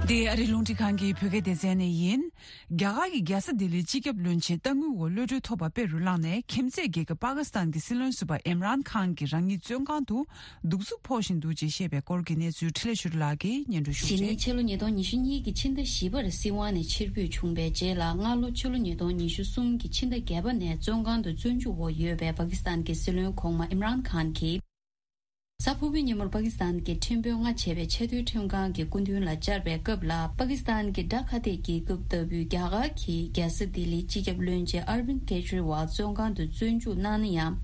འདི་ཨ་རི་རླུང་འཕྲིན་ཁང་གི་བོད་སྐད་སྡེ་ཚན་ནས་ཡིན། རྒྱ་གར་གྱི་རྒྱལ་ས་ལྡི་ལིའི་སྤྱི་ཁྱབ་བློན་ཆེན་ལྟ་དངུལ་འོག་གློད་གྲོལ་ཐོབ་པ་དཔེ་རུ་བླངས་ནས། ཁྱིམ་མཚེས་རྒྱལ་ཁབ་པ་ཀི་སི་ཐན་གྱི་སྲིད་བློན་ཟུར་པ་ཨིམ་རཱན་ཁཱན་གྱི་རང་ཉིད་བཙོན་ཁང་དུ་གདུག་རྩུབ་ཕོག་བཞིན་འདུག་ཅེས་བཤད་པའི་སྐོར་གྱི་གནས་ཚུལ་འཕྲིན་ལས་ཆོས་སྒྲོན་ལགས་ཀྱིས་སྙན་སྒྲོན་ཞུ་གི་རེད། གཞེས་ནིང་ཕྱི་ལོ་ཉིས་སྟོང་ཉི་ཤུ་གཉིས་ཀྱི་ཕྱི་ཟླ་བཞི་པར་སྲིད་དབང་ནས་ཕྱིར་འབུད་བྱུང་བའི་རྗེས་ལ། སྔ་ལོ་ཕྱི་ལོ་ཉིས་སྟོང་ཉི་ཤུ་གསུམ་གྱི་ཕྱི་ཟླ་བརྒྱད་པ་ནས་བཙོན་ཁང་དུ་བཙོན་འཇུག་འོག་ཡོད་པའི་པ་ཀི་སི་ཐན་གྱི་སྲིད་བློན་གོང་མ་ཨིམ་རཱན་ཁཱན་གྱིས། གཟའ་ཕུར་བུའི་ཉིན་མོར་པ་ཀི་སི་ཐན་གྱི་ཁྲིམས་དཔོན་ལྔ་བྱས་པའི་ཆེས་མཐོའི་ཁྲིམས་ཁང་གི་སྐུ་མདུན་ལ་བཅར་བའི་སྐབས་ལ། པ་ཀི་སི་ཐན་གྱི་དགྲ་ཁ་གཏད་རྒྱལ་ཁབ་ལྟ་བུའི་རྒྱ་གར་གྱིས་རྒྱལ་ས་ལྡི་ལིའི་སྤྱི་ཁྱབ་བློན་ཆེན་ཨར་བིན་ཀེ་ཇི་རི་ཝལ་བཙོན་ཁང་དུ་བཙོན་འཇུག་གནང་ན་ཡང་།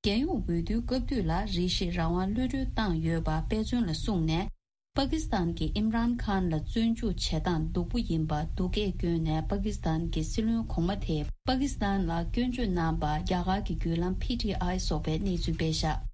རྒྱལ་ཡོངས་འོས་བསྡུའི་སྐབས་དུས་ལ་རེ་ཞིག་རང་དབང་གློད་གྲོལ་བཏང་ཡོད་པ་དཔེ་མཚོན་ལ་བཟུང་ནས། པ་ཀི་སི་ཐན་གྱིས་ཨིམ་རཱན་ཁཱན་ལ་བཙོན་འཇུག་བྱེད་སྟངས་སྡུག་པོ་ཡིན་པ་སྡུག་སྐད་བསྐྱོན་ནས། པ་ཀི་སི་ཐན་གྱི་སྲིད་བློན་གོང་མ་དེས་པ་ཀི་སི་ཐན་ལ་སྐྱོན་བརྗོད་གནང་པ་རྒྱ་གར་གྱི་བརྒྱུད་ལམ་ཕི་ཊི་ཨའི་སོགས་པས་གནས་ཚུལ་སྤེལ་བཞག་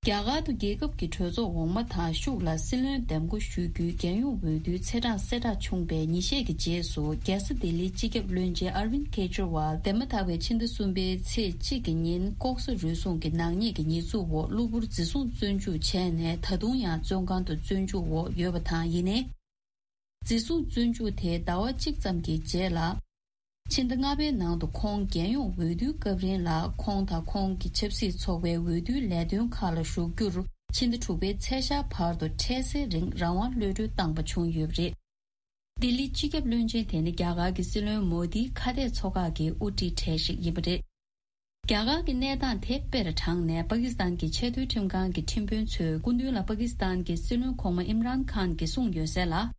རྒྱ་གར་དུ་རྒྱལ་ཁབ་ཀྱི་གྲོས་ཚོགས་འོག་མ་དང་ཤུགས་ལ་སྲིད་བློན་འདེམས་བསྐོ་ཞུ་རྒྱུའི་རྒྱལ་ཡོངས་འོས་བསྡུའི་ཚེས་གྲངས་གསལ་བསྒྲགས་བྱུང་བའི་ཉིན་ཤས་ཀྱི་རྗེས་སུ། རྒྱལ་ས་ལྡི་ལིའི་སྤྱི་ཁྱབ་བློན་ཆེན་ཨར་བིན་ཀེ་ཇི་རི་ཝལ་འདས་མ་ཐག་པའི་ཕྱི་ཟླ་གསུམ་པའི་ཚེས་གཅིག་གི་ཉིན་ལྐོག་ཟ་རུལ་སུངས་ཀྱི་ནག་ཉེས་ཀྱི་ཉེས་འཛུགས་འོག་གློ་བུར་འཛིན་བཟུང་བཙོན་འཇུག་བྱས་ནས། ད་དུང་ཡང་བཙོན་ཁང་དུ་བཙོན་འཇུག་འོག་ཡོད་པ་དང་། ཡིན་ནའི། འཛིན་བཟུང་བཙོན་འཇུག་དེ་ཟླ་བ་གཅིག་ཙམ་གྱི་རྗེས་ལ། ཕྱི་ཟླ་ལྔ་པའི་ནང་དུ་ཁོང་རྒྱལ་ཡོངས་འོས་བསྡུའི་སྐབས་རིང་ལ། ཁོང་དང་ཁོང་གི་ཆབ་སྲིད་ཚོགས་པའི་འོས་བསྡུའི་ལས་དོན་ཁག་ལ་ཞུགས་རྒྱུར། ཕྱི་ཟླ་དྲུག་པའི་ཚེས་ཤར་བར་དུ་འཕྲལ་སེལ་རིང་རང་དབང་གློད་གྲོལ་བཏང་པ་བྱུང་ཡོད་པ་རེད། ལྡི་ལི་སྤྱི་ཁྱབ་བློན་ཆེན་དེ་ནི་རྒྱ་གར་གྱི་སྲིད་བློན་མོ་དིའི་ཁ་གཏད་ཚོགས་ཁག་གི་དབུ་ཁྲིད་གྲས་ཤིག་ཡིན་པ་རེད། རྒྱ་གར་གྱི་གནས་སྟངས་དེ་དཔེར་དྲངས་ནས། པ་ཀི་སི་ཐན་གྱི་ཆེས་མཐོའི་ཁྲིམས་ཁང་གི་ཁྲིམས་དཔོན་ཚོའི་སྐུ་མདུན་ལ་པ་ཀི་སི་ཐན་གྱི་སྲིད་བློན་གོང་མ་ཨིམ་རཱན་ཁཱན་གྱིས་གསུངས་ཡོད་གསལ་ལ།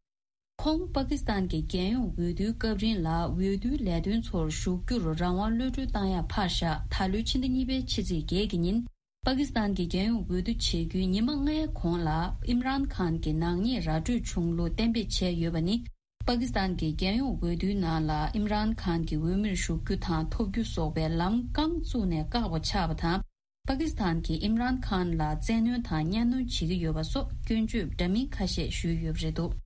ཁོང་པ་ཀི་སི་ཐན་གྱི་རྒྱལ་ཡོངས་འོས་བསྡུའི་སྐབས་རིང་ལ་འོས་བསྡུའི་ལས་དོན་ཚོར་ཞུགས་རྒྱུར་རང་དབང་གློད་གྲོལ་བཏང་ཡག་ཕར་བཞག་ད་ལོའི་ཕྱི་ཟླ་གཉིས་པའི་ཕྱི་ཚེས་བརྒྱད་ཀྱི་ཉིན། པ་ཀི་སི་ཐན་གྱི་རྒྱལ་ཡོངས་འོས་བསྡུ་བྱེད་རྒྱུའི་ཉི་མ་ལྔའི་གོང་ལ། ཨིམ་རཱན་ཁཱན་གྱི་ནག་ཉེས་ར་སྤྲོད་བྱུང་ལུགས་གཏན་འབེབས་བྱས་ཡོད་པ་ནི། པ་ཀི་སི་ཐན་གྱི་རྒྱལ་ཡོངས་འོས་བསྡུའི་ནང་ལ་ཨིམ་རཱན་ཁཱན་གྱི་འོས་མིར་ཞུགས་རྒྱུ་དང་ཐོབ་རྒྱུ་སོགས་པའི་ལམ་རྐང་བཙུགས་ནས་བཀག་པ་ཆགས་པ་དང་། པ་ཀི་སི་ཐན་གྱིས་ཨིམ་རཱན་ཁཱན་ལ་བཙན་གནོན་དང་གཉའ་གནོན་བྱེད་ཀྱི་ཡོད་པ་སོགས་སྐྱོན་བརྗོད་འདྲ་མིན་ཁ་ཤས་ཞུས་ཡོད་པ་རེད་འདུག་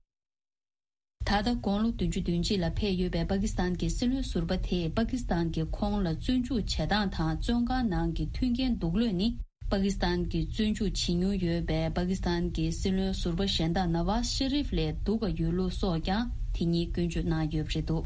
ད་ལྟ་དགུང་ལོ་བདུན་ཅུ་དོན་གཅིག་ལ་ཕེབས་ཡོད་པའི་པ་ཀི་སི་ཐན་གྱི་སྲིད་བློན་ཟུར་པ་དེས། པ་ཀི་སི་ཐན་གྱིས་ཁོང་ལ་བཙོན་འཇུག་བྱེད་སྟངས་དང་བཙོན་ཁང་ནང་གི་མཐུན་རྐྱེན་སྡུག་ལོས་ནི། པ་ཀི་སི་ཐན་གྱིས་བཙོན་འཇུག་བྱེད་མྱོང་ཡོད་པའི་པ་ཀི་སི་ཐན་གྱི་སྲིད་བློན་ཟུར་པ་གཞན་དག་ནཱ་ཝཱཛ་ཤ་རིབ་ལས་སྡུག་ག་ཡོད་ལུགས་སོགས་ཀྱང་དེ་ཉིད་སྐྱོན་བརྗོད་གནང་ཡོད་པ་རེད་འདུག་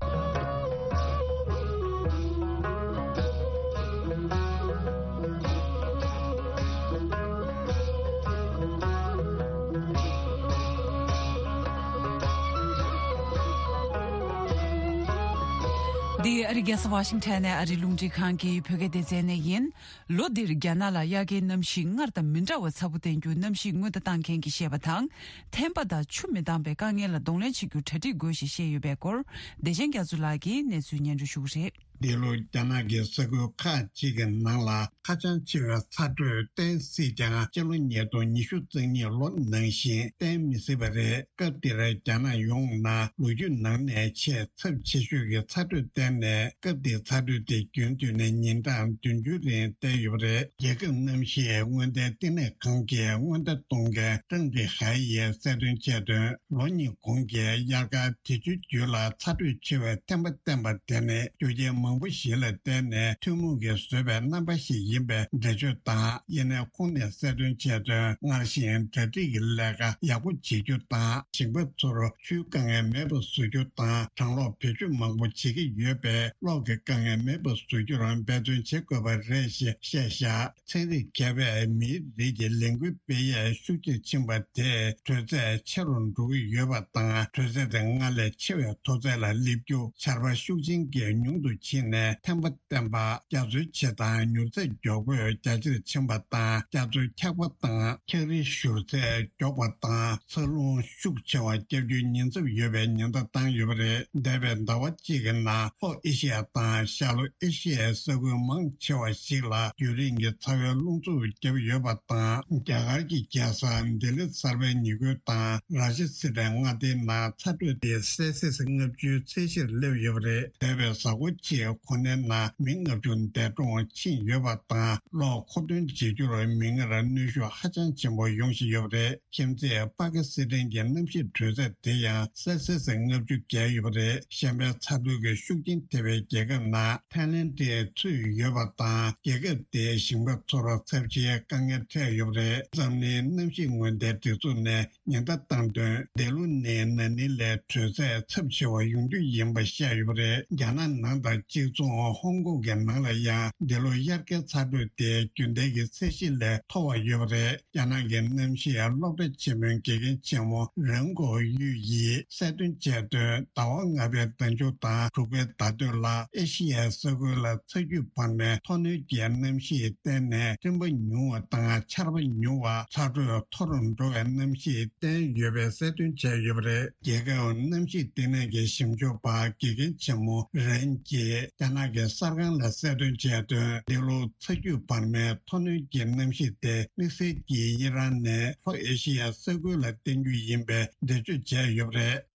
འདི་ཨ་རི་རྒྱལ་ས་ཝ་ཤིང་ཊོན་ནས་ཨ་རི་རླུང་འཕྲིན་ཁང་གི་བོད་སྐད་སྡེ་ཚན་ནས་ཡིན། ལོ་འདིར་རྒྱ་ནག་ལ་དབྱར་ཁའི་གནམ་གཤིས་སྔར་དང་མི་འདྲ་བ་ཚ་པོ་བསྟན་རྒྱུ་གནམ་གཤིས་སྔོན་བརྡ་བཏང་མཁན་གྱིས་བཤད་པ་དང་། ཐན་པ་དང་ཆུ་མི་འདང་པའི་དཀའ་ངལ་ལ་གདོང་ལེན་བྱེད་རྒྱུར་གྲ་སྒྲིག་དགོས་ཞེས་བཤད་ཡོད་པའི་སྐོར། བདེ་ཆེན་རྒྱ་མཚོ་ལགས་ཀྱིས་གནས་ཚུལ་སྙན་སྒྲོན་ཞུ་གི་རེད། འདི་ལོ་རྒྱ་ནག་གི་ས་ཁུལ་ཁག་ཅིག་གི་ནང་ལ་ཧ་ཅང་ཆེ་བའི་ཚ་དྲོད་བསྟན་སྲིད་ཀྱང་། སྤྱི་ལོ་ཉིས་སྟོང་ཉི་ཤུ་རྩ་གཉིས་ལོ་ནང་བཞིན་བསྟན་མི་སྲིད་པ་རེད། སྐབས་འདིར་རྒྱ་ནག་ཡོངས་ནང་ལོ་རྒྱུས་ནང་ནས་ཆེས་ཚབས་ཆེ་ཤོས་ཀྱི་ཚ་དྲོད་བསྟན་ནས། སྐབས་འདིའི་ཚ་དྲོད་དེ་རྒྱུན་མཐུད་ནས་ཉིན་གྲངས་བདུན་ཅུའི་རིང་བསྟན་ཡོད་པ་རེད། རྒྱལ་ཁབ་གནམ་གཤིས་སྔོན་བརྡའི་བསྟི་གནས་ཁང་གི་སྔོན་བརྡ་གཏོང་མཁན་ཀྲང་ཏི་ཧའེ་ཡིས་གསལ་སྟོན་བྱས་དོན། ལོ་གཉིས་གོང་གི་དབྱར་ཁ་དུས་ཆུ་རྒྱུན་ལ་ཚ་དྲོད་ཆེ་བའི་ཐན་པ་བསྟན་པ་དེ་ནི་རྒྱུ་རྐྱེན་མང་པོ་ཞིག་ལ་བརྟེན་ནས་ཐུན་མོང་གིས་བཟོས་པའི་རྣམ་པ་ཞིག་ཡིན་པའི་འགྲེལ་བརྗོད་དང་། ཡིན་ནའི་ཁོང་ནས་གསལ་སྟོན་བྱས་དོན། སྔར་བཞིན་གྲ་སྒྲིག་གི་ལས་ཀ་ཡག་པོ་བྱེད་རྒྱུ་དང་། ཞིང་པ་ཚོར་ཆུའི་དཀའ་ངལ་མེད་པ་བཟོ་རྒྱུ་དང་། གྲང་གློག་བེད་སྤྱོད་མང་པོ་བྱེད་ཀྱི་ཡོད་པས་གློག་གི་དཀའ་ངལ་མེད་པ་བཟོ་རྒྱུར་འབད་བརྩོན་བྱེད་དགོས་པ་རེད་ཞེས་བཤད་བཞག་ཚན་རིག་མཁས་པས་མིའི་རིགས་ཀྱི་ལས་འགུལ་སྤེལ་ཡས་ཤུགས་ཆེར་ཕྱིན་པ་དེས་དྲོད་ཚད་ཆེ་རུ་འགྲོ་གི་ཡོད་པ་དང་། དྲོད་ཚད་དེ་སྔར་ལས་ཆེ་བའི་མཐོ་ཚད་ལ་སླེབས་རྒྱུ། ཆར་པ་ཤུགས་ཆེན་གྱིས་ཉུང་དུ་ཕྱིན། ནས་ཐན་པ་བསྟེན་པ། རྒྱ་མཚོའི་བྱེ་ཐང་མྱུར་ཚད་མགྱོགས་པོས་རྒྱ་ཆེར་ཕྱིན་པ་དང་། རྒྱ་མཚོའི་འཁྱག་པ་དང་འཁྱག་རིའི་བཞུར་ཚད་མགྱོགས་པ་དང་། འཚར་ལོངས་ཤུགས་ཆེ་བ་བརྒྱབ་རྒྱུའི་ཉེན་ཚབས་ཡོད་པའི་ཉེན་བརྡ་བཏང་ཡོད་པ་རེད། འདས་པའི་ཟླ་བ་གཅིག་གི་ནང་ལྷོ་ཨེ་ཤི་ཡ་དང་ཤར་ལྷོ་ཨེ་ཤི་ཡའི་ས་ཁུལ་མང་ཆེ་བ་ཞིག་ལ་རྒྱུན་རིང་གི་ཚ་བའི་རླུང་འཚུབ་བརྒྱབ་ཡོད་པ་དང་། རྒྱ་གར་གྱི་རྒྱལ་ས་ལྡི་ལི་གསར་པའི་ཉེ་ཁུལ་དང་ར་ཤི་སི་ཐན་མངའ་སྡེའི་ནང་ཚ་དྲོད་དེ་སེལ་སི་སི་ལྔ་བཅུའི་ཚད་གཞིར་སླེབས་ཡོད་པ་རེད། འདས་པའི་གཟའ་འཁོར་གཅིག་གོ་གནས་ནང་མི་ལྔ་བཅུ་འདས་གྲོངས་ཕྱིན་ཡོད་པ་དང་། གློག་མཁོ་འདོན་བྱེད་རྒྱུར་མིག་སྔར་གནོན་ཤུགས་ཧ་ཅང་ཆེན་པོ་ཡོང་བཞིན་ཡོད་པ་རེད། ཁྱིམ་མཚེས་པ་ཀི་སི་ཐན་གྱི་གནམ་གཤིས་དྲོད་ཚད་དེ་ཡང་སེལ་སི་སི་ལྔ་བཅུ་བརྒལ་ཡོད་པ་རེད། གཞན་པའི་ཚ་དྲོད་ཀྱི་ཤུགས་རྐྱེན་ཐེབས་པའི་རྒྱལ་ཁབ་ནང་ཐའི་ལེན་ཌ་ཚུད་ཡོད་པ་དང་། རྒྱལ་ཁབ་དེའི་ཞིང་པ་ཚོར་ཚབས་ཆེའི་དཀའ་ངལ་འཕྲད་ཡོད་པ་རེད། འཛམ་གླིང་གནམ་གཤིས་སྔོན་བརྡའི་སྒྲིག་འཛུགས་ནས་ཉེན་བརྡ་བཏང་དོན། འདི་ལོ་ནི་ན་ནིང་ལས་དྲོད་ཚད་ཚབས་ཆེ་བ་ཡོང་རྒྱུ་ཡིན་པ་བཤད་ཡོད་པ་རེད། རྒྱ་ནག་ནང་དང་གཅིག་མཚུངས་ཧོང་ཀོང་གི་ནང་ལ་ཡང་འདི་ལོ་དབྱར་ཁའི་ཚ་དྲོད་དེ་རྒྱུན་ལྡན་གྱི་ཚད་གཞི་ལས་མཐོ་བ་ཡོད་པ་རེད། རྒྱ་ནག་གི་གནམ་གཤིས་སློབ་གྲྭ་ཆེན་མོའི་དགེ་རྒན་ཆེན་མོ་རེན་ཀོ་ཡུས་ཡིས་གསལ་སྟོན་བྱས་དོན། ཟླ་བ་ལྔ་པའི་ཟླ་མཇུག་དང་དྲུག་པའི་ཟླ་སྟོད་ལ་ཨེ་ཤི་ཡའི་ས་ཁུལ་ལ་ཚ་རྒྱུད་བར་མའི་མཐོ་གནོན་གྱི་གནམ་གཤིས་བརྟེན་ནས་སྤྲིན་པ་ཉུང་བ་དང་ཆར་པ་ཉུང་བ། ཚ་དྲོད་མཐོ་རུ་འགྲོ་བའི་གནམ་གཤིས་བསྟན་ཡོད་པའི་གསལ་སྟོན་བྱས་ཡོད་པ་རེད། རྒྱལ་ཁབ་གནམ་གཤིས་ལྟེ་གནས་ཀྱི་ཞིབ་འཇུག་པ་དགེ་རྒན་ཆེན་མོ་རན་གྱིས་རྒྱ་ནག་གི་གསར་ཁང་ལ་གསལ་སྟོན་བྱས་དོན། འདི་ལོ་ཚ་རྒྱུད་བར་མའི་མཐོ་གནོན་གྱི་གནམ་གཤིས་དེ་དམིགས་བསལ་གྱིས་ཨི་རན་ནས་ལྷོ་ཨེ་ཤི་ཡ་ས་ཁུལ་ལ་བརྟེན་རྒྱུ་ཡིན་པའི་འགྲེལ་བརྗོད་བྱས་ཡོད་པ་རེད།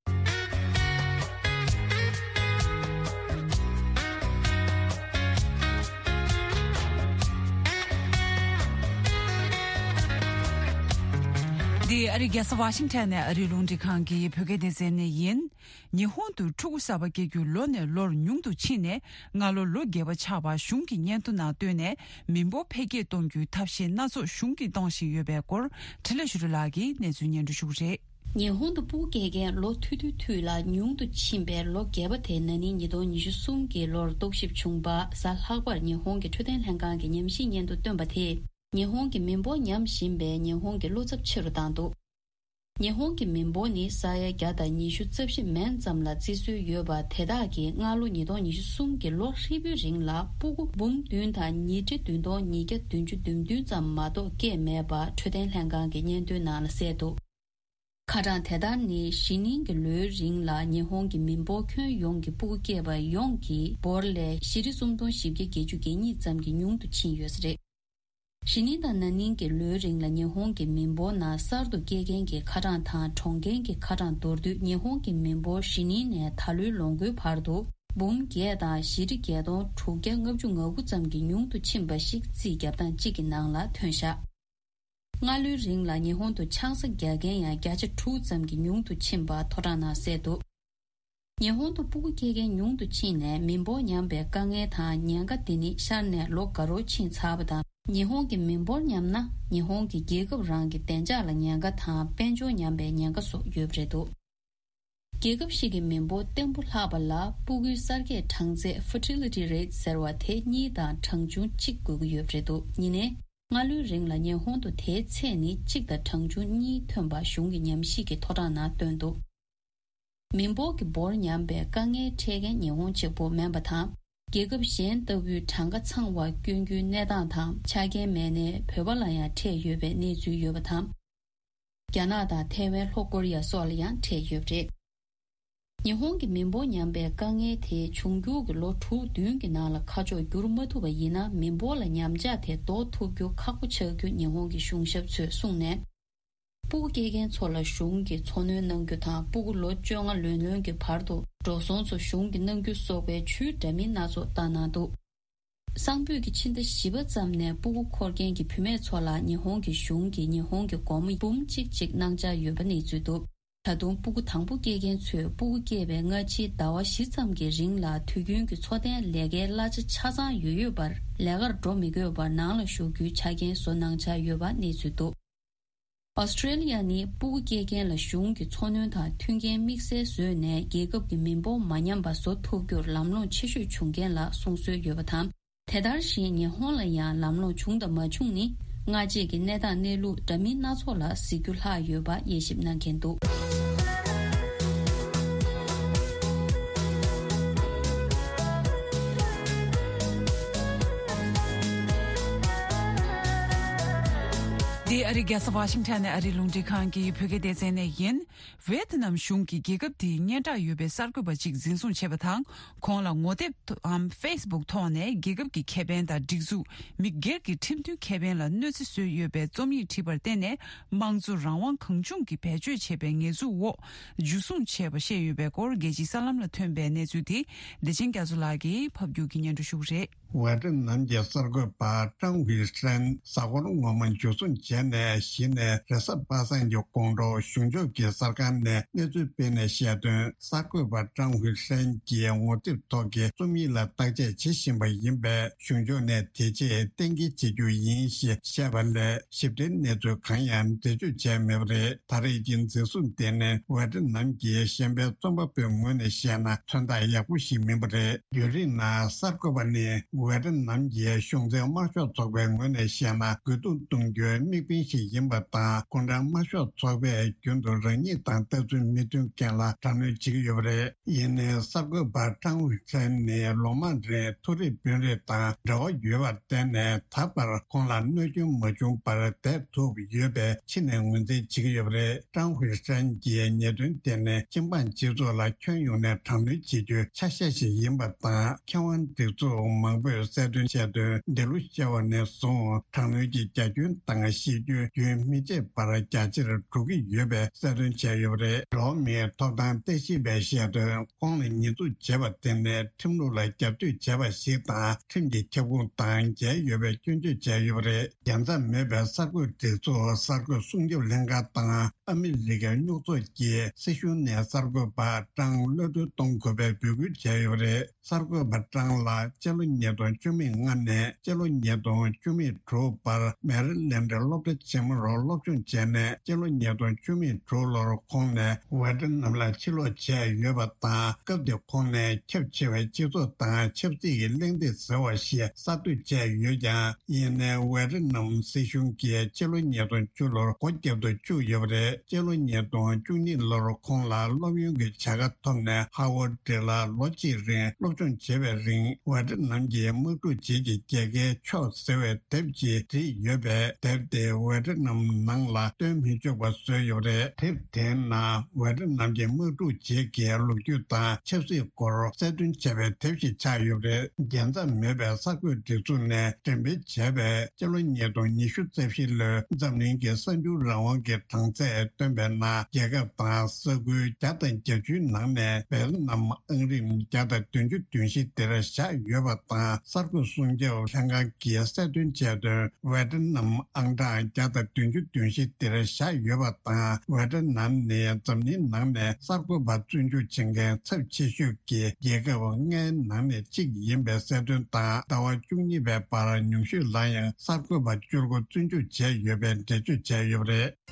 འདི་ཨ་རིའི་རྒྱལ་ས་ཝ་ཤིང་ཊོན་ནས་ཨ་རིའི་རླུང་འཕྲིན་ཁང་གི་བོད་སྐད་སྡེ་ཚན་ནས་ཡིན། ཉི་ཧོང་དུ་ཕྲུ་གུ་གསར་པ་སྐྱེ་རྒྱུ་ལོ་ནས་ལོར་ཉུང་དུ་ཕྱིན་ནས་སྔ་ལོ་ལོ་བརྒྱད་པ་ཆགས་པ་གཞུང་གི་སྙན་ཐོ་ནང་བཏོན་ནས་མི་འབོར་འཕེལ་རྒྱས་གཏོང་རྒྱུའི་ཐབས་ཤེས་སྣ་ཚོགས་གཞུང་གིས་གཏོང་བཞིན་ཡོད་པའི་སྐོར་འཕྲིན་ལས་ཞུ་རི་ལགས་ཀྱིས་གནས་ཚུལ་སྙན་སྒྲོན་ཞུ་གི་རེད། ཉི་ཧོང་དུ་སྤུ་གུ་སྐྱེ་མཁན་ལོ་ཐུང་ཐུང་ཐུང་ལ་ཉུང་དུ་ཕྱིན་པའི་ལོ་བརྒྱད་པ་དེ་ན་ནིང་ཉིས་སྟོང་ཉི་ཤུ་གསུམ་གྱི་ལོར་རྟོག་ཞིབ་བྱུང་བ། གཟའ་ལྷག་པར་ཉི་ཧོང་གི་འཕྲོད་བསྟེན་ལྷན་ཁང་གི་ཉམས་ཞིབ་སྙན་ཐོ་བཏོན་པ་དེས། ཉི་ཧོང་གི་མི་འབོར་ཉམས་བཞིན་པས་ཉི་ཧོང་གི་བློ་འཚབ་ཆེ་རུ་བཏང་འདུག་ཉི་ཧོང་གི་མི་འབོར་ནི་ས་ཡ་བརྒྱ་དང་ཉི་ཤུ་རྩ་བཞི་མན་ཙམ་ལ་བརྩི་སྲོལ་ཡོད་པ། དེ་དག་གིས་སྔ་ལོ་ཉིས་སྟོང་ཉི་ཤུ་གསུམ་གྱི་ལོ་ཧྲིལ་པོའི་རིང་ལ་སྤུ་གུ་འབུམ་བདུན་དང་ཉིས་ཁྲི་བདུན་སྟོང་ཉིས་བརྒྱ་བདུན་ཅུ་དོན་བདུན་ཙམ་མ་གཏོགས་སྐྱེས་མེད་པ་འཕྲོད་བསྟེན་ལྷན་ཁང་གི་སྙན་ཐོའི་ནང་ལ་གསལ་འདུག་ཁ་གྲངས་དེ་ལྟར་ནི་གཞེས་ནིང་གི་ལོའི་རིང་ལ་ཉི་ཧོང་གི་མི་འབོར་ཁྱོན་ཡོངས་ཀྱི་སྤུ་གུ་སྐྱེས་པ་ཡོངས་ཀྱི་འབོར་ལས་བཞི་ཁྲི་སུམ་སྟོང་བཞི་བརྒྱ་བརྒྱད་ཅུ་གྱ་གཉིས་ཙམ་གྱིས་ཉུང་དུ་ཕྱིན་ཡོད་ས་རེད། གཞེས་ནིང་དང་ན་ནིང་གི་ལོའི་རིང་ལ་ཉི་ཧོང་གི་མི་འབོར་ནང་གསར་དུ་སྐྱེས་མཁན་གྱི་ཁ་གྲངས་དང་གྲོངས་མཁན་གྱི་ཁ་གྲངས་མདོར་བསྡུས། ཉི་ཧོང་གི་མི་འབོར་གཞེས་ནིང་ནས་ད་ལོའི་ལོ་འགོའི་བར་དུ་འབུམ་བརྒྱད་དང་བཞི་ཁྲི་བརྒྱད་སྟོང་དྲུག་བརྒྱ་ལྔ་བཅུ་ང་དགུ་ཙམ་གྱིས་ཉུང་དུ་ཕྱིན་པ་ཞིག་རྩིས་རྒྱབ་སྟངས་གཅིག་གི་ནང་ལ་ཐོན་བཞག་སྔ་ལོའི་རིང་ལ་ཉི་ཧོང་དུ་ཆང་ས་རྒྱག་མཁན་ཡང་བརྒྱ་ཆ་དྲུག་ཙམ་གྱིས་ཉུང་དུ་ཕྱིན་པ་ཐོ་རངས་ནང་གསལ་འདུག་ཉི་ཧོང་དུ་སྤུ་གུ་སྐྱེ་མཁན་ཉུང་དུ་ཕྱིན་ནས་མི་འབོར་ཉམས་པའི་དཀའ་ངལ་དང་ཉེན་ཁ་དེ་ནི་ཤར་ནས་ལོ་འགའ་རོ་ཕྱིན་ཚར་བ་དང་། ཉི་ཧོང་གི་མི་འབོར་ཉམས་ན་ཉི་ཧོང་གི་རྒྱལ་ཁབ་རང་གི་བདེ་འཇགས་ལ་ཉེན་ཁ་དང་དཔལ་འབྱོར་ཉམས་པའི་ཉེན་ཁ་སོགས་ཡོད་པ་རེད་འདུག་རྒྱལ་ཁབ་ཞིག་གི་མི་འབོར་བརྟན་པོ་ལྷག་པ་ལ་སྤུ་གུའི་གསར་སྐྱེས་གྲངས་ཚད་Fertility Rate ཟེར་བ་དེ་གཉིས་དང་གྲངས་ཆུང་གཅིག་དགོས་ཀྱི་ཡོད་པ་རེད་འདུག་ཡིན་ནའི། སྔ་ལོའི་རིང་ལ་ཉི་ཧོང་དུ་དེའི་ཚད་ནི་གཅིག་དང་གྲངས་ཆུང་གཉིས་ཐོན་པ་གཞུང་གི་ཉམས་ཞིབ་ཀྱི་ཐོ་རངས་ནང་བཏོན་འདུག་མི་འབོར་གྱི་འབོར་ཉམས་པའི་དཀའ་ངལ་འཕྲད་མཁན་ཉི་ཧོང་གཅིག་པོ་མིན་པ་དང་། རྒྱལ་ཁབ་གཞན་ལྟ་བུའི་གྲངས་ཀ་ཚང་བ་སྐྱོན་རྒྱུའི་གནས་སྟངས་དང་ཆ་རྐྱེན་མེད་ནའི་བོད་པ་ལ་ཡང་འཕྲད་ཡོད་པའི་གནས་ཚུལ་ཡོད་པ་དང་། རྒྱ་ནག་དང་ཐའེ་ཝན། ལྷོ་ཀོ་རི་ཡ་སོགས་ལ་ཡང་འཕྲད་ཡོད་པ་རེད། ཉི་ཧོང་གི་མི་འབོར་ཉམས་པའི་དཀའ་ངལ་དེ་འབྱུང་འགྱུར་གྱི་ལོ་དྲུག་བདུན་གྱི་ནང་ལ་ཁ་ཕྱོགས་བསྒྱུར་མ་ཐུབ་པ་ཡིན་ན། མི་འབོར་ལ་ཉམས་ཆག་དེ་ཟློག་ཐུབ་རྒྱུ་ཁག་པོ་ཆགས་རྒྱུ་ཉི་ཧོང་གི་གཞུང་ཞབས་ཚོས་གསུངས་ནས། སྤུ་གུ་སྐྱེ་མཁན་ཚོ་ལ་གཞུང་གིས་འཚོ་སྣོན་གནང་རྒྱུ་དང་། སྤུ་གུ་ལོ་བཅོ་ལྔ་ལོན་ལོན་གྱི་བར་དུ་འགྲོ་སོང་ཚོ་གཞུང་གིས་གནང་རྒྱུ་སོགས་པའི་ཇུས་འདྲ་མིན་སྣ་ཚོགས་བཏང་གནང་འདུག་གསང་ཕུད་ཀྱི་ཕྱི་ཟླ་བཞི་པ་ཙམ་ནས་སྤུ་གུ་འཁོར་མཁན་གྱི་བུད་མེད་ཚོ་ལ་ཉི་ཧོང་གི་གཞུང་གིས་ཉི་ཧོང་གི་སྒོར་མོ་འབུམ་གཅིག་གཅིག་གནང་འཆར་ཡོད་པ་གནས་ཚུལ་འདུག་ད་དུང་སྤུ་གུ་དང་པོ་སྐྱེ་མཁན་ཚོས་སྤུ་གུ་སྐྱེས་པའི་སྔ་ཕྱིའི་ཟླ་བ་བཞི་ཙམ་གྱི་རིང་ལ་དུས་རྒྱུན་གྱི་འཚོ་རྟེན་ལས་ཀའི་གླ་ཆ་ཆ་ཚང་ཡོད་ཡོད་པར། ལས་ཀར་འགྲོ་མི་དགོས་པར་ནང་ལ་བཞུགས་རྒྱུའི་ཆ་རྐྱེན་བཟོ་གནང་འཆར་ཡོད་པ་གནས་ཚུལ་འདུག་ཨོ་སི་ཀྲེ་ལི་ཡ་ནི་སྤུ་གུ་སྐྱེ་མཁན་ལ་གཞུང་གི་འཚོ་སྣོན་དང་མཐུན་རྐྱེན་དམིགས་བསལ་བཟོས་ནས། རྒྱལ་ཁབ་ཀྱི་མི་འབོར་མ་ཉམས་པ་བཟོ་ཐུབ་རྒྱུར་ལམ་ལྷོང་ཆེ་ཤོས་བྱུང་རྐྱེན་ལ་གསུང་སྲོལ་ཡོད་པ་དང་། དེ་ལྟར་བཞིན་ཉི་ཧོང་ལ་ཡང་ལམ་ལྷོང་བྱུང་དང་མ་བྱུང་ནི། སྔ་རྗེས་ཀྱི་གནས་སྟངས་གནས་ལུགས་འདྲ་མིན་སྣ་ཚོགས་ལ་གཟིགས་རྒྱུ་ལྷག་ཡོད་པ་དབྱེ་ཞིབ་གནང་མཁན་འདུག་འདི་ཨ་རིའི་རྒྱལ་ས་ཝ་ཤིང་ཊོན་ནས་ཨ་རིའི་རླུང་འཕྲིན་ཁང་གི་བོད་སྐད་སྡེ་ཚན་ནས་ཡིན། ཝེ་ཏི་ནམ་གཞུང་གིས་རྒྱལ་ཁབ་དེའི་སྙན་གྲགས་ཡོད་པའི་གསར་འགོད་པ་གཅིག་འཛིན་བཟུང་བྱས་པ་དང་། ཁོང་ལ་ངོ་དེབ་ཐོག་འམ་ཕེ་སི་བུག་ཐོག་ནས་རྒྱལ་ཁབ་ཀྱི་ཁེ་ཕན་དང་སྒྲིག་འཛུགས། མི་སྒེར་གྱི་ཁྲིམས་མཐུན་ཁེ་ཕན་ལ་གནོད་འཚེ་བཟོས་ཡོད་པའི་རྩོམ་ཡིག་བྲིས་པར་བརྟེན་ནས། དམངས་གཙོ་རང་དབང་གང་བྱུང་གིས་བེད་སྤྱོད་བྱས་པའི་ཉེས་འཛུགས་འོག་འཇུ་བཟུང་བྱས་པ་བཤད་ཡོད་པའི་སྐོར། རྒྱལ་སྤྱིའི་གསར་ལམ་ལ་ཐོན་པའི་གནས་ཚུལ་དེ་བདེ་ཆེན་རྒྱ་མཚོ་ལགས་ཀྱིས་ཕབ་སྒྱུར་གྱིས་སྙན་སྒྲོན་ཞུ་གི་རེད། ཝེ་ཏི་ནམ་གྱི་གསར་འགོད་པ་ཀྲང་ཧུའེ་ཧྲན་གཟའ་འཁོར་སྔོན་མ་འཇུ་བཟུང་བྱས་ནས་གཞི་ནས་རེས་གཟའ་པ་སངས་ཀྱི་དགོང་དྲོ་གཞུང་ཕྱོགས་ཀྱི་གསར་ཁང་ནས་གནས་ཚུལ་སྤེལ་ནས་བཤད་དོན། གསར་འགོད་པ་ཀྲང་ཧུའེ་ཧྲན་གྱིས་ངོ་དེབ་ཐོག་གི་རྩོམ་ཡིག་ལ་བརྟག་དཔྱད་བྱེད་བཞིན་པ་ཡིན་པས། གཞུང་ཕྱོགས་ནས་དེ་རྗེས་གཏན་འཁེལ་བྱེད་རྒྱུ་ཡིན་ཞེས་བཤད་པ་ལས། ཞིབ་ཕྲའི་གནས་ཚུལ་གང་ཡང་འགྲེལ་བརྗོད་བྱས་མེད་པ་རེད། ད་རེས་ཀྱི་འཛིན་བཟུང་དེ་ནི་ཝེ་ཏི་ནམ་གྱི་གཞན་ཕན་རྩོམ་པ་པོའི་ངོས་ནས་བཤད་ན་མཚོན་རྟགས་ཡག་པོ་ཞིག་མིན་པ་རེད། ཡུན་རིང་ན་གསར་འགོད་པ་ནི་ཝེ་ཏི་ནམ་གྱི་གཞུང་འཛིན་དམར་ཤོག་ཚོགས་པའི་ངོས་ནས་བཤད་ན་རྒོལ་རྡུང་གཏོང་རྒྱུའི་དམིགས་འབེན་ཞིག་ཡིན་པ་དང་། ཁོང་རང་དམར་ཤོག་ཚོགས་པས་རྒྱུན་དུ་རང་ཉིད་དང་ལྟ་ཚུལ་མི་མཐུན་མཁན་ལ་དྲག་གནོན་བྱེད་ཀྱི་ཡོད་པ་རེད། ཡིན་ནའི་གསར་འགོད་པ་ཀྲང་ཧུའེ་ཧྲན་ནི་ལོ་མང་རིང་མཐོ་རིམ་དཔོན་རིགས་དང་འབྲེལ་བ་ཡོད་པར་བརྟེན་ནས། ད་བར་ཁོང་ལ་གནོད་སྐྱོན་མ་བྱུང་བར་བསྡད་ཐུབ་ཡོད་པས་ཕྱི་ནས་ངོས་འཛིན་བྱེད་ཀྱི་ཡོད་པ་རེད། ཀྲང་ཧུའེ་ཧྲན་གྱིས་ཉེས་དོན་དེ་ནི་སྤྱི་འབངས་སྤྱི་ཚོགས་ལ་ཁྱོན་ཡོངས་ནས་དྲག་གནོན་བྱེད་རྒྱུའི་ཆ་ཤས་ཤིག་ཡིན་པ་དང་། མཁས་དབང་སྒྲིག་འཛུགས་མང་པོས་གསལ་སྟོན་བྱས་དོན། འདི་ལོ་ཤར་བ་ནས་བཟུང་དྲག་གནོན་གྱི་རྒྱ་ཁྱོན་དང་གཤིས་རྒྱུད་རྒྱུན་མི་ཆད་པར་རྒྱ་ཆེར་འགྲོ་གི་ཡོད་པའི་གསལ་སྟོན་བྱས་ཡོད་པ་རེད། འགྲོ་བ་མིའི་ཐོབ་ཐང་ལྟ་ཞིབ་པས་བཤད་དོན། ཁོང་ལ་ཉེས་འཛུགས་བྱས་པ་དེ་ནི་ཁྲིམས་ལུགས་ལ་རྒྱབ་གཏོད་བྱས་པ་ཞིག་དང་། ཁྲིམས་ཀྱི་ཁྱབ་ཁོངས་དང་འགལ་ཡོད་པའི་སྐྱོན་བརྗོད་བྱས་ཡོད་པ་རེད། རྒྱལ་མཚམས་མེད་པའི་གསར་འགོད་སྒྲིག་འཛུགས་གསར་འགོད་སྲུང་སྐྱོབ་ལྷན་ཁང་དང་ཨ་མི་རི་ཀའི་རྙོག་ཚོགས་ཀྱིས་སྲིད་གཞུང་ནས་གསར་འགོད་པ་ཀྲང་གློད་གྲོལ་གཏོང་དགོས་པའི་འབོད་སྐུལ་བྱས་ཡོད་པ་རེད། གསར་འགོད་པ་ཀྲང་ལགས་སྤྱི་ལོ་ཉིས་སྟོང་བཅུ་མེད་ལྔ་ནས་སྤྱི་ལོ་ཉིས་སྟོང་བཅུ་མེད་དྲུག་བར་མེ་རི་ལེན་ཌི་སློབ་གྲྭ་ཆེན་མོར་སློབ་སྦྱོང་བྱས་ནས། སྤྱི་ལོ་ཉིས་སྟོང་བཅུ་མེད་དྲུག་ལོར་ཁོང་ནས་ཝེ་ཏི་ནམ་ལ་ཕྱིར་ལོག་བྱས་ཡོད་པ་དང་། སྐབས་དེར་ཁོང་ནས་ཁྱབ་ཆེ་བའི་སྤྱི་ཚོགས་དང་ཆབ་སྲིད་ཀྱི་གླེང་སྟེགས་ཟེར་བ་ཞིག་གསར་གཏོད་བྱས་ཡོད་ཀྱང་། ཡིན་ནའི་ཝེ་ཏི་ནམ་སྲིད་གཞུང་གིས་སྤྱི་ལོ་ཉིས་སྟོང་བཅུ་ལོར་སྒོ་བརྒྱབ་ཏུ་བཅུག་ཡོད་པ་རེད། སྤྱི་ལོ་ཉིས་སྟོང་བཅུ་གཉིས་ལོར་ཁོང་ལ་སློབ་ཡོན་གྱི་བྱ་དགའ་ཐོབ་ནས་ཧ་ཝར་ཌི་ལ་ལོ་གཅིག་རིང་སློབ་སྦྱོང་བྱེད་པའི་རིང་། ཝེ་ཏི་ནམ་གྱི་དམག་འཁྲུག་རྗེས་ཀྱི་རྒྱལ་ཁའི་ཕྱོགས་ཟེར་བའི་དེབ་ཅིག་བྲིས་ཡོད་པས། དེབ་དེ་ཝེ་ཏི་ནམ་ནང་ལ་སྟོན་མི་ཆོག་པ་བཟོས་ཡོད་པ་རེད། དེབ་དེའི་ནང་ཝེ་ཏི་ནམ་གྱི་དམག་འཁྲུག་རྗེས་ཀྱི་ལོ་རྒྱུས་དང་ཆབ་སྲིད་སྐོར་གསལ་སྟོན་བྱས་པའི་དེབ་ཞིག་ཆགས་ཡོད་པ་རེད། རྒྱལ་མཚམས་མེད་པའི་གསར་འགོད་སྒྲིག་འཛུགས་ནས་འགྲེམས་སྤེལ་བྱས་པའི་སྤྱི་ལོ་ཉིས་སྟོང་ཉི་ཤུ་རྩ་བཞི་ལོའི་འཛམ་གླིང་གི་གསར་འགྱུར་རང་དབང་གི་གྲངས་ཚད་བཏོན་པའི་ནང་། རྒྱལ་ཁབ་དང་ས་ཁུལ་བརྒྱ་དང་བརྒྱད་ཅུའི་ནང་ནས་ཝེ་ཏི་ནམ་ཨང་རིམ་བརྒྱ་དང་བདུན་ཅུ་དོན་བཞི་དེར་བཞག་ཡོད་པ་དང་། གསར་འགོད་སྲུང་སྐྱོབ་ལྷན་ཁང་གིས་གསལ་སྟོན་བྱས་དོན། ཝེ་ཏི་ནམ་ཨང་གྲངས་བརྒྱ་དང་བདུན་ཅུ་དོན་བཞི་དེར་བཞག་ཡོད་པ་དང་། ཝེ་ཏི་ནམ་ནི་འཛམ་གླིང་ནང་ནས་གསར་འགོད་པ་བཙོན་འཇུག་བྱེད་མཁན་ཚབས་ཆེ་ཤོས་ཀྱི་རྒྱལ་ཁབ་ལྔའི་ནང་ནས་གཅིག་ཡིན་པའི་གསལ་སྟོན་དང་། ཟླ་བ་བཅུ་གཉིས་པའི་བར་ཉུང་ཤོས་ལ་ཡང་གསར་འགོད་པ་བཅུ་དགུ་བཙོན་འཇུག་བྱས་ཡོད་པའི་འགྲེལ་བརྗོད་བྱས་ཡོད་པ་རེད།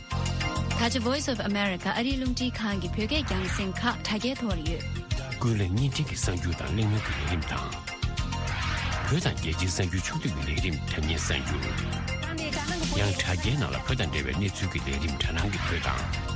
ད་ཆ་Voice of America ཨ་རིའི་རླུང་འཕྲིན་ཁང་གི་བོད་སྐད་རྒྱང་སྲིང་ཁག་དྲ་རྒྱའི་ཐོག་ལ་ཡོད། ཀུན་གླེང་བརྙན་འཕྲིན་གྱི་གསར་འགྱུར་དང་གླེང་མོལ་གྱི་ལས་རིམ་དང་། བོད་དང་རྒྱལ་སྤྱིའི་གསར་འགྱུར་ཕྱོགས་བསྡུས་ཀྱི་ལས་རིམ་དྲ་བརྙན་གསར་འགྱུར། ཡང་དྲ་རྒྱའི་ནང་ལ་བོད་དང་འབྲེལ་བའི་གནས་ཚུལ་གྱི་ལས་རིམ་དྲ་སྣང་གི་བོད་དང་།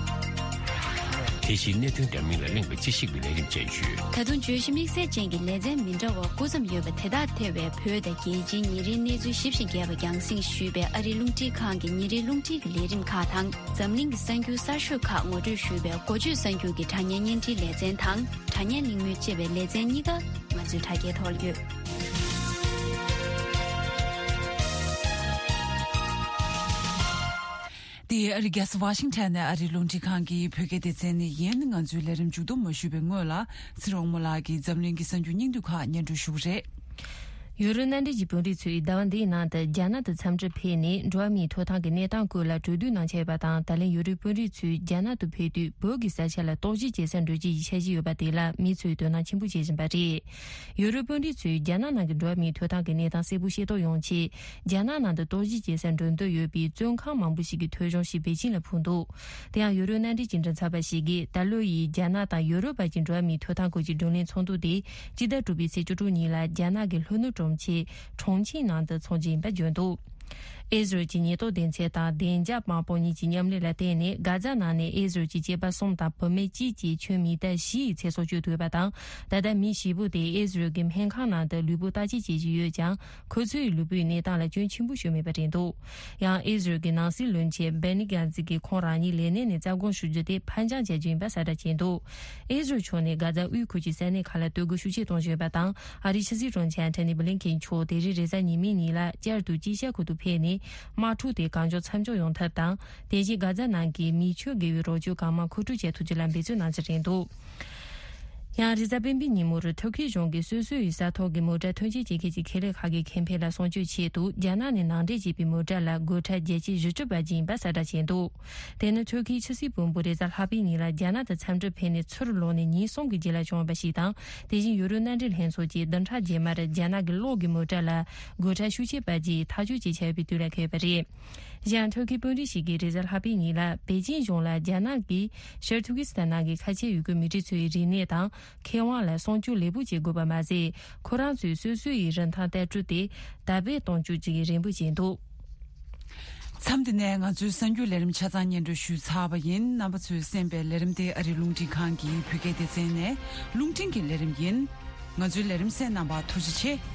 དེ་བཞིན་གནད་དོན་འདྲ་མིན་ལ་གླེང་བའི་དཔྱད་ཞིབ་ཀྱི་ལས་རིམ་བཅས་ཡོད། ད་དུང་བརྗོད་གཞི་དམིགས་བསལ་ཅན་གྱི་ལེ་ཚན་མི་འདྲ་བ་དགུ་ཙམ་ཡོད་པ་དེ་དག་ཐེ་བའི་བོད་དང་རྒྱལ་སྤྱིའི་ཉིན་རེའི་གནས་ཚུལ་ཞིབ་ཅིང་རྒྱས་པ་རྒྱང་སྲིང་ཞུས་པའི་ཨ་རིའི་རླུང་འཕྲིན་ཁང་གི་ཉིན་རེའི་རླུང་འཕྲིན་གྱི་ལས་རིམ་ཁག་དང་། འཛམ་གླིང་གི་གསར་འགྱུར་གསར་ཤོས་ཁག་ངོ་སྤྲོད་ཞུས་པའི་འགོ་བརྗོད་གསར་འགྱུར་གྱི་དྲ་བརྙན་བརྙན་འཕྲིན་ལེ་ཚན་དང་། དྲ་བརྙན་གླེང་མོལ་ཅེས་པའི་ལེ་ཚན་གཉིས་ཀ་ང་ཚོའི་དྲ་རྒྱའི་ཐོག་ལ་ཡོད། འདི་ཨ་རི་རྒྱལ་ས་ཝ་ཤིང་ཊོན་ནས་ཨ་རིའི་རླུང་འཕྲིན་ཁང་གི་བོད་སྐད་སྡེ་ཚན་ནས་ཡིན། ང་ཚོའི་ལས་རིམ་མཇུག་བསྡོམས་མ་ཞུས་པའི་སྔོན་ལ། ཚེ་རིང་དབང་མོ་ལགས་ཀྱིས་འཛམ་གླིང་གི་གསར་འགྱུར་སྙིང་བསྡུས་ཁག་སྙན་སྒྲོན་ཞུ་གི་རེད། ཡུ་རོབ་མནའ་འབྲེལ་གྱི་དཔོན་རིགས་ཚོས་ཟླ་བ་འདིའི་ནང་དུ་རྒྱ་ནག་ཏུ་འཚམས་འདྲིར་ཕེབས་ནས། འགྲོ་བ་མིའི་ཐོབ་ཐང་གི་གནས་སྟངས་སྐོར་ལ་གྲོས་བསྡུར་གནང་འཆར་ཡོད་པ་དང་། ད་ལན་ཡུ་རོབ་དཔོན་རིགས་ཚོས་རྒྱ་ནག་ཏུ་ཕེབས་དུས་བོད་ཀྱི་ས་ཆ་ལ་རྟོག་ཞིབ་བྱེད་སར་འགྲོ་རྒྱུ་ཡི་འཆར་གཞི་ཡོད་པ་དེ་ལ་མི་ཚོས་དོ་སྣང་ཆེན་པོ་བྱེད་བཞིན་པ་རེད། ཡུ་རོབ་དཔོན་རིགས་ཚོས་རྒྱ་ནག་ནང་གི་འགྲོ་བ་མིའི་ཐོབ་ཐང་གི་གནས་སྟངས་གསལ་པོ་ཤེས་རྟོགས་ཡོང་ཆེད། རྒྱ་ནག་ནང་དུ་རྟོག་ཞིབ་བྱེད་སར་འགྲོ་འདོད་ཡོད་པའི་བཙོན་ཁང་མང་པོ་ཞིག་གི་ཐོ་གཞུང་ཞིག་པེ་ཅིན་ལ་ཕུལ་འདུག་དེ་ཡང་ཡུ་རོབ་མནའ་འབྲེལ་གྱི་མགྲིན་ཚབ་པ་ཞིག་གིས། ད་ལོ་ཡི་རྒྱ་ནག་དང་ཡུ་རོབ་བར་གྱི་འགྲོ་བ་མིའི་ཐོབ་ཐང་སྐོར་གྱི་བགྲོ་གླེང་ཚོགས་འདུ་དེ་སྤྱི་ཟླ་དྲུག་པའི་ཚེས་བཅུ་དྲུག་ཉིན་ལ་རྒྱ་ནག་གི་ལྷོ་ནུབ་གྲོང་ཁྱེར་ཁྲོང་ཆིང་ནང་དུ་འཚོགས་རྒྱུ་ཡིན་པ་བརྗོད་འདུག་ཨི་ཟི་རལ་གྱི་ཉེན་རྟོག་སྡེ་ཚན་དང་བདེ་འཇགས་དམག་དཔུང་གཉིས་ཀྱི་མཉམ་ལས་ལ་བརྟེན་ནས། གྷ་ཛ་ནང་ནས་ཨི་ཟི་རལ་གྱི་སྐྱེས་པ་གསུམ་དང་བུད་མེད་གཅིག་བཅས་ཁྱོན་མི་ཐེ་བཞི་ཡི་ཚེ་སྲོག་སྐྱོབ་ཐུབ་པ་དང་། ད་ལྟ་མི་བཞི་པོ་དེ་ཨི་ཟི་རལ་གྱི་སྨན་ཁང་ནང་དུ་ལུས་པོ་བརྟག་དཔྱད་བྱེད་བཞིན་ཡོད་ཀྱང་། ཁོ་ཚོའི་ལུས་པོའི་གནས་སྟངས་ལ་སྐྱོན་ཆེན་པོ་ཞིག་མེད་པ་རེད་འདུག། ཡང་ཨི་ཟི་རལ་གྱི་ནང་སྲིད་བློན་ཆེན་བེ་ནི་གྷན་ཛི་གིས་ཁོང་རང་ཉིད་ལས་གནས་ནས་རྩ་དགོངས་ཞུ་རྒྱུ་དེ་ཕར་འགྱངས་བྱ་རྒྱུ་ཡིན་པ་གསལ་བསྒྲགས་བྱས་འདུག། ཨི་ཟི་རལ་ཕྱོགས་ནས་གྷ་ཛ་དབུས་ཁུལ་གྱི་ས་གནས་ཁག་ལ་གཏོར་རྒོལ་ཤུགས་ཆེ་གཏོང་བཞིན་ཡོད་པ་དང་། ཨ་རིའི་ཕྱི་སྲིད་དྲུང་ཆེ་ཨན་ཐོ་ནི་བྷི་ལིན་ཁེན་མཆོག་དེ་རིང་རེས་གཟའ་ཉི་མའི་ཉིན་ལ་བསྐྱར་དུ་དཀྱིལ་ཤར་ཁུལ་དུ་ཕེབས་ནས། དམག་འཁྲུག་དེ་གང་མགྱོགས་མཚམས་འཇོག་ཡོང་ཐབས་དང་། དེ་བཞིན་གྷ་ཛ་ནང་གི་མི་ཆོས་དགེ་བའི་རོགས་སྐྱོར་གང་མང་མཁོ་སྤྲོད་བྱེད་ཐུབ་རྒྱུ་ལ་འབད་བརྩོན་གནང་རྒྱུ་རེད་འདུག། ཡང་རེས་གཟའ་སྤེན་པའི་ཉིན་མོར་ཐུར་ཁེ་གཞུང་གིས་སོ་སོའི་ས་ཐོག་གི་མོ་ཊ་ཐོན་སྐྱེད་བྱེད་མཁན་གྱི་ཁེ་ལས་ཁག་གི་ཁེ་ཕན་ལ་སྲུང་སྐྱོབ་ཆེད་དུ། རྒྱ་ནག་ནས་ནང་འདྲེན་བྱས་པའི་མོ་ཊ་ལ་སྒོ་ཁྲལ་བརྒྱ་ཆ་བཞི་བཅུ་སྤར་རྒྱུ་ཡིན་པ་གསལ་བསྒྲགས་བྱས་འདུག། དེ་ནི་ཐུར་ཁེའི་ཕྱི་སྲིད་བློན་པོ་རེས་གཟའ་ལྷག་པའི་ཉིན་ལ་རྒྱ་ནག་ཏུ་འཚམས་འདྲིར་ཕེབས་ནས་ཚུར་ལོག་ནས་ཉིན་གསུམ་གྱི་རྗེས་ལ་བྱུང་བ་ཞིག་དང་། དེ་བཞིན་ཡུ་རོབ་མནའ་འབྲེལ་ལྷན་ཚོགས་ཀྱིས་བདུན་ཕྲག་རྗེས་མར་རྒྱ་ནག་གི་གློག་གི་མོ་ཊ་ལ་སྒོ་ཁྲལ་ཤུགས་ཆེ་སྤར་རྒྱུའི་ཐག་གཅོད་བྱས་ཡོད་པའི་དུས་ལ་འཁེལ་བ་རེད། གཞན་ཐུར་ཁེའི་དཔོན་རིགས་ཤིག་གིས་རེས་གཟའ་ལྷག་པའི་ཉིན་ལ་པེ་ཅིན་གཞུང་ལ་རྒྱ་ནག་གིས་ཤར་ཐུར་ཀི་སི་ཐན་ནང་གི་ཁ་ཆེ་ཡུལ་གྱི་མི་རིགས་ཚོའི་རིག་གནས་དང་ཁེ་དབང་ལ་སྲུང་སྐྱོབ་ལེགས་པོ་བྱེད་དགོས་པ་མ་ཟད། ཁོ་རང་ཚོས་སོ་སོའི་རིན་ཐང་ལྟ་གྲུབ་དེ་དར་སྤེལ་གཏོང་རྒྱུ་བཅས་རེ་འབོད་བྱས་འདུག། མཚམས་འདི་ནས་ང་ཚོའི་གསར་འགྱུར་ལས་རིམ་ཆ་ཚང་སྙན་སྒྲོན་ཞུས་ཚར་བ་ཡིན། རྣམ་པ་ཚོས་གསན་པའི་ལས་རིམ་དེ་ཨ་རིའི་རླུང་འཕྲིན་ཁང་གི་བོད་སྐད་སྡེ་ཚན་ནས་རླུང་འཕྲིན་གྱི་ལས་རིམ་ཡིན། ང་ཚོའི་ལས་རིམ་གསན་གནང་བར་ཐུགས་རྗེ་ཆེ།